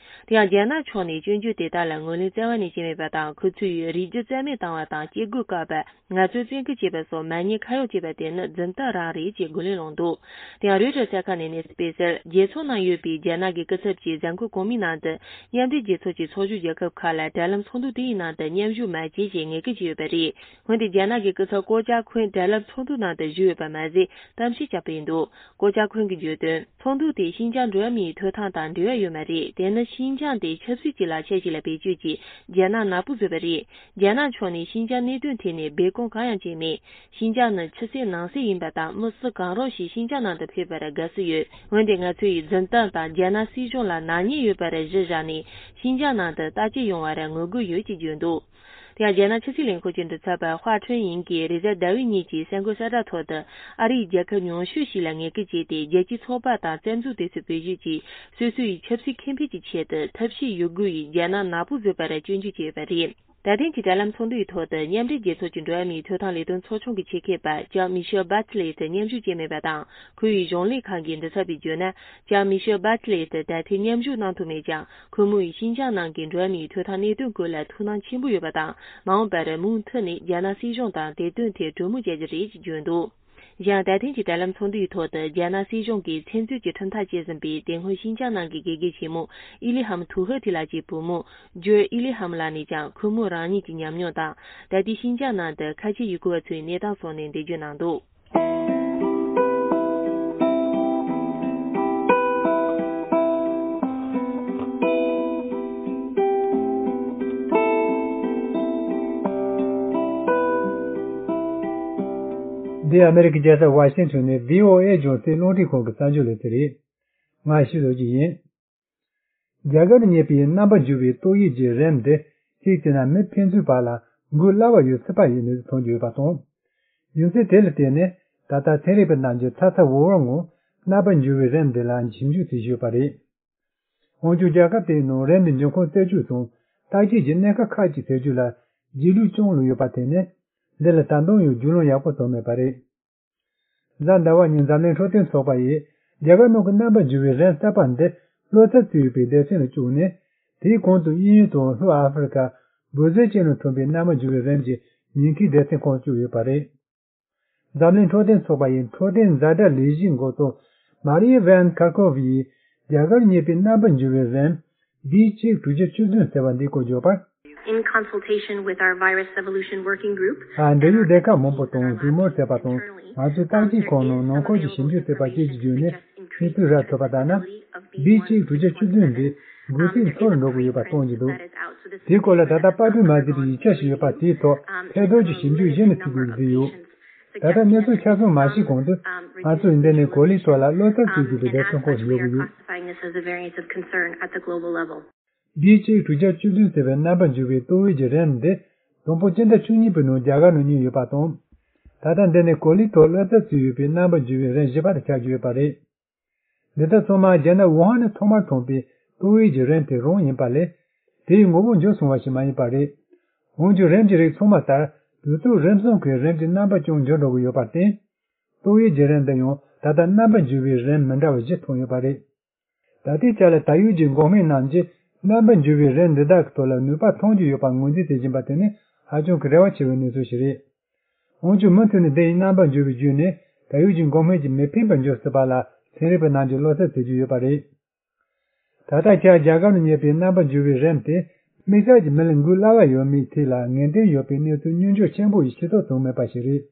དེ་ཡང་རྒྱ་ནག་ཕྱོགས་ནས་སྐྱོན་བརྗོད་དེ་དག་ལ་ངོས་ལེན་རྩ་བ་ནས་བྱས་མེད་པ་དང་། ཁོ་ཚོས་རིགས་རྒྱུད་རྩ་མེད་བཏང་བ་དང་། སྐྱེ་སྒོ་བཀག་པ། ངལ་རྩོལ་བཙན་སྐུལ་བྱས་པ་སོགས་མ་ཉེས་ཁ་གཡོགས་བྱས་པ་དེ་ནི་རྫུན་གཏམ་རང་རེད་ཅེས་རྒོལ་ལན་སློང་འདུག། དེ་ཡང་རོའི་ཊར་གསར་ཁང་ནས་གནས་ཚུལ་སྤེལ་གསལ། རྒྱལ་ཚོགས་ནང་ཡོད་པའི་རྒྱ་ནག་གི་སྐུ་ཚབ་ཀྱིས་གཟའ་འཁོར་གོང་མའི་ནང་དུ་མཉམ་འབྲེལ་རྒྱལ་ཚོགས་ཀྱི་ཚོགས་ཞུགས་རྒྱལ་ཁབ་ཁག་ལ་འབྲེལ་ལམ་ཚོགས་འདུ་དེའི་ནང་དུ་མཉམ་ཞུགས་མ་བྱེད་ཅེས་ངན་སྐུལ་བྱས་ཡོད་པ་རེད། འོན་ཏེ་རྒྱ་ནག་གི་སྐུ་ཚབ་ཀོ་ཅཱ་ཁུན་འབྲེལ་ལམ་ཚོགས་འདུ་ནང་དུ་ཞུགས་ཡོད་པ་མ་ཟད། གཏམ་བཤད་བྱས་པ་ཡིན་འདུག། ཀོ་ཅཱ་ཁུན་གྱིས་བརྗོད་དོན། ཚོགས་འདུ་དེ་ཤིན་ཅང་འགྲོ་བ་མིའི་ཐོབ་ཐང་དང་འབྲེལ་བ་ཡོད་མ་རེད། དེ་ནི་ཤིན་ཅང་དེ་ཆབ་སྲིད་ཀྱི་ལག་ཆ་ཞིག་ལ་བེད་སྤྱོད་ཀྱིས་རྒྱ་ནག་ནག་པོ་བཟོས་པ་རེད། རྒྱ་ནག་ཕྱོགས་ནས་ཤིན་ཅང་གནད་དོན་ཐད་ནས་སྦས་སྐུང་གང་ཡང་བྱས་མེད། ཤིན་ཅང་ནི་ཕྱི་གསལ་ནང་གསལ་ཡིན་པ་དང་། མི་སུ་གང་རུང་ཞིག་ཤིན་ཅང་ནང་དུ་ཕེབས་པར་དགའ་བསུ་ཡོད། འོན་ཏེ་ང་ཚོ་ཡིས་རྫུན་གཏམ་དང་རྒྱ་ནག་སྲིད་གཞུང་ལ་ནག་ཉེས་ཡོད་པར་གཞི་བཞག་ནས་ཤིན་ཅང་ནང་དུ་བརྟག་དཔྱད་ཡོང་བར་ངོ་རྒོལ་ཡོད་ཅེས་བརྗོད་འདུག། དེ་ཡང་རྒྱ་ནག་ཕྱི་སྲིད་ལས་ཁུངས་ཀྱི་མགྲིན་ཚབ་པ་ཧྭ་ཁྲུན་ཡིང་གིས་རེས་གཟའ་ཟླ་བའི་ཉིན་གྱི་གསར་འགོད་གསལ་བསྒྲགས་ཐོག་ཏུ། ཨ་རིས་རྒྱལ་ཁབ་ཉུང་ཤོས་ཤིག་ལ་ངན་སྐུལ་བྱས་ཏེ། རྒྱལ་སྤྱིའི་ཚོགས་པ་དང་བཙན་འཛུལ་དེ་ཚོའི་བེད་སྤྱོད་ཀྱིས་སོ་སོ་ཡི་ཆབ་སྲིད་ཁེ་ཕན་གྱི་ཆེད་དུ་ཐབས་ཤེས་ཡོད་དགུ་ཡིས་རྒྱ་ནག་ནག་པོ་བཟོས་པར་སྐྱོན་བརྗོད་བྱས་ཡོད་པ་རེད། ད་ཐེངས་ཀྱི་དྲ་ལམ་ཚོགས་འདུའི་ཐོག་ཏུ་མཉམ་འབྲེལ་རྒྱལ་ཚོགས་ཀྱི་འགྲོ་བ་མིའི་ཐོབ་ཐང་ལས་དོན་ཚོགས་ཆུང་གི་ཆེད་མཁས་པ་ལྕམ་མི་ཤེལ་བྷ་ཆི་ལེ་ཏི་མཉམ་ཞུགས་བྱས་མེད་པ་དང་། ཁོ་བོའི་གཞུང་ལས་ཁང་གི་འདི་ཚབ་པས་བརྗོད་ན། ལྕམ་མི་ཤེལ་བྷ་ཆི་ལེ་ཏི་ད་ཐེངས་མཉམ་ཞུགས་གནང་ཐུབ་མེད་ཀྱང་། ཁོ་མོས་ཤིན་ཅང་ནང་གི་འགྲོ་བ་མིའི་ཐོབ་ཐང་གནད་དོན་སྐོར་ལ་ཐུགས་སྣང་ཆེན་པོ་ཡོད་པ་དང་། མ་འོངས་པར་མུ་མཐུད་ནས་རྒྱ་ནག་སྲིད་གཞུང་དང་དེ་དོན་ཐད་གྲོས་མོལ་བྱ་རྒྱུ་རེད་ཅེས་བརྗོད་འདུག། གཞན་ད་ཐེངས་ཀྱི་དྲ་ལམ་ཚོགས་འདུའི་ཐོག་ཏུ་རྒྱ་ནག་སྲིད་གཞུང་གིས་བཙན་འཛུལ་གྱི་ཁྲིམས་ཐག་བཅད་ཟིན་པའི་དེ་སྔོན་ཤིན་ཅང་ནང་གི་དགེ་རྒན་ཆེན་མོ་ཨི་ལི་ཧམ་ཐུ་ཧེ་ཐི་ལགས་ཀྱི་བུ་མོ་ཇོ་ཨི་ལི་ཧམ་ལགས་ནས་ཀྱང་ཁོ་མོ་རང་ཉིད་ཀྱི་ཉམས་མྱོང་དང་། ད་ལྟའི་ཤིན་ཅང་ནང་དུ་ཁ་ཆེ་ཡུ་གུར་བ་ཚོའི་གནས་སྟངས་སོགས་ནས་འགྲེལ་བརྗོད་གནང་འདུག། འདི་ཨ་མེ་རི་ཀའི་རྒྱལ་ས་ཝ་ཤིང་ཊོན་ནས་བྷི་ཨོ་ཨེ་རྒྱང་སྲིང་རླུང་འཕྲིན་ཁང་གི་གསར་འགྱུར་ལས་ཚན་རེད། ང་ཞིག་ལོ་གཅིག་ཡིན། རྒྱ་གར་རྙེད་པའི་རྣམ་པར་འགྱུར་བའི་ཏོག་དབྱིབས་ཀྱི་རིམས་འདི་གཅིག་བྱས་ན་མི་ཕན་ཚུན་བར་ལ་འགོས་སླ་བ་ཡོད་སྲིད་པ་ཡི་གནས་ཚུལ་ཐོན་གྱི་ཡོད་པ་དང་། རྒྱུ་མཚན་དེ་ལ་བརྟེན་ནས་ད་ལྟ་ཚན་རིག་པ་རྣམས་ཀྱིས་ཚ་ཚ་འུར་འུར་ངང་རྣམ་པར་འགྱུར་བའི་རིམས་འདི་ལ་ཞིབ་འཇུག་བྱེད་བཞིན་ཡོད་པ་རེད། འོན་ཀྱང་རྒྱལ་ཁབ་དེའི་ནང་རིམས་འདི་འབྱུང་ཁུངས་རྩད་གཅོད་དང་བརྟག་དཔྱད་ཀྱི་གནད་འགག་ཁག་ཅིག་སེལ་རྒྱུ་ལ་རྗེས་ལུས་ཅུང་ལུས་ཡོད་པར་བརྟེན་ནས། འདི་ལ་ད་དུང་ཡང་རྒྱུས་ལོན་ཡག་པོ་བཏང་མེད་པ་རེད། གཟའ་ཟླ་བ་ཉིན་འཛམ་གླིང་འཕྲོད་བསྟེན་ཚོགས་པ་ཡིས་རྒྱ་གར་ནང་གི་རྣམ་པར་འགྱུར་བའི་རིམས་གསར་པ་འདི་གློ་ཚད་བཙུགས་ཡོད་པའི་སྡེ་ཚན་ལ་བཅུག་ནས། དེའི་གོང་དུ་དབྱིན་ཡུལ་དང་ལྷོ་ཨ་ཧྥེ་རི་ཁ། སྦྲ་ཟིལ་བཅས་ནང་ཐོན་པའི་རྣམ་པར་འགྱུར་བའི་རིམས་ཀྱི་ཉེན་ཁའི་སྡེ་ཚན་ཁག་བཅུག་ཡོད་པ་རེད། འཛམ་གླིང་འཕྲོད་བསྟེན་ཚོགས་པ་ཡི་འཕྲོད་བསྟེན་ཛ་དྲག་ལས་གཞིའི་འགོ་གཙོ་མ་རི་ཡ་ཝན་ཁར་ཁོ་ཝ་ཡིས་རྒྱ་གར་རྙེད་པའི་རྣམ་པར་འགྱུར་བའི་རིམས་བྷི་གཅིག་དྲུག་བརྒྱ་བཅུ་བདུན་ཟེར་བ་འདིའི་སྐོར་བརྗོད་པར། In consultation with our virus evolution working group ཨ། འབྲེལ་ཡོད་སྡེ་ཁག་མང་པོ་དང་གྲོས་མོལ་བྱས་པ་དང་། ང་ཚོས་བརྟག་དཔྱད་ཁང་ནང་ནང་ཁུལ་གྱི་ཞིབ་འཇུག་བྱས་པ་བཅས་ཀྱི་བརྒྱུད་ནས་གནས་ཚུལ་རག་ཐུབ་པ་ལྟར་ན། བྷི་གཅིག་དྲུག་བརྒྱ་བཅུ་བདུན་འདི་འགོས་ཚད་མཐོ་རུ་འགྲོ་གི་ཡོད་པ་སྟོན་གྱི་འདུག། དེའི་སྐོར་ལ་ད་ལྟ་པར་སྐྲུན་མ་བྱས་པའི་ཡིག་ཆ་ཞིག་ཡོད་པ་དེའི་ཐོག་ཐད་གཏོང་གྱི་ཞིབ་འཇུག་གཞི་ནས་བྱེད་དགོས་ཀྱི་འདུག་ཡོད། ད་ལྟ་གནས་ཚུལ་ཆ་ཚང་མ་ཤེས་གོང་དུ། ང་ཚོས་འདི་ནས་གོ་ལའི་ཐོག་ལ་གློ་ཚད་བཙུགས་དགོས་པའི་སྡེ་ཚན་ཁག་ཞིག་ཡོད་ཀྱི་ཡོད། As a variant of concern at the global level. བྷི་གཅིག་དྲུག་བརྒྱ་བཅུ་བདུན་ཟེར་བའི་རྣམ་པར་འགྱུར་བའི་ཏོག་དབྱིབས་ཀྱི་རིམས་འདི་དང་པོ་སྤྱི་ཟླ་བཅུ་གཉིས་པའི་ནང་རྒྱ་གར་ནང་རྙེད་ཡོད་པ་དང་། ད་ལྟ་འདི་ནས་གོ་ལའི་ཐོག་གློ་ཚད་བཙུགས་ཡོད་པའི་རྣམ་པར་འགྱུར་བའི་རིམས་བཞི་པ་དེ་ཆགས་ཀྱི་ཡོད་པ་རེད། འདི་དག་ཚང་མ་རྒྱ་ནག་ཝུ་ཧན་ནས་ཐོག་མར་ཐོན་པའི་ཏོག་དབྱིབས་ཀྱི་རིམས་དེ་རང་ཡིན་པ་ལས། དེའི་ངོ་བོ་འགྱུར་སོང་བ་ཞིག་མ་ཡིན་པ་རེད། འོན་ཀྱང་རིམས་ཀྱི་རིགས་ཚང་མ་ལྟར་དུས་ཚོད་རིམ་གསུམ་གྱི་རིམས་ཀྱི་རྣམ་པ་ཀྱང་འགྱུར་འགྲོ་གི་ཡོད་པར་བརྟེན། ཏོག་དབྱིབས་ཀྱི་རིམས་འདི་ཡང་ད་ལྟ་རྣམ་པར་འགྱུར་བའི་རིམས་མི་འདྲ་བ་བཞི་ཐོན་ཡོད་པ་རེད། ད་ལྟའི་ཆ་ལ་ད་ཡོད་ཀྱི་འགོག་སྨན་རྣམས་ཀྱིས་རྣམ་པར་འགྱུར་བའི་རིམས་འདི་དག་གི་ཐོག་ལ་ནུས་པ་ཐོན་གྱི་ཡོད་པར་ངོས་འཛིན་བྱེད་བཞིན་པ་དེ་ནི་ཧ་ཅང་གི་རེ་བ་ཆེ་བའི་གནས་ཚུལ་ཞིག་རེད། འོན་ཀྱང་མུ་མཐུད་ནས་འདི་ཡི་རྣམ་པར་འགྱུར་བའི་བརྒྱུད་ནས་ད་ཡོད་ཀྱི་འགོག་སྨན་གྱིས་མི་ཕན་པར་འགྱུར་སྲིད་པ་ལ་ཚན་རིག་པ་རྣམས་ཀྱིས་བློ་འཚབ་བྱེད་ཀྱི་ཡོད་པ་རེད། ད་ལྟ་ཆར་རྒྱ་གར་ནང་རྙེད་པའི་རྣམ་པར་འགྱུར་བའི་རིམས་དེ་དམིགས་བསལ་གྱི་མི་ལ་འགོས་སླ་བ་ཡོད་མེད་ཐད་ལ་ངེས་གཏན་ཡོད་པའི་གནས་ཚུལ་སྙོན་འཇུག་ཆེན་པོ་ཞིག་ཤེས་རྟོགས་བྱུང་མེད་པ་ཞིག་རེད།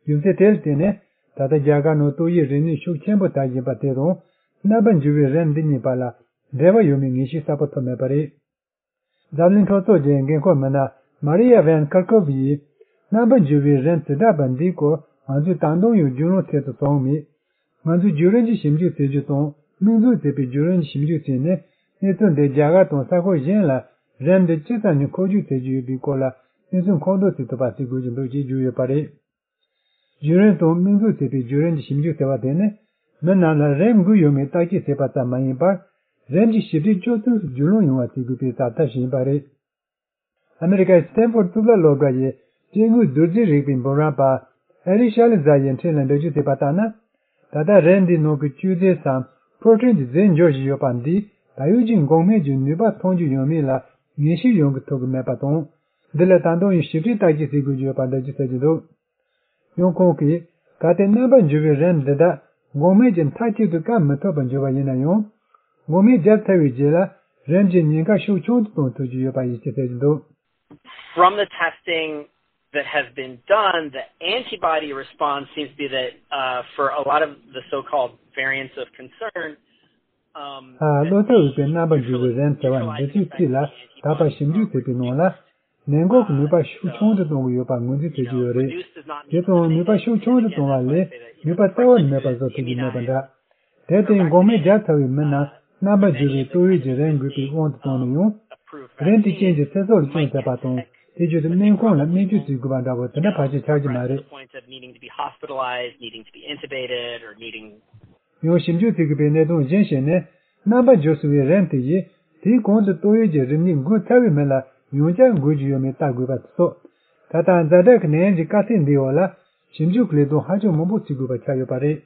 རྒྱུ་མཚན་དེ་ལ་བརྟེན་ནས་ད་ལྟ་རྒྱ་གར་ནང་ཏོག་དབྱིབས་རིམས་ནད་ཤུགས་ཆེན་པོ་དར་བཞིན་པ་དེ་དང་རྣམ་པར་འགྱུར་བའི་རིམས་འདི་གཉིས་བར་ལ་འབྲེལ་བ་ཡོད་མེད་ངེས་ཤེས་གསལ་པོ་ཐོབ་མེད་པ་རེད། འཛམ་གླིང་ཁྲོམ་ཚོགས་ཀྱི་འགན་འཁུར་མི་སྣ་མ་རི་ཡ་ཝན་ཁར་ཁོ་ཝ་ཡིས་རྣམ་པར་འགྱུར་བའི་རིམས་ཇི་འདྲ་བ་འདིའི་སྐོར་ང་ཚོས་ད་དུང་ཡང་རྒྱུས་ལོན་ཐེབས་སུ་བྱུང་མེད། ང་ཚོས་བརྒྱུད་རིམ་གྱི་ཞིབ་འཇུག་བྱེད་རྒྱུ་དང་། དམིགས་འཛུགས་བྱས་པའི་བརྒྱུད་རིམ་གྱི་ཞིབ་འཇུག་བྱས་ནས། གནས་ཚུལ་འདི་རྒྱ་གར་དང་ས་ཁུལ་གཞན་ལ་རིམས་འདི་ཇི་ཙམ་ཞིག་འཁོར་རྒྱུག་བྱེད་ཀྱི་ཡོད་པའི་སྐོར་ལ་གནས་ཚུལ་མཁོ་འདོན་བྱེད་ཐུབ་པ་བྱེད་དགོས་ཀྱི་འདུག་ཅེས་བརྗོད་ཡོད་པ་རེད། བརྒྱུད་རིམ་དང་དམིགས་འཛུགས་བྱས་པའི་བརྒྱུད་རིམ་གྱི་ཞིབ་འཇུག་ཟེར་བ་དེ་ནི། མི་རྣམས་ལ་རིམས་འགོས་ཡོད་མེད་བརྟག་དཔྱད་བྱེད་པ་ཙམ་མ་ཡིན་པར། རིམས་ཀྱི་ཞིབ་ཕྲའི་སྤྱོད་ཚུལ་རྒྱུས་ལོན་ཡོང་བ་བྱེད་དགོས་པའི་བྱ་ཐབས་ཤིག་ཡིན་པ་རེད། ཨ་མེ་རི་ཁའི་སི་ཏན་ཕོར་ཌི་གཙུག་ལག་སློབ་གྲྭ་ཡི་སྐྱེ་དངོས་བདུད་རྩི་རིག་པའི་འབུམ་རམས་པ་ཨེ་རི་ཤ་ལི་ཛ་ཡིས་འཕྲིན་ལ་འགྲེལ་བརྗོད་བྱས་པ་ལྟར་ན། ད་ལྟ་རིམས་འདིའི་ནང་གི་བཅོས་རྫས་སམ་པྲོ་ཊིན་གྱི་རྫས་འབྱོར་བཞིན་ཡོད་པ་འདིས་ད་ཡོད་ཀྱི་འགོག་སྨན་གྱི་ནུས་པ་ཐོན་རྒྱུ་ཡོད་མེད་ལ་ངེས་ཤེས་ཡོང་གི་ཐུབ་ཀྱི་མེད་པ་དང་། འདི་ལ་ད་དུང་ཡང་ཞིབ་ཕྲའི་བརྟག་དཔྱད་བྱེད་དགོས་ཀྱི་ཡོད་པ་འདྲ་ཅིག་གསལ་གྱི་འདུག། ཡང་ཁོང་གིས། གལ་ཏེ་རྣམ་པར་འགྱུར་བའི་རིམས་འདི་དག་འགོག་སྨན་གྱིས་མཐའ་གཅིག་ཏུ་བཀག་མི་ཐུབ་པར་འགྱུར་བ་ཡིན་ན་ཡང་། འགོག་སྨན་བརྒྱབ་ཚར་བའི་རྗེས་ལ་རིམས་ཀྱི་ཉེན་ཁ་ཤུགས་ཆུང་དུ་གཏོང་ཐུབ་ཀྱི་ཡོད་པ་ཡིན་ཞེས་གསལ་གྱི་འདུག། From the testing that has been done, the antibody response seems to be that, uh, for a lot of the so-called variants of concern, um, ཨ། གློ་ཚད་འོས་པའི་རྣམ་པར་འགྱུར་བའི་རིམས་ཟེར་བ་འདི་ཚོའི་ཐད་ལ་ད་བར་ཞིབ་འཇུག་བྱས་པའི་ནང་ལ། ནད་འགོག་གི་ནུས་པ་ཤུགས་ཆུང་དུ་གཏོང་གི་ཡོད་པ་ངོས་འཛིན་བྱེད་ཀྱི་ཡོད་རེད། དེ་དང་ནུས་པ་ཤུགས་ཆུང་དུ་གཏོང་བ་ལས་ནུས་པ་རྩ་བ་ནས་མེད་པ་བཟོ་ཐུབ་ཀྱི་མེད་པ་འདྲ། དེར་བརྟེན་འགོག་སྨན་བརྒྱབ་ཚར་བའི་མི་རྣམས་རྣམ་པར་འགྱུར་བའི་ཏོག་དབྱིབས་ཀྱི་རིམས་འགོས་པའི་དབང་དུ་བཏང་ནས་ཡང་། རིམས་དེ་རྐྱེན་གྱིས་ཚེ་སྲོག་ལ་སྐྱོན་བཏབ་པ་དང་དེ་བརྒྱུད་དུ་སྨན་ཁང་ལ་སྨན་བཅོས་བྱེད་དགོས་པ་འདྲ་བོ་དེ་འདྲ་ཕལ་ཆེར་ཆགས་ཀྱི་མ་རེད། ཡང་ཞིབ་འཇུག་བྱེད་དགོས་པའི་གནད་དོན་གཞན་ཞིག་ནི། རྣམ་པར་འགྱུར་སོང་བའི་རིམས་དེ་ཡིས་དེའི་གོང་དུ་ཏོག་དབྱིབས་ཀྱི་རིམས་ནད་འགོས་ཚར་བའི་མི་ལ་ ཡང་བསྐྱར་འགོད་རྒྱུ་ཡོད་མེད་བལྟ་དགོས་པ་སོགས། ད་ལྟ་ཛ་དྲག་གི་ནད་ཡམས་ཀྱི་དཀའ་ཚེགས་འདིའི་འོག་ལ་ཞིབ་འཇུག་གི་ལས་དོན་ཧ་ཅང་མང་པོ་བྱེད་དགོས་པ་ཆགས་ཡོད་པ་རེད།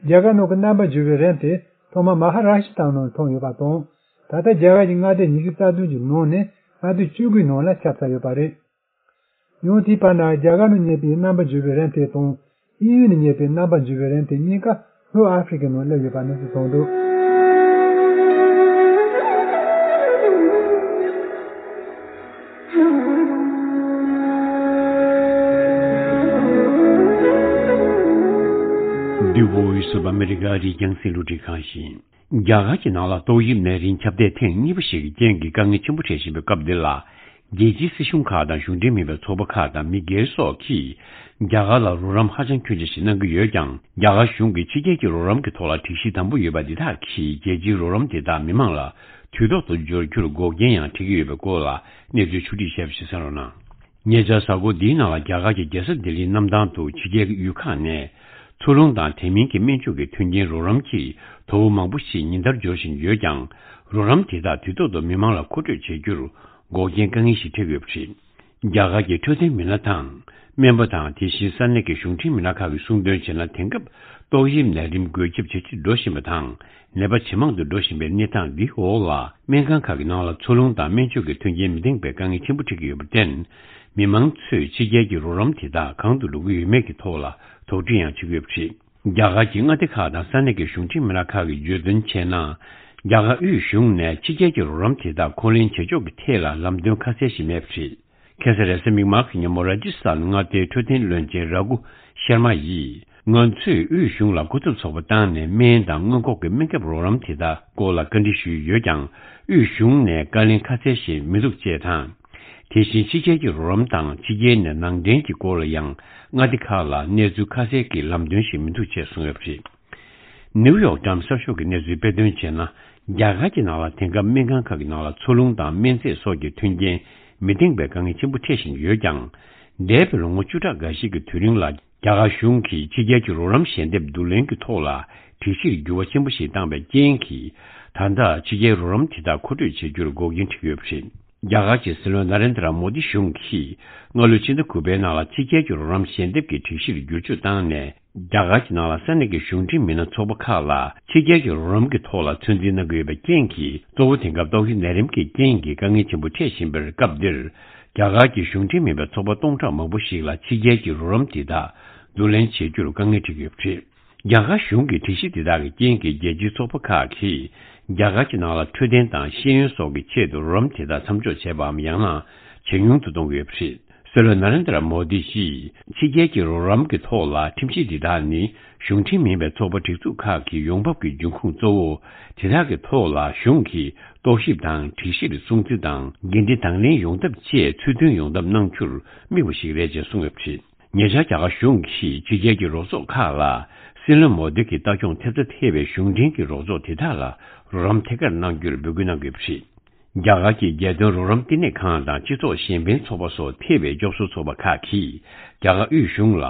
རྒྱ་གར་ནང་གི་རྣམ་པར་འགྱུར་བའི་རིམས་དེ་ཐོག་མར་མ་ཧ་ར་ཤི་ཏྲ་ནང་ཐོན་ཡོད་པ་དང་། ད་ལྟ་རྒྱ་གར་གྱི་མངའ་སྡེ་ཉི་ཤུ་རྩ་བདུན་གྱི་ནང་ནས་མངའ་སྡེ་བཅུ་དགུའི་ནང་ལ་ཁྱབ་ཚར་ཡོད་པ་རེད། ཡང་དེའི་བར་ན་རྒྱ་གར་ནང་རྙེད་པའི་རྣམ་པར་འགྱུར་བའི་རིམས་དེ་དང་། དབྱིན་ཡུལ་ནས་རྙེད་པའི་རྣམ་པར་འགྱུར་བའི་རིམས་དེ་གཉིས་ཀ་ལྷོ་ཨ་ཧྥེ་རི་ཁའི་ནང་སླེབས་ཡོད་པ་གནས་ཚུལ་ཐོན་འདུག The Voice of America རིགས་རྒྱང་སྲིང་རླུང་འཕྲིན་ཁང་ཡིན། རྒྱ་གར་གྱི་ནང་ལ་ཏོག་དབྱིབས་ནད་རིམས་ཁྱབ་གདལ་ཐེངས་གཉིས་པ་ཞིག་གི་རྐྱེན་གྱིས་དཀའ་ངལ་ཆེན་པོ་འཕྲད་བཞིན་པའི་སྐབས་འདི་ལ། རྒྱལ་སྤྱིའི་སྲིད་གཞུང་ཁག་དང་གཞུང་འབྲེལ་མིན་པའི་ཚོགས་པ་ཁག་དང་མི་སྒེར་སོགས་ཀྱིས་རྒྱ་གར་ལ་རོགས་རམ་ཧ་ཅང་ཁྱོན་ཆེ་ཞིག་གནང་གི་ཡོད་ཀྱང་། རྒྱ་གར་གཞུང་གིས་ཕྱི་རྒྱལ་གྱི་རོགས་རམ་གྱི་ཐོག་ལ་སྒྲིག་གཞི་དམ་པོ་ཡོད་པ་འདི་དག་གིས་རྒྱལ་སྤྱིའི་རོགས་རམ་དེ་དག་མི་མང་ལ་དུས་ཐོག་ཏུ་འབྱོར་རྒྱུར་འགོག་རྐྱེན་ཡང་འཕྲད་ཀྱི་ཡོད་པའི་སྐོར་ལ་གནས་ཚུལ་ཕྱོགས་བསྒྲིགས་བྱས་པ་ཞིག་གསན་རོགས་གནང་། ཉེ་ཆར་གཟའ་འཁོར་འདིའི་ནང་ལ་རྒྱ་གར་གྱི་རྒྱལ་ས་ལྡི་ལིའི་གནམ་ཐང་དུ་ཕྱི་རྒྱལ་གྱི་གཡུལ་ཁག་ནས་འཚོ་རླུང་དང་དེ་མིན་གྱི་སྨན་བཅོས་ཀྱི་མཐུན་རྐྱེན་རོགས་རམ་གྱིས་དོ་པོ་མང་པོ་ཞིག་ཉིན་ལྟར་འབྱོར་བཞིན་ཡོད་ཀྱང་། རོགས་རམ་དེ་དག་དུས་ཐོག་ཏུ་མི་མང་ལ་མཁོ་སྤྲོད་བྱེད་རྒྱུར་འགོག་རྐྱེན་དཀའ་ངལ་ཞིག་འཕྲད་ཀྱི་ཡོད་པ་རེད། རྒྱ་གར་གྱི་འཕྲོད་བསྟེན་མི་སྣ་དང་། སྨན་པ་དང་། དེ་བཞིན་ས་གནས་ཀྱི་གཞུང་འབྲེལ་མི་སྣ་ཁག་གིས་གསུངས་དོན་བྱས་ན། དེང་སྐབས་ཏོག་དབྱིབས་ནད་རིམས་འགོས་ཁྱབ་ཇེ་ཆེར་འགྲོ་བཞིན་པ་དང་། ནད་པ་ཇེ་མང་དུ་འགྲོ་བཞིན་པའི་གནས་སྟངས་འདིའི་འོག་ལ། སྨན་ཁང་ཁག་གི་ནང་ལ་འཚོ་རླུང་དང་སྨན་བཅོས་ཀྱི་མཐུན་རྐྱེན་མི་འདང་བའི་དཀའ་ངལ་ཆེན་པོ་འཕྲད་ཀྱི་ཡོད་པར་བརྟེན། མི་མང་ཚོས་ཕྱི་རྒྱལ་གྱི་རོགས་རམ་དེ་དག་གང་དུ་འགྲོ་གི་ཡོད་མེད་ཀྱི་ཐོག་ལ་དོགས་འདྲི་ཡང་བྱེད་ཀྱི་ཡོད་པ་རེད། རྒྱ་གར་གྱི་མངའ་སྡེ་ཁག་དང་ས་གནས་ཀྱི་གཞུང་འབྲེལ་མི་སྣ་ཁག་གིས་བརྗོད་དོན་བྱས་ན། རྒྱ་གར་དབུས་གཞུང་ནས་ཕྱི་རྒྱལ་གྱི་རོགས་རམ་དེ་དག་འཁོར་ལེན་བྱེད་ཕྱོགས་ཀྱི་ཐད་ལ་ལམ་སྟོན་ཁ་གསལ་ཞིག་མེད་པ་རེད། ཁ་སང་རེས་གཟའ་མིག་དམར་གྱི་ཉིན་མོ། ར་ཇི་སི་ཐན་མངའ་སྡེའི་འཕྲོད་བསྟེན་བློན་ཆེན་ར་གུ་ཤར་མ་ཡིས། ང་ཚོས་དབུས་གཞུང་ལ་གོ་ཐོས་ཚོགས་པ་བཏང་ནས། སྨན་དང་སྔོན་འགོག་གི་སྨན་ཁབ་རོགས་རམ་དེ་དག་སྐོར་ལ་བཀའ་འདྲི་ཞུས་ཡོད་ཀྱང་། དབུས་གཞུང་ནས་བཀའ་ལན་ཁ་གསལ་ཞིག་མི་འདུག་ཅེས་དང་། དེ་བཞིན་ཕྱི་རྒྱལ་གྱི་རོགས་རམ་དང་ཕྱི་རྒྱལ་ནས་ནང་འདྲེན་གྱི་སྐོར་ལ་ཡང་། མངའ་སྡེ་ཁག་ལ་གནས་ཚུལ་ཁ་གསལ་གྱི་ལམ་སྟོན་ཞིག་མི་འདུག་ཅེས་གསུངས་ཡོད་པ་རེད། ནིའུ་ཡོག་ཊའིམ་གསར་ཤོག་གིས་གནས་ཚུལ་སྤེལ་དོན་བྱས་ན། རྒྱ་གར་གྱི་ནང་ལ་དེང་སྐབས་སྨན་ཁང་ཁག་གི་ནང་ལ་འཚོ་རླུང་དང་སྨན་རྫས་སོགས་ཀྱི་མཐུན་རྐྱེན་མི་འདང་བའི་དཀའ་ངལ་ཆེན་པོ་འཕྲད་བཞིན་ཡོད་ཀྱང་། འདས་པའི་ལོ་ངོ་བཅུ་ཕྲག་འགའ་ཞིག་གི་དུས་རིང་ལ། རྒྱ་གར་གཞུང་གིས་ཕྱི་རྒྱལ་གྱི་རོགས་རམ་ཞལ་འདེབས་བསྡུ་ལེན་གྱི་ཐོག་ལ་སྒྲིག་གཞིར་འགྱུར་བ་ཆེན་པོ་ཞིག་བཏང་བའི་རྐྱེན་གྱིས། ད་ལྟ་ཕྱི་རྒྱལ་རོགས་རམ་དེ་དག་མཁོ་སྤྲོད་བྱེད་རྒྱུར་འགོག་རྐྱེན་འཕྲད་ཀྱི་ཡོད་པ་རེད། རྒྱ་གར་གྱི་སྲིད་བློན་ན་རེན་དྲ་མོ་དི་གཞུང་གིས་སྔ་ལོའི་ཕྱི་ཟླ་དགུ་པའི་ནང་ལ་ཕྱི་རྒྱལ་གྱི་རོགས་རམ་ཞལ་འདེབས་ཀྱི་སྒྲིག་གཞིར་བསྒྱུར་བཅོས་བཏང་ནས། རྒྱ་གར་གྱི་ནང་ལ་ས་གནས་ཀྱི་གཞུང་འབྲེལ་མི་སྣ་ཚོགས་པ་ཁག་ལ་ཕྱི་རྒྱལ་གྱི་རོགས་རམ་གྱི་ཐོག་ལ་ཚོད་འཛིན་གནང་གི་ཡོད་པའི་རྐྱེན་གྱིས། གཙོ་བོ་དེང་སྐབས་ཏོག་དབྱིབས་ནད་རིམས་ཀྱི་རྐྱེན་གྱིས་དཀའ་ངལ་ཆེན་པོ་འཕྲད་བཞིན་པའི་སྐབས་འདིར། རྒྱ་གར་གྱི་གཞུང་འབྲེལ་མིན་པའི་ཚོགས་པ་སྟོང་ཕྲག་མང་པོ་ཞིག་ལ་ཕྱི་རྒྱལ་གྱི་རོགས་རམ་དེ་དག་བསྡུ་ལེན་བྱེད་རྒྱུར་དཀའ་ངལ་འཕྲད་ཀྱི་ཡོད་པ་རེད། རྒྱ་གར་གཞུང་གི་སྒྲིག་གཞི་དེ་དག་གི་རྐྱེན་གྱིས། རྒྱལ་སྤྱིའི་ཚོགས་པ་ཁག་གིས་རྒྱ་གར་གྱི་ནང་ལ་འཕྲོད་བསྟེན་དང་ཤེས་ཡོན་སོགས་ཀྱི་ཆེད་དུ་རོགས་རམ་དེ་དག་མཚམས་འཇོག་བྱས་པའམ། ཡང་ན་ཇེ་ཉུང་དུ་གཏོང་གི་ཡོད་པ་རེད། སྲིད་བློན་ན་རེན་དྲ་མོ་དི་ཡིས། ཕྱི་རྒྱལ་གྱི་རོགས་རམ་གྱི་ཐོག་ལ་ཁྲིམས་གཞི་འདི་དག་ནི། གཞུང་འབྲེལ་མིན་པའི་ཚོགས་པ་སྒྲིག་འཛུགས་ཁག་གི་ཡོང་འབབ་ཀྱི་འབྱུང་ཁུངས་གཙོ་བོ། དེ་དག་གི་ཐོག་ལ་གཞུང་གིས་རྟོག་ཞིབ་དང་། སྒྲིག་གཞིར་སྲུང་བརྩི་དང་། འགན་འཁྲི་དང་ལེན་ཡོང་ཐབས་བཅས་ཚུལ་མཐུན་ཡོང་ཐབས་གནང་རྒྱུར་དམིགས་པ་ཞིག་རེད་ཅེས་གསུངས་ཡོད་པ་རེད། ཉེ་ཆར་རྒྱ་གར་གཞུང་གིས་ཕྱི་རྒྱལ་གྱི་རོགས་ཚོགས་ཁག་ལ། སྲིད་བློན་མོ་དི་གི་ལྟ་སྐྱོང་ཐེབས་རྩ་ཐེ་བའི་གཞུང་འབྲེལ་གྱི་རོགས་ཚོགས་དེ་དག་ལ་རོགས་རམ་ཐད་ཀར་གནང་རྒྱུར་འབོད་སྐུལ་གནང་དགོས་པ་རེད། རྒྱ་གར་གྱི་རྒྱལ་དོན་རོགས་རམ་བསྟི་གནས་ཁང་དང་སྤྱི་ཚོགས་གཞན་ཕན་ཚོགས་པ་སོགས་ཐེ་བའི་སྐྱོབ་གསོ་ཚོགས་པ་ཁག་གིས། རྒྱ་གར་དབུས་གཞུང་ལ་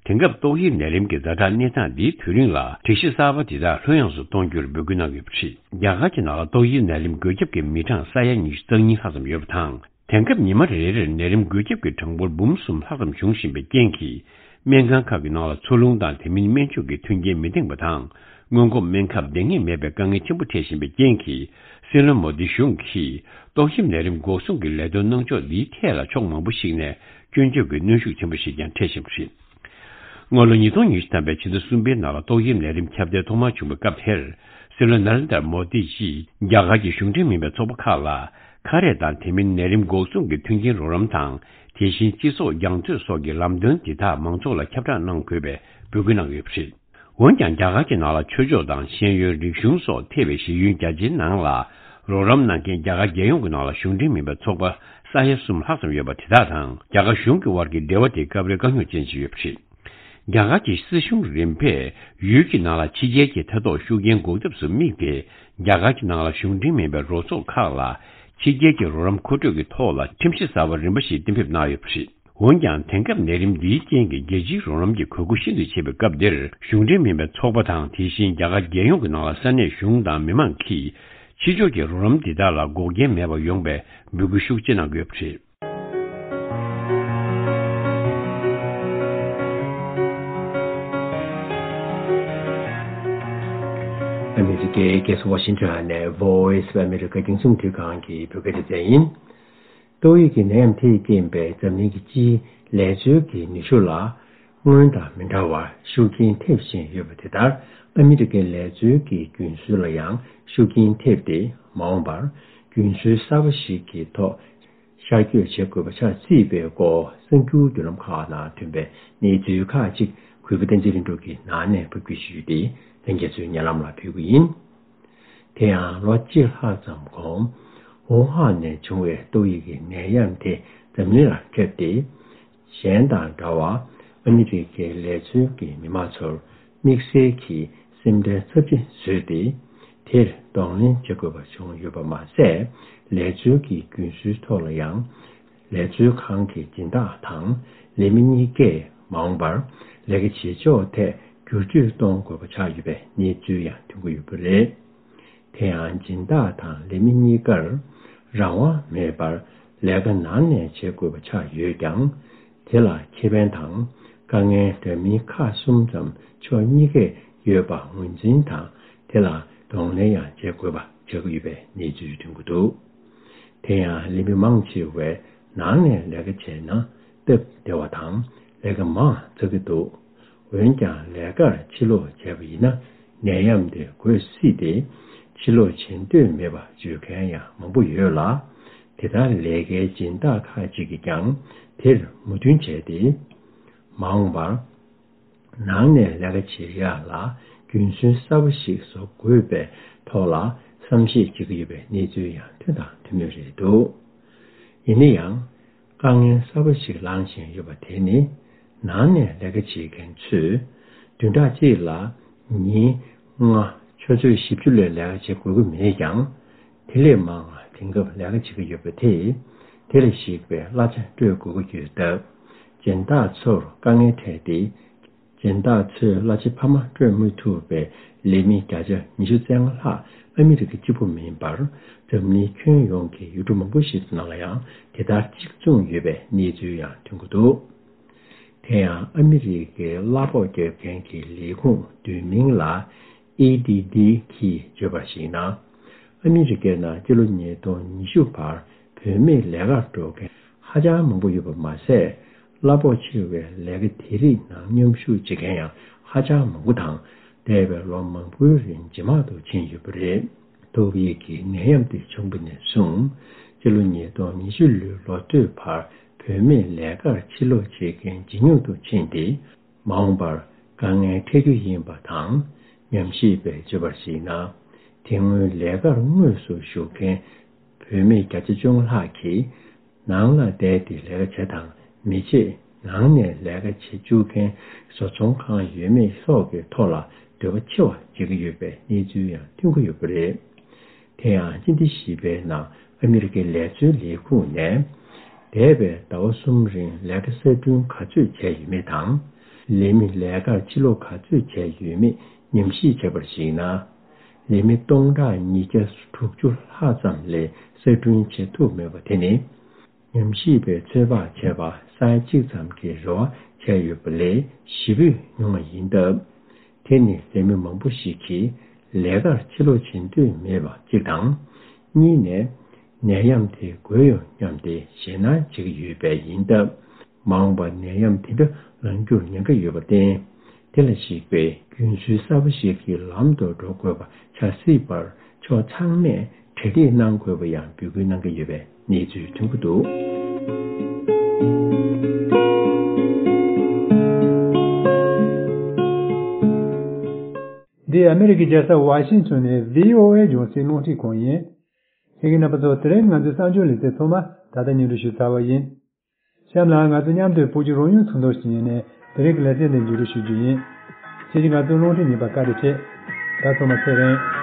དེང་སྐབས་ཏོག་དབྱིབས་ནད་རིམས་ཀྱི་ཛ་དྲག་གནས་སྟངས་འདིའི་དུས་རིང་ལ། སྒྲིག་གཞི་གསར་པ་འདི་དག་ལྷོད་ཡངས་སུ་གཏོང་རྒྱུར་འབོད་སྐུལ་གནང་ཡོད་པ་རེད། རྒྱ་གར་གྱི་ནང་ལ་ཏོག་དབྱིབས་ནད་རིམས་འགོས་ཁྱབ་ཀྱི་མི་གྲངས་ས་ཡ་ཉི་ཤུ་རྩ་གཉིས་ལྷག་ཙམ་ཡོད་པ་དང་། དེང་སྐབས་ཉི་མ་རེ་རེར་ནད་རིམས་འགོས་ཁྱབ་ཀྱི་གྲངས་འབོར་འབུམ་གསུམ་ལྷག་ཙམ་འབྱུང་བཞིན་པའི་རྐྱེན་གྱིས། སྨན་ཁང་ཁག་གི་ནང་ལ་འཚོ་རླུང་དང་། དེ་མིན་སྨན་བཅོས་ཀྱི་མཐུན་རྐྱེན་མི་འདང་བ་དང་། སྔོན་འགོག་སྨན་ཁབ་འདང་ངེས་མེད་པའི་དཀའ་ངལ་ཆེན་པོ་འཕྲད་བཞིན་པའི་རྐྱེན་གྱིས། སྲིད་བློན་མོ་དི་གཞུང་གིས། ཏོག་དབྱིབས་ནད་རིམས་འགོག་སྲུང་གི་ལས་དོན་གནང་ཕྱོགས་འདིའི་ཐད་ལ་ཕྱོགས་མང་པོ་ཞིག་ནས་སྐྱོན་བརྗོད་ཀྱི་གནོན་ཤུགས་ཆེན་པོ་ཞིག་ཀྱང་འཕྲད་བཞིན་པ་རེད། སྔ་ལོ་ཉིས་སྟོང་ཉི་ཤུ་ཐམ་པའི་ཕྱི་ཟླ་གསུམ་པའི་ནང་ལ་ཏོག་དབྱིབས་ནད་རིམས་ཁྱབ་གདལ་ཐོག་མར་བྱུང་བའི་སྐབས་དེར། སྲིད་བློན་ན་རེན་དྲ་མོ་དི་ཡིས་རྒྱ་གར་གྱི་གཞུང་འབྲེལ་མིན་པའི་ཚོགས་པ་ཁག་ལ། ཁ་རས་དང་དེ་མིན་ནད་རིམས་འགོག་སྲུང་གི་མཐུན་རྐྱེན་རོགས་རམ་དང་། དེ་བཞིན་སྤྱི་ཚོགས་རྒྱང་མཐུད་སོགས་ཀྱི་ལམ་སྟོན་འདི་དག་མང་ཚོགས་ལ་ཁྱབ་བསྒྲགས་གནང་དགོས་པའི་འབོད་སྐུལ་གནང་ཡོད་པ་རེད། འོན་ཀྱང་། རྒྱ་གར་གྱི་ནང་ལ་ཆོས་ཕྱོགས་དང་ཤེས་ཡོན། རིག་གཞུང་སོགས་ཐེ་བའི་གཞི་ཡུལ་རྒྱ་ཆེའི་ནང་ལ། རོགས་རམ་གནང་མཁན་རྒྱ་གར་རྒྱལ་ཡོངས་ཀྱི་ནང་ལ་གཞུང་འབྲེལ་མིན་པའི་ཚོགས་པ་ས་ཡ་གསུམ་ལྷག་ཙམ་ཡོད་པ་དེ་དག་དང་། རྒྱ་གར་གཞུང་གི་དབར་གྱི་འབྲེལ་བ་དེ་སྐབས་རེ་དཀའ་རྙོག་ཅན་ཞིག་ཡོད་པ་རེད། རྒྱ་གར་གྱི་སྲིད་གཞུང་རིམ་པས་ཡུལ་གྱི་ནང་ལ་ཕྱི་རྒྱལ་གྱི་ཐད་གཏོགས་ཤུགས་རྐྱེན་འགོག་ཐབས་སུ་དམིགས་ཏེ། རྒྱ་གར་གྱི་ནང་ལ་གཞུང་འབྲེལ་མིན་པའི་རོགས་ཚོགས་ཁག་ལ། ཕྱི་རྒྱལ་གྱི་རོགས་རམ་མཁོ་སྤྲོད་ཀྱི་ཐོག་ལ་ཁྲིམས་གཞི་གསར་པ་རིམ་པ་ཞིག་གཏན་འབེབས་གནང་ཡོད་པ་རེད། འོན་ཀྱང་། དེང་སྐབས་ནད་རིམས་འདིའི་རྐྱེན་གྱིས་རྒྱལ་སྤྱིའི་རོགས་རམ་གྱི་དགོས་མཁོ་ཤིན་ཏུ་ཆེ་བའི་སྐབས་འདིར། གཞུང་འབྲེལ་མིན་པའི་ཚོགས་པ་དང་། དེ་བཞིན་རྒྱ་གར་རྒྱལ་ཡོངས་ཀྱི་ནང་ལ་ས་གནས་གཞུང་དང་མི་མང་གིས། ཕྱི་ཕྱོགས་ཀྱི་རོགས་རམ་འདི་དག་ལ་འགོག་རྐྱེན་མེད་པ་ཡོང་བའི་འབོད་སྐུལ་ཤུགས་ཆེ་གནང་གི་ཡོད་པ་རེད། ཨ་མི་རི་ཀའི་རྒྱལ་ས་ཝ་ཤིང་ཊོན་ནས་Voice of America རྒྱང་སྲིང་རླུང་འཕྲིན་ཁང་གི་བོད་སྐད་སྡེ་ཚན་ཡིན། ཏོག་དབྱིབས་ཀྱི་ནད་ཡམས་དེས་རྐྱེན་པས་འཛམ་གླིང་གི་སྤྱིའི་ལས་འཛུལ་གྱི་ནུས་ཤུགས་ལ་སྔོན་དང་མི་འདྲ་བར་ཤུགས་རྐྱེན་ཐེབས་བཞིན་ཡོད་པ་དེ་ལྟར། ཨ་མི་རི་ཀའི་ལས་འཛུལ་གྱི་རྒྱུན་སྲོལ་ལ་ཡང་ཤུགས་རྐྱེན་ཐེབས་ཏེ། མ་འོངས་པར་རྒྱུན་སྲོལ་གསར་པ་ཞིག་གི་ཐོག་ཤར་བསྐྱོད་བྱེད་དགོས་པ་ཆགས་སྲིད་པའི་སྐོར་གསར་འགྱུར་བརྒྱུད་ལམ་ཁག་ནང་ཐོན་པའི་གནས་ཚུལ་ཁག་ཅིག་གུས་པ་བསྟན་འཛིན་ལྷུན་གྲུབ་ཀྱིས་ནང་ནས་ཕབ་སྒྱུར་ཞུས་ཏེ། ལྷན་རྒྱས་ཚོའི་སྙན་ལམ་ལ་ཕུལ་གྱི་ཡིན། དེ་ཡང་ལོ་གཅིག་ལྷག་ཙམ་གོང་ཝུ་ཧན་ནས་བྱུང་བའི་ཏོག་དབྱིབས་ཀྱི་ནད་ཡམས་དེ་འཛམ་གླིང་ལ་ཁྱབ་སྟེ། གཞན་དང་འདྲ་བར་ཨ་མི་རི་ཀའི་ལས་འཛུལ་གྱི་མི་མང་ཚོར་དམིགས་བསལ་གྱི་སེམས་ཁྲལ་ཚབས་ཆེན་བཟོས་ཏེ། དེར་གདོང་ལེན་བྱེད་དགོས་པ་བྱུང་ཡོད་པ་མ་ཟད། ལས་འཛུལ་གྱི་རྒྱུན་སྲོལ་ཐོག་ལ་ཡང་། ལས་འཛུལ་ཁང་གི་སྦྱིན་བདག་དང་ལས་མི་གཉིས་ཀས་མ་འོངས་པར་ལས་ཀ་བྱེད་ཕྱོགས་ཐད་བསྒྱུར་བཅོས་གཏོང་དགོས་པ་ཆགས་ཡོད་པའི་གནས་ཚུལ་ཡང་ཐོན་གྱི་ཡོད་པ་རེད། དེ་ཡང་སྦྱིན་བདག་དང་ལས་མི་གཉིས་ཀར་རང་དབང་མེད་པར་ལས་ཀ་ནང་ནས་བྱེད་དགོས་པ་ཆགས་ཡོད་ཀྱང་། དེ་ལ་ཁེ་ཕན་དང་དཀའ་ངལ་འདྲ་མིན་ཁག་གསུམ་ཙམ་ཕྱོགས་གཉིས་ཀས་ཡོད་པ་ངོས་འཛིན་དང་། དེ་ལ་གདོང་ལེན་ཡང་བྱེད་དགོས་པ་ཆགས་ཀྱི་ཡོད་པའི་གནས་ཚུལ་ཐོན་གྱི་འདུག་དེ་ཡང་ལས་མི་མང་ཆེ་བས་ནང་ནས་ལས་ཀ་བྱས་ན་སྟབས་བདེ་བ་དང་ལས་ཀ་མང་ཚ་གི་འདུག་འོན་ཀྱང་ལས་ཀར་ཕྱིར་ལོག་བྱས་པ་ཡིན་ན་ནད་ཡམས་དེ་འགོས་སྲིད་དེ། ཕྱིར་ལོག་བྱེད་འདོད་མེད་པ་བརྗོད་མཁན་ཡང་མང་པོ་ཡོད་ལ། དེ་ལྟར་ལས་ཀའི་སྦྱིན་བདག་ཁག་ཅིག་གིས་ཀྱང་དེར་མོས་མཐུན་བྱས་ཏེ། མ་འོངས་པར་ནང་ནས་ལས་ཀ་བྱེད་ཡག་ལ་རྒྱུན་སྲོལ་གསར་པ་ཞིག་བཟོ་དགོས་པའི་ཐོག་ལ་བསམ་ཤེས་བྱེད་ཀྱི་ཡོད་པའི་གནས་ཚུལ་ཡང་ཐོན་དང་ཐོན་མུས་རེད་འདུག་ཡིན་ན་ཡང་། དཀའ་ངལ་གསར་པ་ཞིག་ལངས་བཞིན་ཡོད་པ་དེ་ནི། ནང་ནས་ལས་ཀ་བྱེད་མཁན་ཚོས། བདུན་ཕྲག་གཅིག་ལ་ཉིན་ལྔ་ཆུ་ཚོད་བཞི་བཅུ་ལས་ལས་ཀ་བྱེད་དགོས་ཀྱི་མེད་ཀྱང་། དེ་ལས་མང་བ་དེང་སྐབས་ལས་ཀ་བྱེད་ཀྱི་ཡོད་པ་དེས། དེ་ལ་གཞིགས་པའི་གླ་ཆ་སྤྲོད་དགོས་ཀྱི་ཡོད་སྟབས། སྦྱིན་བདག་ཚོར་དཀའ་ངལ་འཕྲད་དེ། སྦྱིན་བདག་ཚོས་གླ་ཆ་འཕར་མ་སྤྲོད་མི་ཐུབ་པའི་ལས་མི་བརྒྱ་ཆ་ཉི་ཤུ་རྩ་ལྔ་ལྷག་ཨ་མི་རི་ཀ་གཅིག་པུ་མིན་པར། འཛམ་གླིང་ཁྱོན་ཡོངས་ཀྱི་ཡུལ་གྲུ་མང་པོ་ཞིག་ནང་ལ་ཡང་དེ་ལྟར་གཅིག་མཚུངས་ཡོད་པའི་གནས་ཚུལ་ཡང་ཐོན་གྱི་འདུག་དེ་ཡང་ཨ་མི་རི་ཀའི་གླ་ཕོགས་རྒྱག་མཁན་གྱི་ལས་ཁུངས་བསྡུས་མིང་ལ་ཨེ་ཌི་ཌི་གིས་བརྗོད་པར་གཞིགས་ན། ཨ་མི་རི་ཀའི་ནང་སྤྱི་ལོ་ཉིས་སྟོང་ཉི་ཤུ་བར་བུད་མེད་ལས་ཀར་འགྲོ་མཁན་ཧ་ཅང་མང་པོ་ཡོད་པ་མ་ཟད། གླ་ཕོགས་ཆེ་བའི་ལས་ཀ་དེ་རིགས་ནང་མཉམ་ཞུགས་བྱེད་མཁན་ཡང་ཧ་ཅང་མང་པོ་དང་། འདས་པའི་ལོ་མང་པོའི་རིང་ཇེ་མང་དུ་ཕྱིན་ཡོད་པ་རེད། ཏོག་དབྱིབས་ཀྱི་ནད་ཡམས་དེ་བྱུང་བ་ནས་བཟུང་། སྤྱི་ལོ་ཉིས་སྟོང་ཉི་ཤུ་ལོའི་ལོ་སྟོད་བར་བུད་མེད་ལས་ཀར་ཕྱིར་ལོག་བྱེད་མཁན་ཇེ་ཉུང་དུ་ཕྱིན་ཏེ། མ་འོངས་པར་དཀའ་ངལ་འཕྲད་རྒྱུ་ཡིན་པ་དང་། ཉམས་ཞིབ་པས་བརྗོད་པར་གཞིགས་ན། དེ་སྔོན་ལས་ཀར་དངོས་སུ་ཞུགས་མཁན་བུད་མེད་བརྒྱ་ཆ་བཅོ་ལྔ་ལྷག་གིས། ནང་ལ་བསྡད་དེ་ལས་ཀ་བྱེད་དང་མི་བྱེད། ནང་ནས་ལས་ཀ་བྱེད་བཅུག་མཁན་བཟོ་ཚོང་ཁང་ཡོད་མེད་སོགས་ཀྱི་ཐོག་ལ་འདོད་པ་ཆེ་བ་བྱེད་ཀྱི་ཡོད་པའི་གནས་ཚུལ་ཡང་ཐོན་གྱི་ཡོད་པ་རེད། དེ་ཡང་སྤྱི་ཟླ་བཞི་པའི་ནང་ཨ་མི་རི་ཀའི་ལས་བཟོའི་ལས་ཁུངས་ནས། འདས་པའི་ཟླ་བ་གསུམ་རིང་ལས་ཀ་གསར་སྐྲུན་ག་ཚོད་བྱས་ཡོད་མེད་དང་། ལས་མི་ལས་ཀར་ཕྱིར་ལོག་ག་ཚོད་བྱས་ཡོད་མེད་ཉམས་ཞིབ་བྱས་པར་གཞིགས་ན། ལས་མི་སྟོང་ཕྲག་ཉིས་བརྒྱ་དྲུག་ཅུ་ལྷག་ཙམ་ལས་གསར་སྐྲུན་བྱེད་ཐུབ་མེད་པ་དེ་ནི། ཉམས་ཞིབ་པས་ཚོད་དཔག་བྱས་པ་ས་ཡ་གཅིག་ཙམ་གྱི་རེ་བ་བྱས་ཡོད་པ་ལས་བཞི་བོས་ཉུང་བ་ཡིན་སྟབས། དེ་ནི་ལས་མི་མང་པོ་ཞིག་གིས་ལས་ཀར་ཕྱིར་ལོག་བྱེད་འདོད་མེད་པ་གཅིག་དང་། གཉིས་ནས། ནད་ཡམས་དེ་འགོས་ཡོང་སྙམ་སྟེ་ཞེད་སྣང་བྱེད་ཀྱི་ཡོད་པས་ཡིན་སྟབས། མ་འོངས་པར་ནད་ཡམས་དེ་འདྲ་ལངས་རྒྱུར་ཉེན་ཁ་ཡོད་པར་བརྟེན། དེ་ལ་གཞིགས་པའི་རྒྱུན་སྲོལ་གསར་པ་ཞིག་གི་ལམ་དུ་འགྲོ་དགོས་པ་ཆགས་སྲིད་པར་ཕྱོགས་ཚང་མས་གྲ་སྒྲིག་གནང་དགོས་པ་ཡང་འབོད་སྐུལ་གནང་གི་ཡོད་པའི་གནས་ཚུལ་ཐོན་གྱི་འདུག་འདི་ཨ་མེ་རི་ཀའི་རྒྱལ་ས་ཝ་ཤིང་ཊོན་ནས་བྷི་ཨོ་ཨེ་རྒྱང་སྲིང་རླུང་འཕྲིན་ཁང་ཡིན། ཁྱེད་ཀྱི་རྣམ་པ་ཚོ་དེ་རིང་ང་ཚོའི་གསར་འགྱུར་ལེ་ཚན་ཚང་མ་ད་ལྟ་སྙན་སྒྲོན་ཞུས་ཚར་བ་ཡིན། གཤམ་ལ་ང་ཚོ་མཉམ་དུ་བོད་ཀྱི་རང་ཡུལ་ཚོགས་འདུ་ཞིག་ཡིན་ནས་དེ་རིང་གི་ལེ་ཚན་འདི་མཇུག་སྒྲིལ་ཞུ་རྒྱུ་ཡིན། ཁྱེད་ཀྱིས་ང་ཚོའི་རླུང་འཕྲིན་ཉན་པར་བཀའ་དྲིན་ཆེ། ད་ཚང་མ་ཚེ་རིང་།